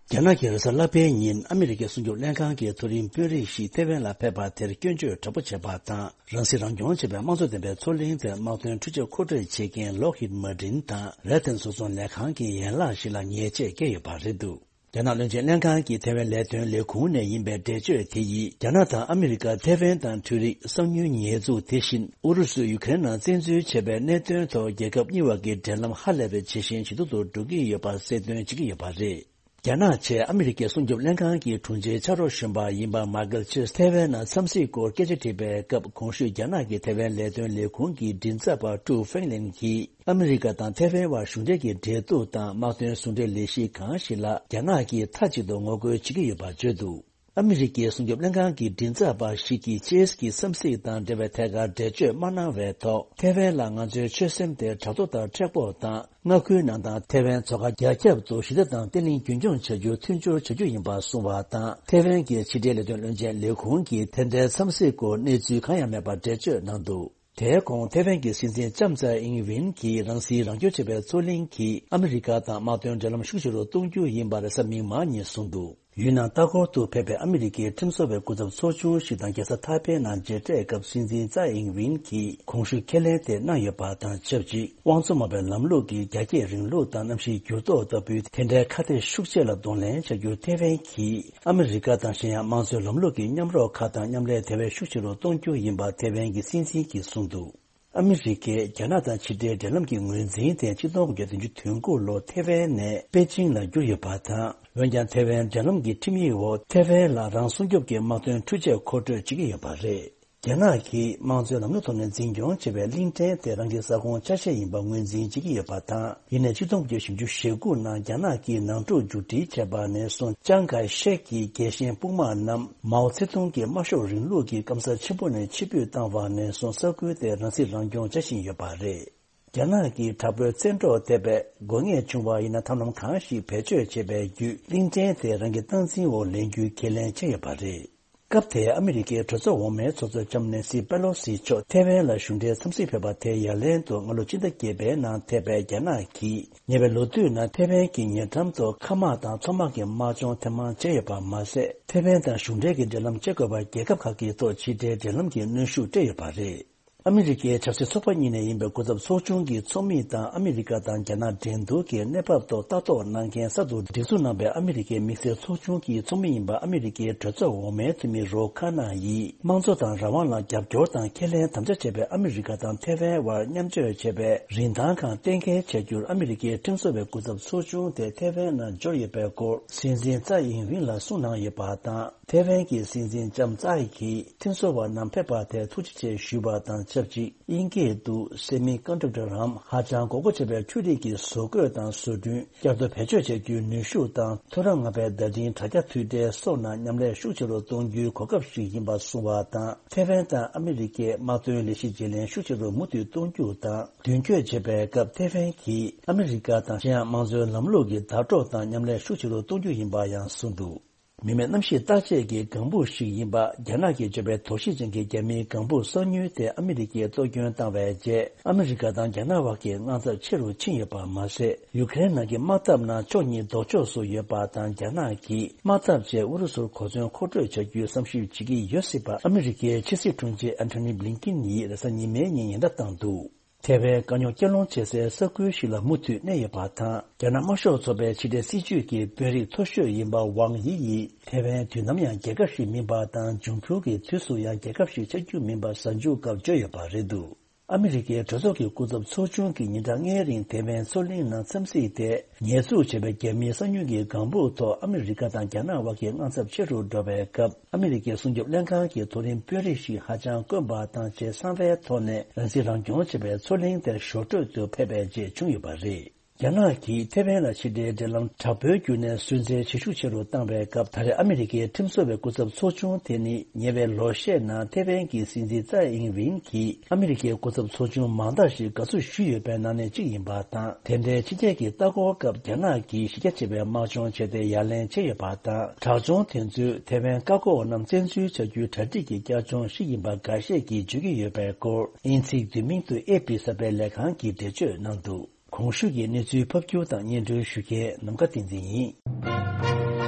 རྒྱ་ནག་གི་རེས་གཟའ་ལྷག་པའི་ཉིན་ཨ་མི་རི་ཀའི་སྲུང་སྐྱོབ་ལྷན་ཁང་གི་མཐོ་རིམ་དཔོན་རིགས་ཤིག་ཐེ་ཝན་ལ་ཕེབས་པ་དེར་སྐྱོན་བརྗོད་དྲག་པོ་བྱས་པ་དང་། རང་སྲིད་རང་སྐྱོང་ཞེས་པའི་དམངས་གཙོ་ལྡན་པའི་མཚོ་གླིང་དེར་དམག་དོན་འཕྲུལ་ཆས་མཁོ་སྤྲོད་བྱེད་མཁན་Lockheed Martin་དང་Raytheon་བཟོ་ཚོང་ལས་ཁང་གི་ཡན་ལག་ཞིག་ལ་ཉེས་ཆད་བཀལ་ཡོད་པ་རེད་འདུག་རྒྱ་ནག་བློན་ཆེན་ལྷན་ཁང་གི་ཐེ་ཝན་ལས་དོན་ལས་ཁུངས་ནས་ཡིན་པའི་འགྲེལ་བརྗོད་དེ་ཡིས། རྒྱ་ནག་དང་ཨ་མི་རི་ཀ་ཐེ་ཝན་དང་འཕྲུལ་རིག་གསང་ཉུལ་ཉེས་འཛུགས། དེ་བཞིན་ཨུ་རུ་སུས་ཡུ་ཁེ་རེན་ནང་བཙན་འཛུལ་བྱས་པའི་གནད་དོན་ཐོག་རྒྱལ་ཁབ་གཉིས་བར་གྱི་འབྲེལ་ལམ་ཧ་ལས་པའི་ཇེ་ཞན་ཇེ་སྡུག་ཏུ་འགྲོ་གི་ཡོད་པ་གསལ་སྟོན་བྱེད་ཀྱི་ཡོད་པ་རེད། རྒྱ་ནག་བཅས་ཨ་མི་རི་ཀའི་སྲུང་སྐྱོབ་ལྷན་ཁང་གི་དྲུང་ཆེའི་ཕྱག་རོགས་གཞོན་པ་ཡིན་པ་མཱ་ཀལ་ཆེས་ཐེ་ཝན་ནང་འཚམས་གཟིགས་སྐོར་སྐད་ཆ་དྲིས་པའི་སྐབས། གོང་ཞུས་རྒྱ་ནག་གི་ཐེ་ཝན་ལས་དོན་ལས་ཁུངས་ཀྱི་མགྲིན་ཚབ་པ་ཀྲུའུ་ཧྥེང་ལིན་གྱིས། ཨ་མི་རི་ཀ་དང་ཐེ་ཝན་བར་གཞུང་འབྲེལ་གྱི་འབྲེལ་གཏུག་དང་དམག་དོན་ཟུང་འབྲེལ་ལས་གཞི་གང་ཞིག་ལ་རྒྱ་ནག་གིས་མཐའ་གཅིག་ཏུ་ངོ་རྒོལ་བྱེད་ཀྱི་ཡོད་པ་བརྗོད་འདུག་ཨ་མི་རི་ཀའི་སྲུང་སྐྱོབ་ལྷན་ཁང་གི་མགྲིན་ཚབ་པ་ཞིག་གིས་ཆེས་ཀྱི་འཚམས་གཟིགས་དང་འབྲེལ་བའི་ཐད་ཀར་འགྲེལ་བརྗོད་མ་གནང་བའི་ཐོག་ཐེ་ཝན་ལ་ང་ཚོའི་ཆོད་སེམས་དེ་དྲག་ཏོ་དང་མཁྲེགས་པོ་དང་། མངའ་ཁུལ་ནང་དང་ཐེ་ཝན་མཚོ་ཁ་རྒྱ་ཁྱབ་ཏུ་ཞི་བདེ་དང་བརྟན་ལྷིང་རྒྱུན་འཁྱོངས་བྱ་རྒྱུར་མཐུན་སྦྱོར་བྱ་རྒྱུ་ཡིན་པ་གསུངས་པ་དང་། ཐེ་ཝན་གྱི་ཕྱི་འབྲེལ་ལས་དོན་བློན་ཆེན་ལས་ཁུངས་ཀྱིས་དེ་འདྲའི་འཚམས་གཟིགས་སྐོར་གནས་ཚུལ་གང་ཡང་མེད་པར་འགྲེལ་བརྗོད་གནང་འདུག་དེའི་གོང་ཐེ་ཝན་གྱི་སྲིད་འཛིན་ལྕམ་ཚའེ་ཨིང་ཝེན་གྱིས་རང་སྲིད་རང་སྐྱོང་བྱེད་པའི་མཚོ་གླིང་གིས་ཨ་མི་རི་ཀ་དང་དམག་དོན་འབྲེལ་ལམ་ཤུགས་ཆེ་རུ་གཏོང་རྒྱུ་ཡིན་པ་རེས་གཟའ་མིག་དམར་ཉིན་གསུངས་འདུག་ཡུན་ནན་ལྟ་སྐོར་དུ་ཕེབས་པའི་ཨ་མི་རི་ཀའི་ཁྲིམས་བཟོ་བའི་སྐུ་ཚབ་ཚོགས་ཆུང་ཞིག་དང་རྒྱལ་ས་ཐའེ་པེ་ནང་མཇལ་འཕྲད་སྐབས་སྲིད་འཛིན་ཙའེ་ཨིང་ཝིན་གྱིས་གོང་ཞུས་ཁས་ལེན་དེ་གནང་ཡོད་པ་དང་ཆབས་ཅིག་དབང་གཙོ་མ་དཔེའི་ལམ་ལུགས་ཀྱི་རྒྱ་སྐྱེད་རིང་ལུགས་དང་གནམ་གཤིས་འགྱུར་ལྡོག་ལྟ་བུའི་དེ་འདྲའི་ཁ་གཏད་ཤུགས་ཆེ་ལ་གདོང་ལེན་བྱ་རྒྱུར་ཐེ་ཝན་གྱིས་ཨ་མི་རི་ཀ་དང་གཞན་ཡང་དམངས་གཙོའི་ལམ་ལུགས་ཀྱི་མཉམ་རོགས་ཁག་དང་མཉམ་ལས་དེ་བས་ཤུགས་ཆེ་རུ་གཏོང་རྒྱུ་ཡིན་པ་ཐེ་ཝན་གྱི་སྲིད་འཛིན་གྱིས་གསུངས་འདུག་ཨ་མི་རི་ཀས་རྒྱ་ནག་དང་ཕྱི་འབྲེལ་འབྲེལ་ལམ་གྱི་ངོས་འཛིན་དེ་ཆིག་སྟོང་དགུ་བརྒྱ་བདུན་ཅུ་དོན་དགུ་ལོར་ཐེ་ཝན་ནས་པེ་ཅིང་ལ་བསྒྱུར་ཡོད་པ་དང་། འོན་ཀྱང་ཐེ་ཝན་འབྲེལ་ལམ་གྱི་ཁྲིམས་ཡིག་འོག་ཐེ་ཝན་ལ་རང་སྲུང་སྐྱོབ་ཀྱི་དམག་དོན་འཕྲུལ་ཆས་མཁོ་སྤྲོད་བྱེད་ཀྱི་ཡོད་པ་རེད། རྒྱ་ནག་གིས་དམངས་གཙོའི་ལམ་ལུགས་ཐོག་ནས་འཛིན་སྐྱོང་བྱེད་པའི་གླིང་ཕྲན་དེ་རང་གི་ས་ཁོངས་ཆ་ཤས་ཡིན་པ་ངོས་འཛིན་བྱེད་ཀྱི་ཡོད་པ་དང་། ཡིན་ནའི་ཆིག་སྟོང་དགུ་བརྒྱ་བཞི་བཅུ་ཞེ་དགུ་ནང་རྒྱ་ནག་གིས་ནང་འཁྲུག་མཇུག་སྒྲིལ་བྱས་པ་ནས་བཟུང་ཅང་གའི་ཤེག་གི་རྒྱལ་ཞེན་དཔུང་དམག་རྣམས་མའོ་ཙེ་ཏུང་གི་དམར་ཤོག་རིང་ལུགས་ཀྱི་སྐམ་ས་ཆེན་པོ་ནས་ཕྱིར་འབུད་བཏང་བ་ནས་བཟུང་ས་ཁུལ་དེ་རང་སྲིད་རང་སྐྱོང་བྱ་བཞིན་ཡོད་པ་རེད། རྒྱ་ནག་གི་དྲག་པོའི་བཙན་འཕྲོག་ཐེབས་པའི་དགོས་ངེས་བྱུང་བ་ཡིན་ན་ཐབས་ལམ་གང་ཞིག་བེད་སྤྱོད་བྱེད་པའི་བརྒྱུད་གླིང་ཕྲན་དེ་རང་གི་སྟངས་འཛིན་འོག་ལེན་རྒྱུའི་ཁས་ལེན་བྱས་ཡོད་པ་རེད། སྐབས་དེའི་ཨ་མི་རི་ཀའི་གྲོས་ཚོགས་འོག་མའི་ཚོགས་གཙོ་ལྕམ་ནེན་སི་པེ་ལོ་སི་མཆོག་ཐེ་ཝན་ལ་གཞུང་འབྲེལ་འཚམས་གཟིགས་ཕེབས་པ་དེའི་ཡ་ལན་དུ་སྔ་ལོ་ཕྱི་ཟླ་བརྒྱད་པའི་ནང་ཐེ་པའི་རྒྱ་ནག་གིས་ཉེ་བའི་ལོ་དུས་ནང་ཐེ་ཝན་གྱི་ཉེ་འགྲམ་དུ་མཁའ་དམག་དང་མཚོ་དམག་གི་དམག་སྦྱོང་ཐེངས་མང་བྱས་ཡོད་པ་མ་ཟད། ཐེ་ཝན་དང་གཞུང་འབྲེལ་གྱི་འབྲེལ་ལམ་བཅད་དགོས་པར་རྒྱལ་ཁབ་ཁག་གི་ཐོག་ཕྱི་འབྲེལ་འབྲེལ་ལམ་གྱི་གནོན་ཤུགས་སྤྲད་ཡོད་པ་རེད། ཨ་མི་རི་ཀའི་ཆབ་སྲིད་ཚོགས་པ་གཉིས་ནས་ཡིན་པའི་སྐུ་ཚབ་ཚོགས་ཆུང་གི་ཚོགས་མི་དང་ཨ་མི་རི་ཀ་དང་རྒྱ་ནག་འགྲན་བསྡུར་གྱི་གནས་བབ་ཐོག་ལྟ་རྟོག་གནང་མཁན་གསར་དུ་སྒྲིག་འཛུགས་གནང་པའི་ཨ་མི་རི་ཀའི་དམིགས་བསལ་ཚོགས་ཆུང་གི་ཚོགས་མི་ཡིན་པ་ཨ་མི་རི་ཀའི་གྲོས་ཚོགས་འོག་མའི་འཐུས་མི་རོ་ཁ་ན་ཡིས་དམངས་གཙོ་དང་རང་དབང་ལ་རྒྱབ་སྐྱོར་དང་ཁས་ལེན་དམ་བཅའ་བྱས་པའི་ཨ་མི་རི་ཀ་དང་ཐེ་ཝན་དབར་མཉམ་སྤྱོད་བྱས་པའི་རིན་ཐང་ཁག་གཏན་འཁེལ་བྱ་རྒྱུར་ཨ་མི་རི་ཀའི་ཁྲིམས་བཟོ་བའི་སྐུ་ཚབ་ཚོགས་ཆུང་དེ་ཐེ་ཝན་ནང་འབྱོར་ཡོད་པའི་སྐོར་སྲིད་འཛིན་ཙའེ་ཨིན་ཝིན་ལ་གསུངས་གནང་ཡོད་པ་དང་། ཐེ་ཝན་གྱི་སྲིད་འཛིན་ལྕམ་ཙའེ་གིས་ཁྲིམས་བཟོ་བ་རྣམས་ཕེབས་པ་དེར་ཐུགས་རྗེ་ཆེ་ཞུས་པ་དང་ཆབས་ཅིག་དབྱིན་སྐད་དུ་སེ་མི་ཀོན་ཌག་ཊར་འམ་ཧ་ཅང་དགོས་མཁོ་ཆེ་བའི་འཕྲུལ་རིག་གི་བཟོ་བཀོད་དང་བཟོ་སྐྲུན་བསྐྱར་ཟློས་བེད་སྤྱོད་བྱ་རྒྱུའི་ནུས་ཤུགས་དང་མཐོ་རིམ་ལྔ་པའི་བརྡ་འཕྲིན་དྲ་རྒྱ་མཐུད་འབྲེལ་སོགས་ནང་མཉམ་ལས་ཤུགས་ཆེ་རུ་གཏོང་རྒྱུའི་གོ་སྐབས་ཤིག་ཡིན་པ་གསུངས་པ་དང་། ཐེ་ཝན་དང་ཨ་མི་རི་ཀའི་དམག་དོན་ལས་གཞི་བརྗེ་ལེན་ཤུགས་ཆེ་རུ་མུ་མཐུད་གཏོང་རྒྱུ་དང་མདུན་སྐྱོད་བྱེད་པའི་སྐབས་ཐེ་ཝན་གྱིས་ཨ་མི་རི་ཀ་དང་གཞན་ཡང་དམངས་གཙོའི་ལམ་ལུགས་ཀྱི་ཟླ་གྲོགས་དང་མཉམ་ལས་ཤུགས་ཆེ་རུ་གཏོང་རྒྱུ་ཡིན་པ་ཡང་གསུངས་འདུག་མི་མེད་གནམ་གཤིས་བརྟག་དཔྱད་ཀྱི་ལྒང་བུ་ཞིག་ཡིན་པ། རྒྱ་ནག་གིས་བརྗོད་པའི་དོགས་གཞི་ཅན་གྱི་རྒྱ་མིའི་ལྒང་བུ་གསང་ཉུལ་དེ་ཨ་མི་རི་ཀས་གཏོར་སྐྱོན་བཏང་བའི་རྗེས། ཨ་མི་རི་ཀ་དང་རྒྱ་ནག་བར་གྱི་དངངས་འཚབ་ཆེ་རུ་ཕྱིན་ཡོད་པ་མ་ཟད། ཡུ་ཀེ་རེན་ནང་གི་དམག་འཐབ་ནང་ཕྱོགས་གཉིས་ལྡོག་ཕྱོགས་སུ་ཡོད་པ་དང་། རྒྱ་ནག་གིས་དམག་འཐབ་བྱས་ཨུ་རུ་སུར་གོ་མཚོན་མཁོ་སྤྲོད་བྱ་རྒྱུའི་བསམ་ཞིབ་བྱེད་ཀྱི་ཡོད་སྲིད་པ་ཨ་མི་རི་ཀའི་ཕྱི་སྲིད་དྲུང་ཆེ་ཨན་ཐོ་ནི་བྷི་ལིན་ཀིན་ཡིས་རེས་གཟའ་ཉི་མའི་ཉིན་ཉེན་བརྡ་བཏང་འདུག་ཐེ་ཝན་དཀའ་རྙོག་སྐྱེལ་སློང་བྱེད་སའི་ས་ཁུལ་ཞིག་ལ་མུ་མཐུད་གནས་ཡོད་པ་དང་། རྒྱ་ནག་དམར་ཤོག་ཚོགས་པའི་ཕྱི་འབྲེལ་སྲིད་ཇུས་ཀྱི་དཔོན་རིགས་མཐོ་ཤོས་ཡིན་པ་ཝང་ཡི་ཡིས། ཐེ་ཝན་དུས་ནམ་ཡང་རྒྱལ་ཁབ་ཞིག་མིན་པ་དང་། འབྱུང་འགྱུར་གྱི་དུས་སུ་ཡང་རྒྱལ་ཁབ་ཞིག་ཆགས་རྒྱུ་མིན་པ་གཟའ་མཇུག་སྐབས་བརྗོད་ཡོད་པ་རེད་འདུག་ཨ་མི་རི་ཀའི་གྲོས་ཚོགས་ཀྱི་སྐུ་ཚབ་ཚོགས་ཆུང་གིས་ཉིན་གྲངས་ལྔའི་རིང་ཐེ་ཝན་མཚོ་གླིང་ནང་འཚམས་གཟིགས་དེ། ཉེས་འཛུགས་བྱས་པའི་རྒྱ་མིའི་གསང་ཉུལ་གྱི་ལྒང་བུ་ཐོག་ཨ་མི་རི་ཀ་དང་རྒྱ་ནག་དབར་གྱི་དངངས་འཚབ་ཆེ་རུ་འགྲོ་བའི་སྐབས། ཨ་མི་རི་ཀའི་སྲུང་སྐྱོབ་ལྷན་ཁང་གི་མཐོ་རིམ་དཔོན་རིགས་ཤིག་ཧ་ཅང་དཀོན་པ་དང་། ཆེས་གསང་བའི་ཐོག་ནས་རང་སྲིད་རང་སྐྱོང་བྱེད་པའི་མཚོ་གླིང་དེར་ཞོར་འཕྲོས་སུ་ཕེབས་པའི་རྗེས་བྱུང་ཡོད་པ་རེད། རྒྱ་ནག་གིས་ཐེ་ཝན་ལ་ཕྱི་འབྲེལ་འབྲེལ་ལམ་དྲག་པོའི་བརྒྱུད་ནས་སུན་གཙེར་ཇེ་ཤུགས་ཆེ་རུ་བཏང་བའི་སྐབས། ད་རེས་ཨ་མི་རི་ཀའི་ཁྲིམས་བཟོ་བའི་སྐུ་ཚབ་ཚོགས་ཆུང་དེ་ནི་ཉེ་བའི་ལོ་ཤས་ནང་ཐེ་ཝན་གྱི་སྲིད་འཛིན་ཙའེ་ཨིང་ཝིན་གྱིས་ཨ་མི་རི་ཀའི་སྐུ་ཚབ་ཚོགས་ཆུང་མང་དག་ཞིག་དགའ་བསུ་ཞུས་ཡོད་པའི་ནང་ནས་གཅིག་ཡིན་པ་དང་། དེ་འབྲེལ་ཕྱི་རྒྱལ་གྱི་ལྟ་སྐོར་སྐབས་རྒྱ་ནག་གིས་གཞི་རྒྱ་ཆེ་བའི་དམག་སྦྱོང་བྱས་ཏེ་ཡ་ལན་བྱས་ཡོད་པ་དང་། དྲག་སྦྱོང་དེ་ཚོས་ཐེ་ཝན་བཀག་འགོག་རྣམས་བཙན་འཛུལ་བྱ་རྒྱུའི་གྲ་སྒྲིག་གི་བསྐྱར་སྦྱོང་ཞིག་ཡིན་པ་འགའ་ཤས་ཀྱིས་བརྗོད་ཀྱི་ཡོད་པའི་སྐོར། དབྱིན་ཚིག་བསྡུས་མིང་དུ་ཨེ་པི་གསར་སྤེལ་ལས་ཁང་གིས་འགྲེལ་བརྗོད་གནང་འདུག་གོང་ཞུས་ཀྱི་གནས་ཚུལ་ཕབ་སྒྱུར་དང་སྙན་སྒྲོན་ཞུ་མཁན་ནམ་མཁའ་བསྟན་འཛིན་ཡིན།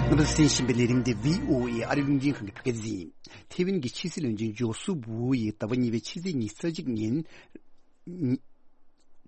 རྣམ་པ་གསན་བཞིན་པའི་ལས་རིམ་འདི་བྷི་ཨོ་ཨེ་ཨ་རི་རླུང་འཕྲིན་ཁང་གི་བོད་སྐད་སྡེ་ཚན་ཡིན། ཐེ་ཝན་གྱི་ཕྱི་སྲིད་བློན་ཆེན་ཇོ་སུབ་ཝུའུ་ཡིས་ཟླ་བ་གཉིས་པའི་ཕྱི་ཚེས་ཉི་ཤུ་རྩ་གཅིག་ཉིན།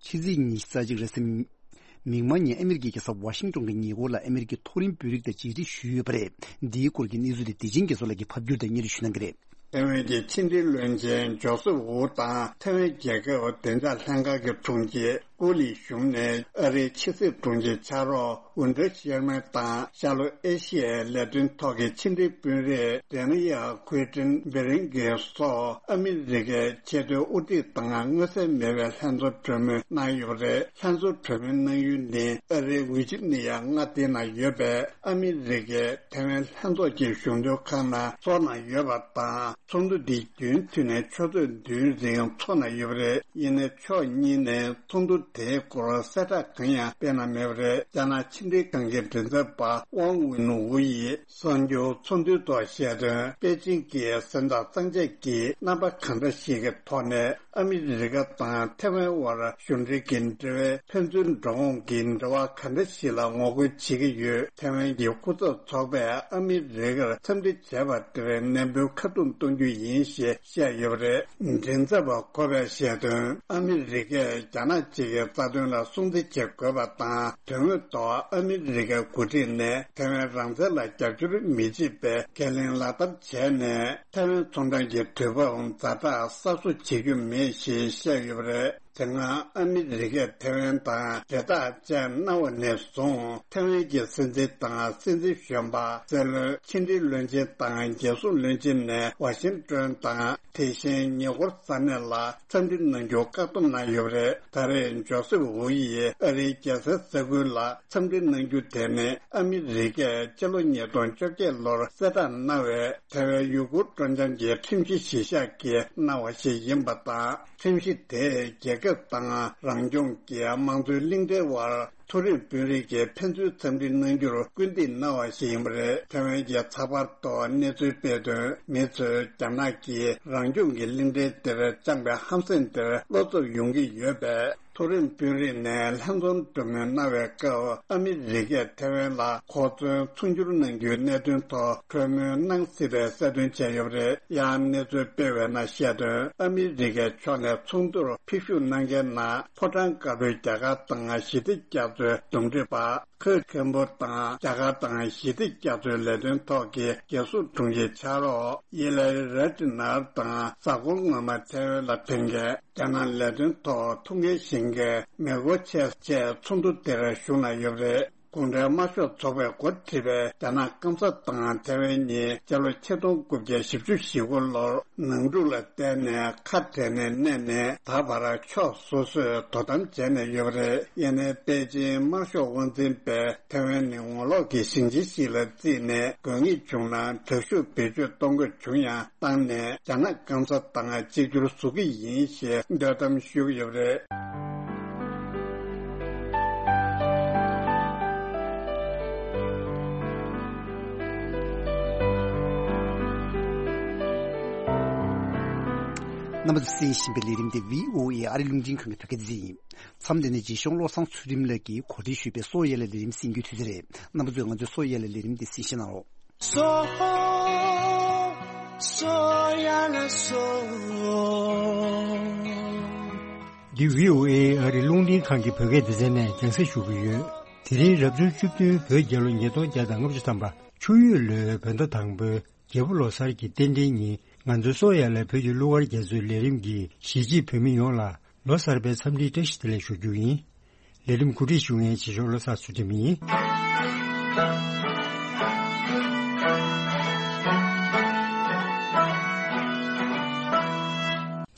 ཕྱི་ཚེས་ཉི་ཤུ་རྩ་གཅིག་རེས་གཟའ་མིག་དམར་ཉིན་ཨ་མི་རི་ཀའི་རྒྱལ་ས་ཝ་ཤིང་ཏོན་གྱི་ཉེ་འཁོར་ལ་ཨ་མི་རི་ཀའི་མཐོ་རིམ་དཔོན་རིགས་དང་མཇལ་འཕྲད་ཞུས་ཡོད་པ་རེད། འདིའི་སྐོར་གྱི་གནས་ཚུལ་དེ་བདེ་ཆེན་རྒྱ་མཚོ་ལགས་ཀྱིས་ཕབ་སྒྱུར་དང་སྙན་སྒྲོན་ཞུ་གནང་གི་རེད། ཐེ་ཝན་གྱི་ཕྱི་འབྲེལ་བློན་ཆེན་ཇོ་སེབ་ཝུ་དང་ཐེ་ཝན་རྒྱལ་ཁབ་བདེ་འཇགས་ལྷན་ཁང་གི་དྲུང་ཆེ་ཀུ་ལི་ཞུང་ནས་ཨ་རིའི་ཕྱི་སྲིད་དྲུང་ཆེ་ཕྱག་རོགས་ཝུན་ཀྲི་ཤེར་མན་དང་ཤར་ལྷོ་ཨེ་ཤི་ཡའི་ལས་དོན་ཐོག་གི་ཕྱི་འབྲེལ་དཔོན་རིགས་ཌེ་ནི་ཡལ་ཁུའི་ཀྲིན་བེ་རིང་གིས་སོགས་ཨ་མི་རི་ཀའི་ཆེས་མཐོའི་དབུ་ཁྲིད་དང་མངོན་གསལ་མེད་པའི་ལྷན་ཚོགས་གྲོས་མོལ་གནང་ཡོད་པ་རེད། ལྷན་ཚོགས་གྲོས་མོལ་གནང་ཡུལ་ནི་ཨ་རིའི་ཝི་ཇི་ནི་ཡ་མངའ་སྡེ་ནང་ཡོད་པའི་ཨ་མི་རི་ཀའི་ཐེ་ཝན་ལྷན་ཚོགས་ཀྱི་གཞུང་དོན་ཁང་ནང་ཚོགས་གནང་ཡོད་པ་དང་། ཚོགས་འདུ་འདི་རྒྱུན་མཐུད་ནས་ཆུ་ཚོད་བདུན་རིང་འཚོགས་གནང་ཡོད་པ་རེད། ཡིན་ནའི་ཕྱོགས་གཉིས་ནས་ཚོགས་འདུ་དེའི་སྐོར་གསལ་བསྒྲགས་གང་ཡང་སྤེལ་གནང་མེད་པ་རེད། རྒྱ་ནག་ཕྱི་འབྲེལ་ཁང་གི་མགྲིན་ཚབ་པ་ཝང་ཝུན་ཝུ་ཡིས་གསར་འགྱུར་ཚོགས་འདུའི་ཐོག་བཤད་དོན། པེ་ཅིང་གིས་སེམས་ཐག་གཙང་བཅད་ཀྱིས་རྣམ་པ་གང་འདྲ་ཞིག་གི་ཐོག་ནས་ཨ་མི་རི་ཀ་དང་ཐེ་ཝན་དབར་གཞུང་འབྲེལ་གྱི་འབྲེལ་བའི་ཕན་ཚུན་འགྲོ་འོང་གི་འབྲེལ་བ་ག་འདྲ་ཞིག་ལ་ངོ་རྒོལ་བྱེད་ཀྱི་ཡོད། ཐེ་ཝན་གྱི་སྐུ་ཚབ་ཚོགས་པས་ཨ་མི་རི་ཀར་འཚམས་འདྲི་བྱས་པ་དེར་ནན་པོའི་ཁ་རྡུང་གཏོང་རྒྱུ་ཡིན་ཞེས་བཤད་ཡོད་པ་རེད། མགྲིན་ཚབ་པ་ཁོ་པས་བཤད་དོན། ཨ་མི་རི་ཀས་རྒྱ་ནག་གཅིག་གི་རྩ་དོན་ལ་སྲུང་བརྩི་བྱེད་དགོས་པ་དང་། དོན་དངོས་ཐོག་ཨ་མི་རི་ཀའི་འགོ་ཁྲིད་ནས་ཐེ་ཝན་རང་བཙན་ལ་རྒྱབ་སྐྱོར་མི་བྱེད་པའི་ཁས་ལེན་ལག་བསྟར་བྱས་ནས། ཐེ་ཝན་ཚོང་གྲོང་གི་དུས་བབ་ཛ་དྲག་གསར་བཟོ་བྱེད་རྒྱུ་མེད་ཞེས་བཤད་ཡོད་པ་རེད། དེ་སྔ་ཨ་མི་རི་ཀས་ཐེ་ཝན་དང་འབྲེལ་ཐག་བཅད་གནང་བ་ནས་བཟུང་། ཐེ་ཝན་གྱི་སྲིད་འཛིན་དང་སྲིད་འཛིན་གཞོན་པ། སྲིད་བློན། ཕྱི་འབྲེལ་བློན་ཆེན་དང་རྒྱལ་སྲུང་བློན་ཆེན་ནས་ཝ་ཤིང་ཏོན་དང་། དེ་བཞིན་ཉེ་འཁོར་ས་གནས་ལ་འཚམས་འདྲི་གནང་རྒྱུ་བཀག་སྡོམ་གནང་ཡོད་པ་རེད། ད་རེས་ཇོ་སེབ་ཝུ་ཡིས་ཨ་རིའི་རྒྱལ་སའི་ས་ཁུལ་ལ་འཚམས་འདྲི་གནང་རྒྱུ་དེ་ནི་ཨ་མི་རི་ཀས་ཕྱི་ལོ་ཉིས་སྟོང་བཅོ་བརྒྱད་ལོར་གསལ་བསྒྲགས་གནང་བའི་ཐེ་ཝན་ཡུ་གུར་སྤྲོ་འཆམ་གྱི་ཁྲིམས་གཞི་གཞི་བཞག་གིས་གནང་བ་ཞིག་ཡིན་པ་དང་། ཁྲིམས་གཞི་དེས་རྒྱལ་ཁབ་དང་རང་སྐྱོང་གི་དམངས་གཙོའི་གླིང་ཕྲན་དབར་མཐོ་རིམ་དཔོན་རིགས་ཀྱིས་ཕན་ཚུན་འཚམས་འདྲི་གནང་རྒྱུར་སྐུལ་འདེད་གནང་བ་ཞིག་ཡིན་པ་རེད། ཐེ་ཝན་གྱི་ཚགས་པར་ཐོག་གནས་ཚུལ་སྤེལ་དོན། མི་ཚོས་རྒྱ་ནག་གིས་རང་སྐྱོང་གི་གླིང་ཕྲན་དེར་བཅངས་པའི་ཧམ་སེམས་དེར་བློ་འཚབ་ཡོང་གི་ཡོད་པས། མཐོ་རིམ་དཔོན་རིགས་ནས་ལྷན་འཛོམས་གྲོས་མོལ་གནང་བའི་སྐབས། ཨ་མི་རི་ཀས་ཐེ་ཝན་ལ་གོ་མཚོན་མཚོན་སྒྱུར་གནང་རྒྱུའི་གནད་དོན་ཐོག་གྲོས་མོལ་གནང་སྲིད་པའི་གསལ་སྟོན་བྱས་ཡོད་པ་རེད། ཡང་གནས་ཚུལ་སྤེལ་བའི་ནང་བཤད་དོན། ཨ་མི་རི་ཀའི་ཕྱོགས་ནས་ཚོགས་འདུར་ཕེབས་ཞུགས་གནང་མཁན་ནང་ཕོ་བྲང་དཀར་པོའི་རྒྱ་གར་དང་ཞི་བདེ་རྒྱ་མཚོའི་འདུམ་འགྲིག་པ། ཁོས་ཁེམ་པོ་དང་རྒྱ་གར་དང་ཞི་བདེ་རྒྱ་མཚོའི་ལས་དོན་ཐོག་གི་རྒྱལ་སྲུང་དྲུང་ཆེ་ཕྱག་རོགས་ཡེ་ལེ་ར་ཏི་ནར་དང་། གཟའ་འཁོར་སྔོན་མ་ཐེ་ཝན་ལ་ཕེབས་མཁན་རྒྱ་ནག་ལས་དོན་ཐོག་ཐུགས་འགན་བཞེས་མཁན་མེ་གོ་ཆེ་བཅས་ཚོགས་འདུ་དེར་ཞུགས་གནང་ཡོད་པ་རེད། གུང་ཁྲན་དམར་ཤོག་ཚོགས་པས་འགོ་ཁྲིད་པའི་རྒྱ་ནག་སྐམ་ས་དང་ཐེ་ཝན་གཉིས་སྤྱི་ལོ་ཆིག་སྟོང་དགུ་བརྒྱ་བཞི་བཅུ་ཞེ་དགུ་ལོར་ནང་འཁྲུག་ལ་བརྟེན་ནས་ཁ་བྲལ་ནས་གནས་ནས། ད་བར་ཕྱོགས་སོ་སོས་དོ་དམ་བྱས་ནས་ཡོད་པ་རེད། ཡིན་ནའི་པེ་ཅིན་དམར་ཤོག་དབང་འཛིན་པས་ཐེ་ཝན་ནི་ངོ་ལོག་གི་ཞིང་ཆེན་ཞིག་ལ་བརྩིས་ནས། དགོས་ངེས་བྱུང་ན་དྲག་ཤུགས་བེད་སྤྱོད་གཏོང་དགོས་བྱུང་ཡང་བཏང་ནས། རྒྱ་ནག་སྐམ་ས་དང་གཅིག་གྱུར་བཟོ་གི་ཡིན་ཞེས་འདོད་གཏམ་ཞུ་གི་ཡོད་པ་རེད། རྣམ་པ་ཚོས་གསན་བཞིན་པའི་ལས་རིམ་དེ་བྷི་ཨོ་ཨེ་ཨ་རི་རླུང་འཕྲིན་ཁང་གི་བོད་སྐད་སྡེ་ཚན་ཡིན། མཚམས་འདི་ནས་རྗེ་གཞུང་བློ་བཟང་ཚུལ་ཁྲིམས་ལགས་ཀྱིས་གོ་སྒྲིག་ཞུས་པའི་བསོད་ཡར་ལས་ལས་རིམ་གསན་རྒྱུའི་དུས་ཚོད་རེད། རྣམ་པ་ཚོས་ང་ཚོའི་བསོད་ཡར་ལས་ལས་རིམ་འདི་གསན་བཞེས་གནང་རོགས། བསོད་བསོད་ཡར་ལས་སོ། འདི་བྷི་ཨོ་ཨེ་ཨ་རི་རླུང་འཕྲིན་ཁང་གི་བོད་སྐད་སྡེ་ཚན་ནས་རྒྱང་སྲིང་ཞུ་གི་ཡོད། དེ་རིང་རབ་བྱུང་བཅུ་བདུན་བོད་རྒྱལ་ལོ་ཉིས་སྟོང་བརྒྱ་དང་ལྔ་བཅུ་ཐམ་པ། ཆུ་ཡོས་ལོའི་བོད་ཟླ་དང་པོའི་རྒྱལ་པོ་ལོ་གསར་གྱི་རྟེན་འབྲེལ་ཉིན། ང་ཚོའི་བསོད་ཡར་ལས་བོད་ཀྱི་གླུ་གར་རྒྱ་མཚོའི་ལས་རིམ་གྱིས་གཞིས་བྱེས་བོད་མི་ཡོངས་ལ་ལོ་གསར་པའི་འཚམས་འདྲིའི་བཀྲ་ཤིས་བདེ་ལེགས་ཞུ་རྒྱུ་ཡིན། ལས་རིམ་གོ་སྒྲིག་ཞུ་མཁན་རྗེ་གཞུང་བློ་བཟང་ཚུལ་ཁྲིམས་ཡིན།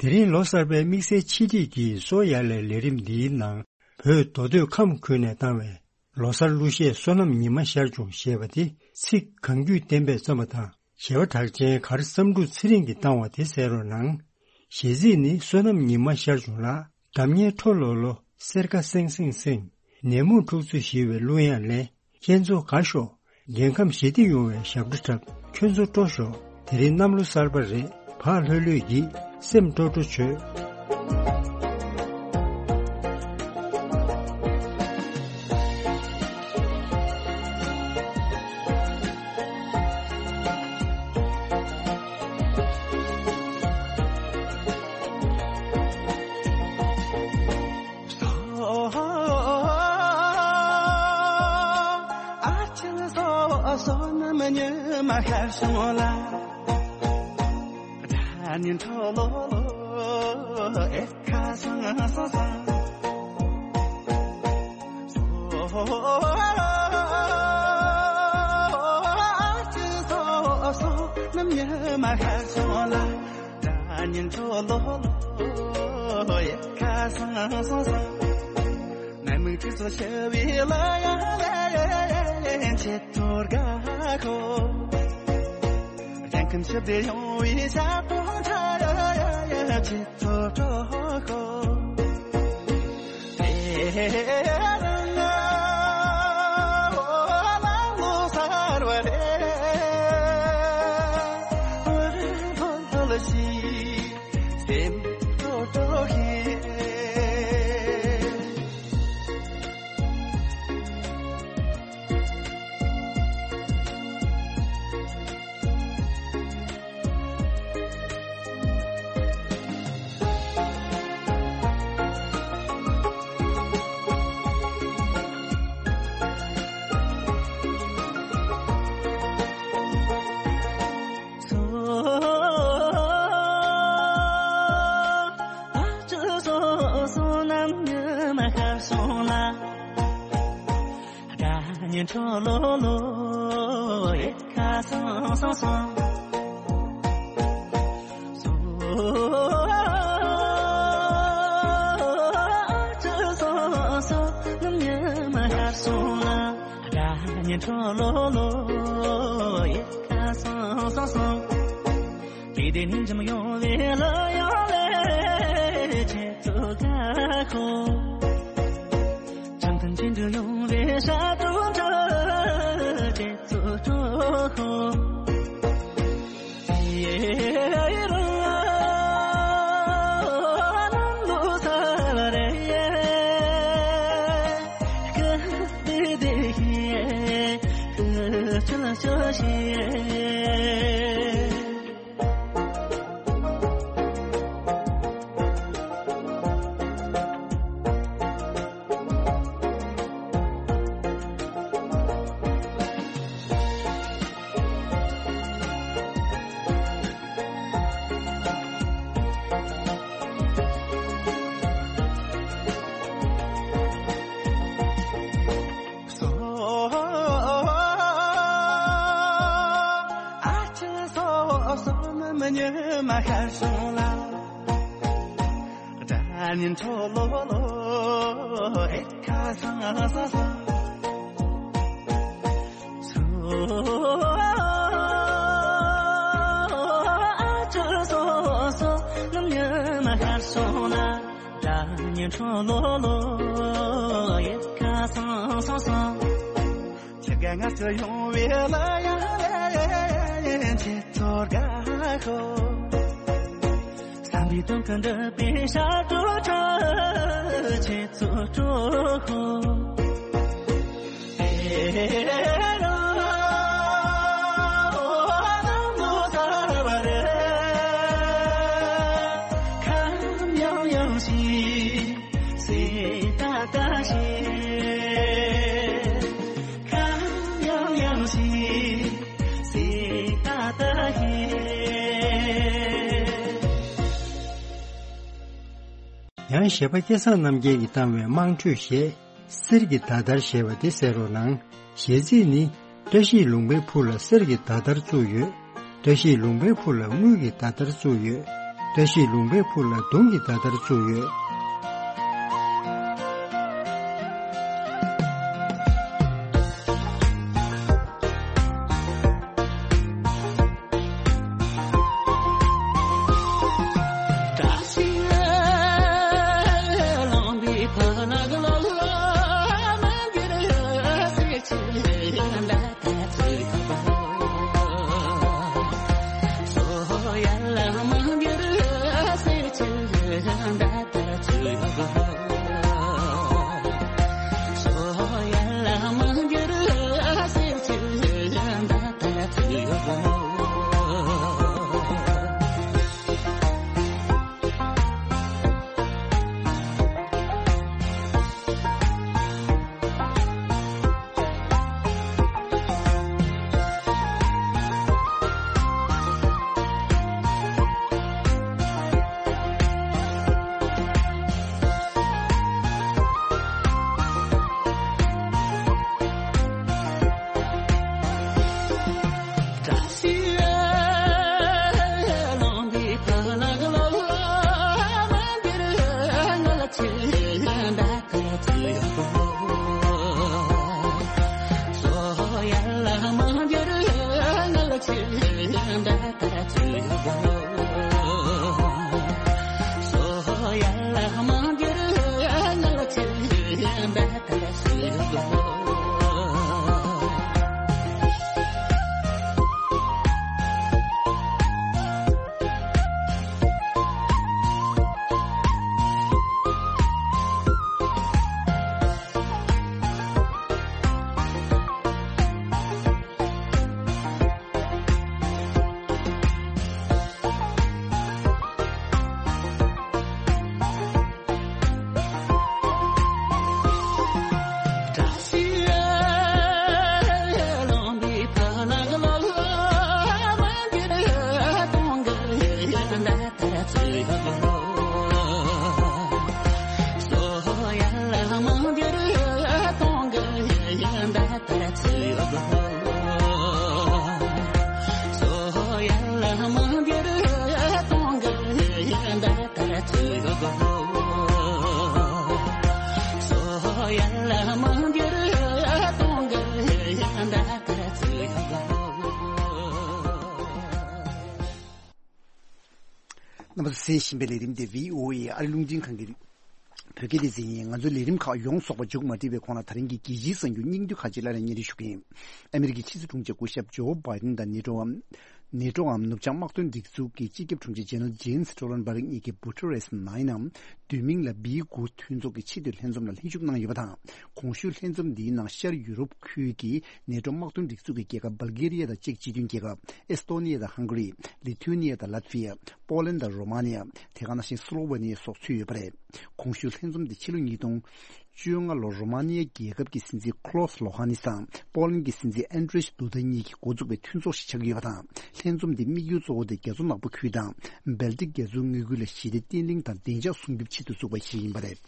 དེ་རིང་ལོ་གསར་པའི་དམིགས་བསལ་ཆེད་སྒྲིག་གིས་བསོད་ཡར་ལས་ལས་རིམ་འདིའི་ནང་། བོད་མདོ་སྟོད་ཁམས་ཁུལ་ནས་བཏང་བའི་ལོ་གསར་གླུ་གཞས་བསོད་ནམས་ཉི་མ་ཤར་བྱུང་ཞེས་པ་དེ་ཚིག་གང་རྒྱུད་བསྟན་པས་བརྩམས་པ་དང་། གཞས་པ་གྲགས་ཅན་གར་བསམ་འགྲུབ་ཚེ་རིང་གིས་བཏང་བ་དེ་གསན་རོགས་གནང་། གཞས་ཚིག་ནི། བསོད་ནམས་ཉི་མ་ཤར་བྱུང་ལགས། འགྲམ་ཉལ་ཁྲོ་ལོ་ལོ། སེར་ཁ་སེང་སེང་སེང་། ནད་མུག་འཁྲུག་རྩོད་ཞི་བའི་གླུ་དབྱངས་ལེན། ཁྱེད་ཚོ་དགའ་ཤོག། རྒྱལ་ཁམས་ཞི་བདེ་ཡོང་བའི་ཞབས་བྲོ་འཁྲབ། ཁྱོད་ཚོ་སྤྲོ་ཤོག། དེ་རིང་གནམ་ལོ་གསར་པ་རེད། བག་ལྷོད་ལྷོད་ཀྱིས་སེམས་སྤྲོ་སྤྲོ་བྱོས། རྣམས་ཉི་མ་ཤར་སོང་ལ། སྒྲ་སྙན་འཕྲོ་ལོ་ལོ་ཨེ་ཁ་སང་སང་སང་། སོ་སོ་རྣམས་ཉི་མ་ཤར་སོང་ལ། སྒྲ་སྙན་འཕྲོ་ལོ་ལོ་ཡལ་ག་སང་སང་སང་། ནད་མུག་དྲི་ཚོགས་ཞི་བའི་གླུ་དབྱངས་ལེན། ཁྱེད་ཚོར་དགའ་ཤོག། སྤྱང་ཀུན་ཞི་བདེ་ཡོང་བའི་ཞབས་བྲོ་འཁྲབ། ཁྱེད་ཚོར་སྤྲོ་ཤོག། དེ་རིང་ང་ལ་ལོ་གསར་བ་རེད། བར་ལོ་ལོ་ཞིག་སེམས་སྤྲོ་སྤྲོ་ཞིག། སོ་སོ་རྣམས་ཉི་མ་ཤར་སོང་ལ། སྒྲ་སྙན་འཕྲོ་ལོ་ལོ་ཡལ་ག་སང་སང་སང་། སོ་སོ་རྣམས་ཉི་མ་ཤར་སོང་ལ། སྒྲ་སྙན་འཕྲོ་ལོ་ལོ་ཡལ་ག་སང་སང་སང་། དེ་དེ་ནས་འཇམ་ཡོང་བའི་གླུ་དབྱངས་ལེན། ཁྱེད་ཚོར་དགའ་ཤོག། བྱང་ཐང་ཆེན་དུ་ཡོང་བའི་ཞབས་བྲོ་འཁྲབ། ཁྱེད་ཚོར་སྤྲོ་ཤོག། ཡེ་རང་ལ་ལོ་གསར་བ་རེད། སྐུ་བདེ་བདེ་ཞིག་སྐུ་ཆོལ་ཆོལ་ཞིག། སོ། ཨ་ཅེ་སོ་སོ་རྣམས་ཉི་མ་ཤར་སོང་ལ། སྒྲ་སྙན་འཕྲོ་ལོ་ལོ་ཨེ་ཁ་སང་སང་སང་། སོ། ཨ་ཅེ་སོ་སོ་རྣམས་ཉི་མ་ཤར་སོང་ལ། སྒྲ་སྙན་འཕྲོ་ལོ་ལོ་ཡལ་ག་སང་སང་སང་། ཁྱེད་ཀྱི་ངར་ཚོ་ཡོང་བའི་གླུ་དབྱངས་ལེན། ཁྱེད་ཚོར་དགའ་ཤོག། བསམ་པའི་དོན་ཀུན་འགྲུབ་པའི་ཞབས་བྲོ་འཁྲབ། ཁྱེད་ཚོར་སྤྲོ་ཤོག། དེ་རིང་ང་ལ་ལོ་གསར་བ་རེད། ཁམས་ཡངས་ཡངས་ཤིག་སེམས་དགའ་དགའ་ཞིག་ཁམས་ཡངས་ཡངས་ཤིག་སེམས་དགའ་དགའ་ཞིག་ཡང་གཞས་པ་སྐལ་བཟང་རྣམ་རྒྱལ་གྱིས་བཏང་བའི་དམངས་ཁྲོད་གཞས། གསེར་གྱི་ཟླ་ལྟར་ཞེས་པ་དེ་གསན་རོགས་གནང་། གཞས་ཚིག་ནི། བཀྲ་ཤིས་ལུང་པའི་ཕུ་ལ་གསེར་གྱི་ཟླ་ལྟར་བཙུགས་ཡོད། བཀྲ་ཤིས་ལུང་པའི་ཕུ་ལ་དངུལ་གྱི་ཟླ་ལྟར་བཙུགས་ཡོད། བཀྲ་ཤིས་ལུང་པའི་ཕུ་ལ་དུང་གི་ཟླ་ལྟར་བཙུགས་ཡོད། རྣམ་པ་ཚོ་གསན་བཞིན་པའི་ལས་རིམ་དེ་བྷི་ཨོ་ཨེ་ཨ་རི་རླུང་འཕྲིན་ཁང་གི་བོད་སྐད་སྡེ་ཚན་ཡིན། ང་ཚོའི་ལས་རིམ་ཁག་ཡོངས་རྫོགས་པ་མཇུག་མ་སྒྲིལ་བའི་གོང་ལ། ད་རིང་གི་རྒྱལ་སྤྱིའི་གསར་འགྱུར་སྙིང་བསྡུས་ཁག་ཅིག་སླར་ཡང་སྙན་སྒྲོན་ཞུ་གི་ཡིན། ཨ་མི་རི་ཀའི་ཕྱི་སྲིད་དྲུང་ཆེ་སྐུ་ཞབས་ཇོ་བྷའི་ཌེན་དང་ནེ་ཊོའམ། ནེ་ཊོའམ་ནུབ་བྱང་དམག་དོན་སྒྲིག་འཛུགས་ཀྱི་སྤྱི་ཁྱབ་དྲུང་ཆེ་ཇེ་ནེ་རལ་ཇེན་སི་ཊོལ་ཊེན་བྷར་གཉིས་ཀྱིས་བྷུ་ཁྲེ་རེས་ནའི་ནམ་བསྡུས་མིང་ལ་བྷི་དགུ་མཐུན་ཚོགས་ཀྱི་ཆེས་མཐོའི་ལྷན་འཛོམས་ལ་ལྷན་ཞུགས་གནང་ཡོད་པ་དང་། གོང་ཞུས་ལྷན་འཛོམས་འདིའི་ནང་ཤར་ཡུ་རོབ་ཁུལ་གྱི་ནེ་ཊོ་དམག་དོན་སྒྲིག་འཛུགས་ཀྱི་རྒྱལ་ཁབ་སྦལ་གྷེ་རི་ཡ་དང་ཅེཀ་སྤྱི་མཐུན་རྒྱལ་ཁབ། ཨེས་ཏོ་ནི་ཡ་དང་ཧང་གྷ་རི། ལི་ཐུ་ནི་ཡ་དང་ལཱ་ཐི་ཝི་ཡ། པོ་ལན་དང་རོ་མ་ནི་ཡ། དེ་ག་ནང་བཞིན་སི་ལོ་ཝེ་ནི་ཡ་སོགས་ཚུད་ཡོད་པ་རེད། གོང་ཞུས་ལྷན་འཛོམས་འདི་ཕྱི་ལོ་ཉིས་སྟོང་བཅོ་ལྔ་ལོར་རོ་མ་ནི་ཡ་རྒྱལ་ཁབ་ཀྱི་སྲིད་འཛིན་ཁོ་ལོ་སི་ལོ་ཧ་ནིས་དང་པོ་ལན་གྱི་སྲིད་འཛིན་ཨན་ཌྲེ་ཌུ་དཱ་གཉིས་ཀྱིས་འགོ་བཙུགས་པའི་མཐུན་ཚོགས་ཤིག་ཆགས་ཀྱི་ཡོད་པ་དང་། ལྷན་འཛོམས་འདིའི་དམིགས་ཡུལ་གཙོ་བོ་དེ་རྒྱ་མཚོ་ནག་པོ་ཁུལ་དང་སྦལ་ཏིག་རྒྱ་མཚོའི་མངའ་ཁུལ་ལ་ཞི་བདེ་བརྟན་ལྷིང་དང་བདེ་འཇགས་སྲུང་སྐྱོབ་ཆེད་དུ་བཙུགས་པ་ཞིག་ཡིན་པ་རེད།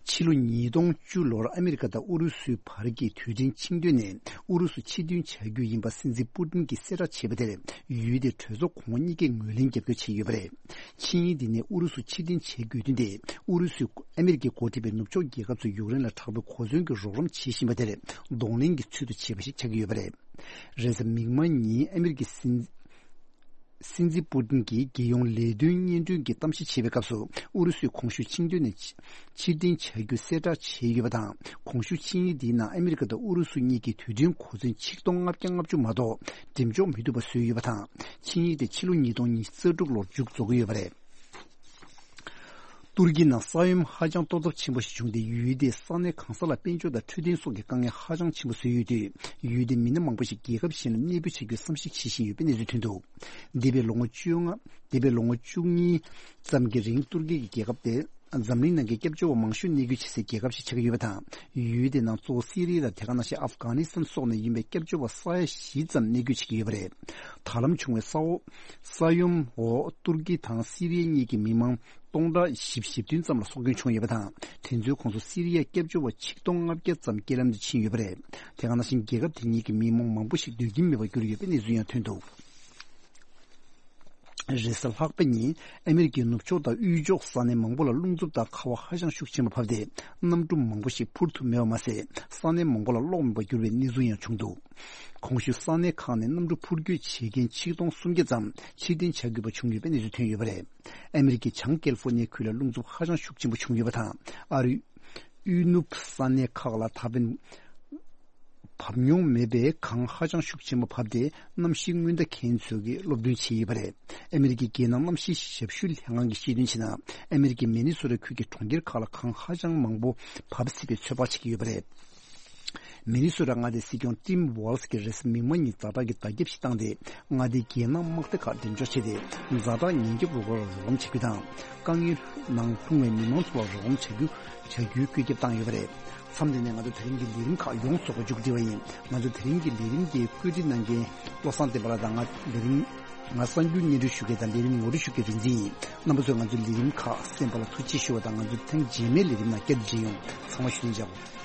ཕྱི་ལོ་ཉིས་སྟོང་བཅུ་ལོར་ཨ་མི་རི་ཀ་དང་ཨུ་རུ་སུའི་བར་གྱི་དུས་དྲན་ཆིངས་དོན་ནས་ཨུ་རུ་སུ་ཕྱིར་འདོན་བྱ་རྒྱུ་ཡིན་པ་སྲིད་འཛིན་པུ་ཏིན་གྱིས་གསལ་བསྒྲགས་བྱས་པ་དེར། ཡུལ་དེའི་གྲོས་ཚོགས་གོང་འོག་གཉིས་ཀས་ངོས་ལེན་རྒྱབ་སྐྱོར་བྱས་ཡོད་པ་རེད། ཆིངས་ཡིག་འདི་ནི་ཨུ་རུ་སུ་ཕྱིར་འཐེན་བྱེད་དགོས་དོན་དེ་ཨུ་རུ་སུས་ཨ་མི་རི་ཀས་འགོ་ཁྲིད་པའི་ནུབ་ཕྱོགས་རྒྱལ་ཁབ་ཚོས་ཡུཀ་རེན་ལ་དྲག་པོའི་གོ་མཚོན་གྱི་རོགས་རམ་བྱེད་བཞིན་པ་དེར་གདོང་ལེན་གྱི་ཚུལ་དུ་བྱས་པ་ཞིག་ཆགས་ཀྱི་ཡོད་པ་རེད། རེས་གཟའ་མིག་དམར་ཉིན་ཨ་མི་རི་ཀའི་སྲིད་སྲིད་འཛིན་པུ་ཏིན་གྱིས་རྒྱལ་ཡོངས་ལས་དོན་སྙན་སྒྲོན་གྱི་གཏམ་བཤད་བྱེད་པའི་སྐབས་སུ། ཨུ་རུ་སུས་གོང་ཞུས་ཆིངས་དོན་ནས་ཕྱི་ཕྱིར་འཐེན་བྱ་རྒྱུ་གསལ་བསྒྲགས་བྱས་ཡོད་པ་དང་། གོང་ཞུས་ཆིངས་ཡིག་འདིའི་ནང་ཨ་མི་རི་ཀ་དང་ཨུ་རུ་སུ་གཉིས་ཀྱི་དུས་དྲན་གོ་མཚོན་ཆིག་སྟོང་ལྔ་བརྒྱ་ལྔ་བཅུ་མ་གཏོགས་འགྲེམས་འཇོག་མི་ཐུབ་པ་བཟོས་ཡོད་པ་དང་། ཆིངས་ཡིག་དེ་ཕྱི་ལོ་ཉིས་སྟོང་ཉི་ཤུ་རྩ་དྲུག་ལོར་མཇུག་རྫོགས་ཀྱི་ཡོད་པ་རེད། ཏུར་ཀི་ནང་ས་ཡོམ་ཧ་ཅང་གཏོར་ཚབས་ཆེན་པོ་ཞིག་བྱུང་སྟེ། ཡུལ་དེའི་ས་གནས་གང་ས་ལ་དཔལ་འབྱོར་དང་འཕྲོད་བསྟེན་སོགས་ཀྱི་དཀའ་ངལ་ཧ་ཅང་ཆེན་པོ་བཟོས་ཡོད་དུས། ཡུལ་དེའི་མི་སྣ་མང་པོ་ཞིག་རྒྱལ་ཁབ་གཞན་ལ་གནས་སྤོས་བྱ་རྒྱུའི་བསམ་གཞིག་བྱེད་བཞིན་ཡོད་པའི་གནས་ཚུལ་ཐོན་འདུག་འདས་པའི་ལོ་ངོ་བཅོ་ལྔ། འདས་པའི་ལོ་ངོ་བཅུ་གཉིས་ཙམ་གྱི་རིང་ཏུར་ཀི་གི་རྒྱལ་ཁབ་དེ་འཛམ་གླིང་ནང་གི་སྐྱབས་བཅོལ་བ་མང་ཤོས་གནས་སྡོད་བྱེད་སའི་རྒྱལ་ཁབ་ཞིག་ཆགས་ཀྱི་ཡོད་པ་དང་། ཡུལ་དེ་ནང་གཙོ་བོ་སི་རི་ཡ་དང་དེ་ག་ནང་བཞིན་ཨབ་གྷ་ནི་སི་ཐན་སོགས་ནས་ཡིན་པའི་སྐྱབས་བཅོལ་བ་ས་ཡ་བཞི་ཙམ་གནས་སྡོད་བྱེད་ཀྱི་ཡོད་པ་རེད། ད་ལམ་བྱུང་བའི་ས་འོག་ས་ཡོམ་འོག་ཏུར་ཀི་དང་སི་རི་ཡ་གཉིས་ཀྱི་མི་མང་སྟོང་ཕྲག་བཞི་བཅུ་ཞེ་བདུན་ཙམ་ལ་སྲོག་སྐྱོན་བྱུང་ཡོད་པ་དང་། དེ་ཚོའི་ཁོངས་སུ་སི་རི་ཡའི་སྐྱབས་བཅོལ་བ་ཆིག་སྟོང་ལྔ་བརྒྱ་ཙམ་རྐྱེན་ལམ་དུ་ཕྱིན་ཡོད་པ་རེད། དེ་ག་ནང་བཞིན་རྒྱལ་ཁབ་དེ་གཉིས་ཀྱི་མི་མང་མང་པོ་ཞིག་སྡོད་ཁྱིམ་མེད་པར་གྱུར་ཡོད་པའི་གནས་ཚུལ་ཡང་ཐོན་འདུག་རེས་གཟའ་ལྷག་པ་ཉིན་ཨ་མི་རི་ཀའི་ནུབ་ཕྱོགས་དང་དབུས་ཕྱོགས་ས་གནས་མང་པོ་ལ་རླུང་འཚུབ་དང་ཁ་བ་ཧ་ཅང་ཤུགས་ཆེན་པོ་བབས་ཏེ། གནམ་གྲུ་མང་པོ་ཞིག་འཕུར་ཐུབ་མེད་པ་མ་ཟད། ས་གནས་མང་པོ་ལ་གློག་མེད་པར་གྱུར་བའི་གནས་ཚུལ་ཡང་བྱུང་འདུག་གོང་ཞུས་ས་གནས་ཁག་ནས་གནམ་གྲུ་འཕུར་སྐྱོད་བྱེད་མཁན་ཆིག་སྟོང་སུམ་བརྒྱ་ཙམ་ཕྱིར་འཐེན་བྱ་དགོས་པ་བྱུང་ཡོད་པའི་གནས་ཚུལ་ཐོན་ཡོད་པ་རེད། ཨ་མི་རི་ཀའི་བྱང་ཀེ་ལི་ཧྥོ་ནི་ཡའི་ཁུལ་ལ་རླུང་འཚུབ་ཧ་ཅང་ཤུགས་ཆེན་པོ་བྱུང་ཡོད་པ་དང་། ཨ་རིའི་དབུས་ནུབ་ས་གནས་ཁག་ལ་ད་ཕན་བབས་མྱོང་མེད་པའི་གངས་ཧ་ཅང་ཤུགས་ཆེན་པོ་བབས་ཏེ། གནམ་གཤིས་སྔོན་བརྡ་མཁན་ཚོས་ཀྱིས་སློབ་སྟོན་བྱས་ཡོད་པ་རེད། ཨ་མི་རི་ཀའི་རྒྱལ་ནང་གནམ་གཤིས་ཞབས་ཞུའི་ལྷན་ཁང་གིས་ཤེས་དོན་བྱས་ན། ཨ་མི་རི་ཀའི་མི་ནི་སོ་ཊ་ཁུལ་གྱི་གྲོང་ཁྱེར་ཁག་ལ་གངས་ཧ་ཅང་མང་པོ་བབས་སྲིད་པའི་ཚོད་དཔག་བྱེད་ཀྱི་ཡོད་པ་རེད། མི་ནི་སོ་ཊ་མངའ་སྡེའི་སྲིད་སྐྱོང་ཊིམ་ཝོལ་སི་གིས་རེས་གཟའ་མིག་དམར་ཉིན་ཛ་དྲག་གི་བརྡ་ཁྱབ་ཞིག་བཏང་སྟེ། མངའ་སྡེའི་རྒྱལ་ནང་དམག་སྡེ་ཁག་འགྲེམས་འཇོག་བྱས་ཏེ། ཛ་དྲག་ཉེན་སྐྱོབ་རུ་ཁག་ལ་རོགས་རམ་བྱ་རྒྱུ་དང་། དཀའ་ངལ་ནང་ལྷུང་བའི་མི་མང་ཚོ་ལ་རོགས་རམ་བྱ་རྒྱུ་བྱ་རྒྱུའི་བཀོད་ཁྱབ་བཏང་ཡོད་པ་རེད། མཚམས་འདི་ནས་ང་ཚོ་དེ་རིང་གི་ལས་རིམ་ཁག་ཡོངས་རྫོགས་པ་མཇུག་སྒྲིལ་བ་ཡིན། ང་ཚོ་དེ་རིང་གི་ལས་རིམ་དེའི་བཀོད་སྒྲིག་གནང་མཁན་བློ་བཟང་བསྟན་པ་ལགས་དང་། ང་ལས་རིམ་ང་གསར་འགྱུར་སྙན་སྒྲོན་ཞུ་མཁན་དང་ལས་རིམ་ངོ་སྤྲོད་ཞུ་མཁན་རིག་འཛིན་ཡིན། རྣམ་པ་ཚོས་ང་ཚོའི་ལས་རིམ་ཁག་གསན་པ་ལ་ཐུགས་རྗེ་ཆེ་ཞུ་བ་དང་། ང་ཚོ་ཐེངས་རྗེས་མའི་ལས་རིམ་ནང་བསྐྱར་དུ་མཇལ་ཡོང་། ཚང་མ་བཞུགས་གདན་འཇགས་དགོས།